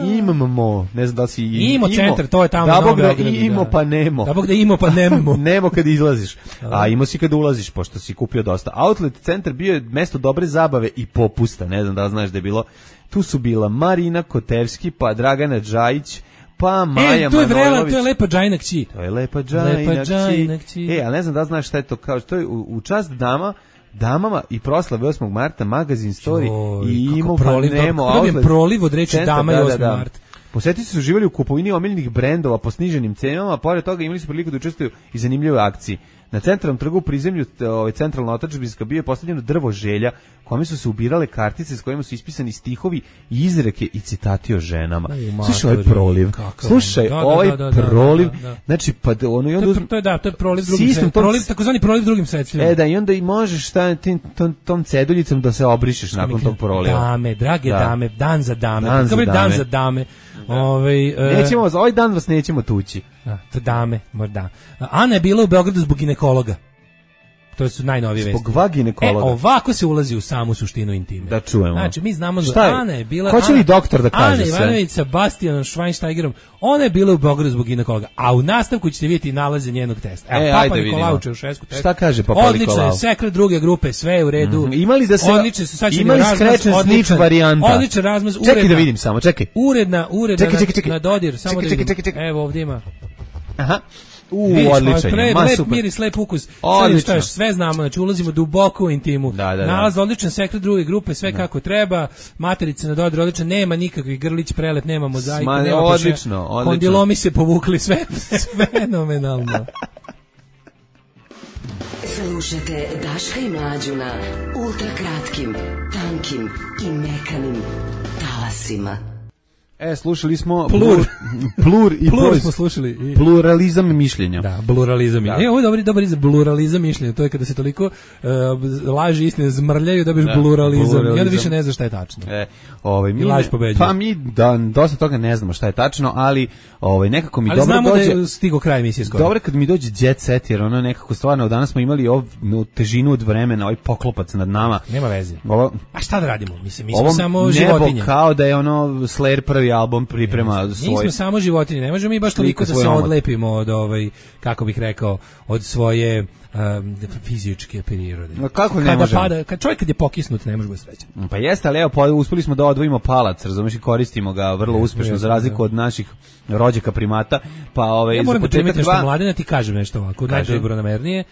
imamo, ne znam da li si
Imo centar, to je tamo na
Novom
Beogradu.
Imo pa nemo.
Da bog da imo pa nemo.
Nemo kad izlaziš, a imo si kad ulaziš, pošto si kupio dosta. Outlet centar bio je mesto dobre zabave i popusta, ne znam da li znaš da je bilo. Tu su bila Marina Kotevski, pa Dragana Džajić, pa Maja Manojlović.
To je Lepa Džajna kći.
To je Lepa Džajna kći. A ne znam da znaš šta je to, kao što je u čast damama i proslave 8. marta magazin Story i Imo pa nemo outlet.
Proliv od reči dama i 8. marta.
Posjetitelji su uživali u kupovini omiljenih brendova po sniženim cenama, a pored toga imali su priliku da učestvuju i zanimljive akcije. Na centralnom trgu u prizemlju centralna otadžbinska bio je postavljeno drvo želja, kome su se ubirale kartice s kojima su ispisani stihovi i izreke i citati o ženama. Slušaj ovaj proliv. Slušaj ovaj proliv. Znači pa ono i onda
to je proliv drugim sredstvima. Takozvani proliv drugim sredstvima.
Da i onda i možeš tom ceduljicom da se obrišeš nakon tog proliva.
Dame, drage dame, dan za dame. Dan za dame.
Nećemo vas, ovaj dan vas nećemo tući.
Dame, možda. Ana je bila u Beogradu zbog ginekologa. To su najnovije vesti.
Zbog ginekologa.
Ovako se ulazi u samu suštinu intime.
Da čujemo.
Znači, mi znamo da Ana je bila...
Hoće li doktor da kaže sve?
Ana Ivanović sa Bastianom Schweinsteigerom, ona je bila u Beogradu zbog ginekologa. A u nastavku ćete vidjeti nalaze njenog testa. Evo, Papa Nikolau Čaušesku test.
Šta kaže Papa Nikolau?
Odlično je, sekret druge grupe, sve je u redu.
Imali da se...
Imali
scratch and snitch varijanta.
Odličan razmaz.
Čekaj da vidim samo, čekaj.
Uredna na dodir. Samo da vidim. Evo ovdje ima.
Aha. Odličan je,
lep miris, lep ukus. Sve znamo, znači ulazimo duboko u intimu. Nalaz odličan, sekret druge grupe, sve kako treba. Materica na dodir odličan, nema nikakvih grlić, prelet, nema mozaika, nema
odlično.
Kondilomi se povukli, sve fenomenalno.
Slušajte Daška i Mlađu na ultrakratkim, tankim i mekanim talasima.
Slušali smo
Plur smo slušali.
Pluralizam mišljenja.
Da, pluralizam. Ovo je dobar izraz, pluralizam mišljenja. To je kada se toliko laži istine zmrljaju da biš pluralizam. I onda više ne znaš šta je tačno.
I
laž pobeđuje.
Pa mi dosta toga ne znamo šta je tačno, ali nekako mi dobro dođe.
Ali znamo da je stigo kraj emisije skoro.
Dobro kad mi dođe jet set, jer ono nekako stvarno, danas smo imali težinu od vremena, ovaj poklopac nad nama.
Nema veze. A šta da radimo? Mislim, mi smo samo životinje.
Nebo kao da je Slayer prvi album priprema svoj.
Nismo samo životinje, ne možemo mi baš toliko da se odlepimo od kako bih rekao, od svoje fizičke prirode.
Kako ne možemo?
Kad čovjek je pokisnut, ne može biti srećan.
Pa jeste, ali evo, uspeli smo da odvojimo palac, razumiješ, i koristimo ga vrlo uspešno, za razliku od naših rođaka primata.
Ja moram da primiti nešto Mladena, ti kažem nešto ovako, najdobronamernije.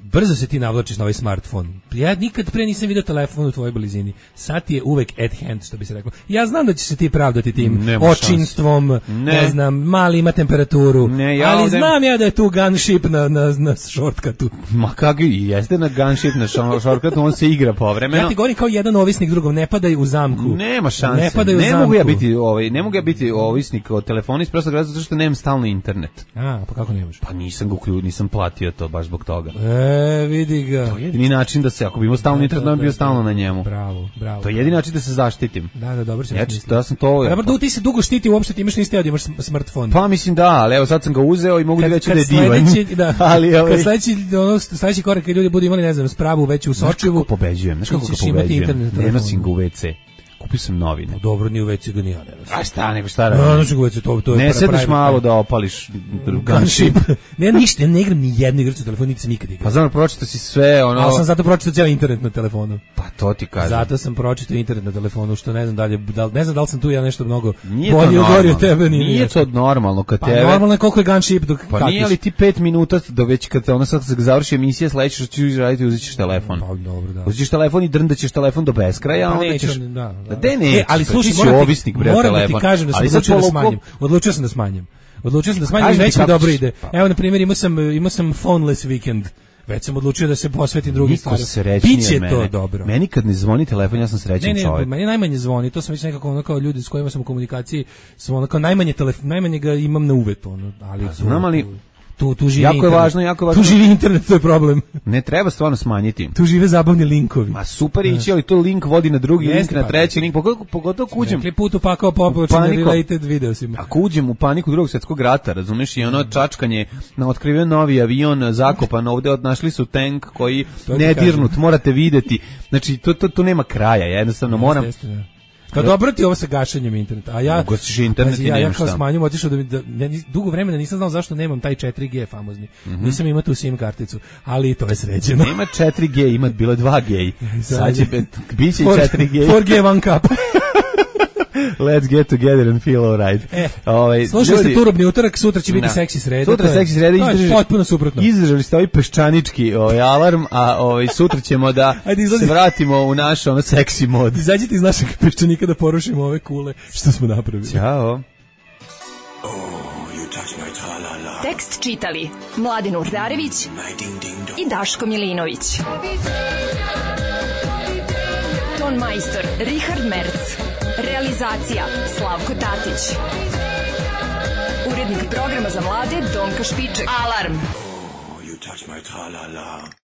Brzo se ti navlačiš na ovaj smartfon. Ja nikad pre nisam vidio telefon u tvojoj blizini. Sad ti je uvek at hand, što bi se reklo. Ja znam da će se ti pravdati tim očinstvom, ne znam, mali ima temperaturu, ali znam ja da je tu gunship na shortcutu.
Ma kako i jeste na gunship na shortcutu, on se igra povremeno.
Ja ti govorim kao jedan ovisnik drugom, ne padaj u zamku.
Nema šanse. Ne mogu ja biti ovisnik od telefona iz prostog razloga zato što nemam stalno internet.
Pa kako nemaš?
Pa nisam platio to baš zbog toga.
Vidi ga.
To je jedini način da se, ako bi imao stalno internet, da bi bio stalno na njemu.
Bravo.
To je jedini način da se zaštitim.
Da, dobro se misli.
Ja sam to...
Dobro, ti se dugo štiti, uopšte ti imaš nisi teo da imaš smartfon.
Pa mislim da, ali evo sad sam ga uzeo i mogu reći da je divan.
Kad sledeći korak kad ljudi budu imali, ne znam, spravu veću u Sočivu.
Znaš kako pobeđujem? Ne nosim ga u WC. Kupio sam novine.
Dobro, ni u WC ga ni ja ne nosim.
A šta, nego šta radi?
To je
ne sedneš malo da opališ gunship.
Ne, ništa, ne igram ni jednu igricu na telefonu, niti sam nikad igrao.
Pa znam, pročitao si sve, ono...
Ali sam zato pročitao cijel internet na telefonu.
Pa to ti kažem.
Zato sam pročitao internet na telefonu, što ne znam dalje, ne znam da li sam tu ja nešto mnogo bolje ugorio tebe.
Nije to normalno kad tebe...
Pa normalno je koliko je gunship dok
kakiš. Pa nije li ti 5 minuta do već kad ona sad završi emisija, sledeće što ćeš raditi, uzet ćeš telefon.
Pa dobro, da.
Uzet ćeš telefon i drndaćeš telefon do beskraja, a onda ćeš...
Ali slušaj, moram da ti kažem da sam odlučio da smanjim. I već mi dobro ide. Evo, na primjer, imao sam phoneless weekend. Već sam odlučio da se posvetim drugim stvarima. Biće to dobro.
Meni kad ne zvoni telefon, ja sam srećan čovjek.
Meni najmanje zvoni, to sam već nekako ono kao ljudi s kojima sam u komunikaciji, sam ono kao najmanje ga imam na uvet, ono, ali...
Znam, ali
tu živi
jako
internet.
Je važno.
Tu živi internet, to je problem.
Ne treba stvarno smanjiti.
Tu žive zabavni linkovi.
Ma super ići, ali to link vodi na drugi link, na treći link, pogotovo kuđem.
Rekli put upakao populačno related videosima.
Ako uđem u paniku drugog svjetskog rata, razumeš, i ono čačkanje na otkriven novi avion, zakopan ovde, našli su tank koji nedirnut, morate videti. Znači, to nema kraja, ja jednostavno moram...
Pa dobro ti ovo sa gašenjem interneta. A ja
ugasiš internet i
ja kao smanjim otišao dugo vremena nisam znao zašto nemam taj 4G famozni. Nisam imao tu SIM karticu, ali to je sređeno.
Nema 4G, ima bilo 2G. Sad će biće 4G.
4G one cup.
Let's get together and feel alright.
Slušali ste Turobni utorak, sutra će biti seksi sreda.
Sutra seksi sreda,
potpuno suprotno.
Izdržali ste ovaj peščanički alarm, a sutra ćemo da se vratimo u naš seksi mod.
Izađite iz našeg peščanika da porušimo ove kule što smo napravili.
Ćao.
Tekst čitali Mladen Urdarević i Daško Milinović. Ton majstor Richard Merc. Realizacija Slavko Tatić. Urednik programa za mlade Donka Špiček. Alarm!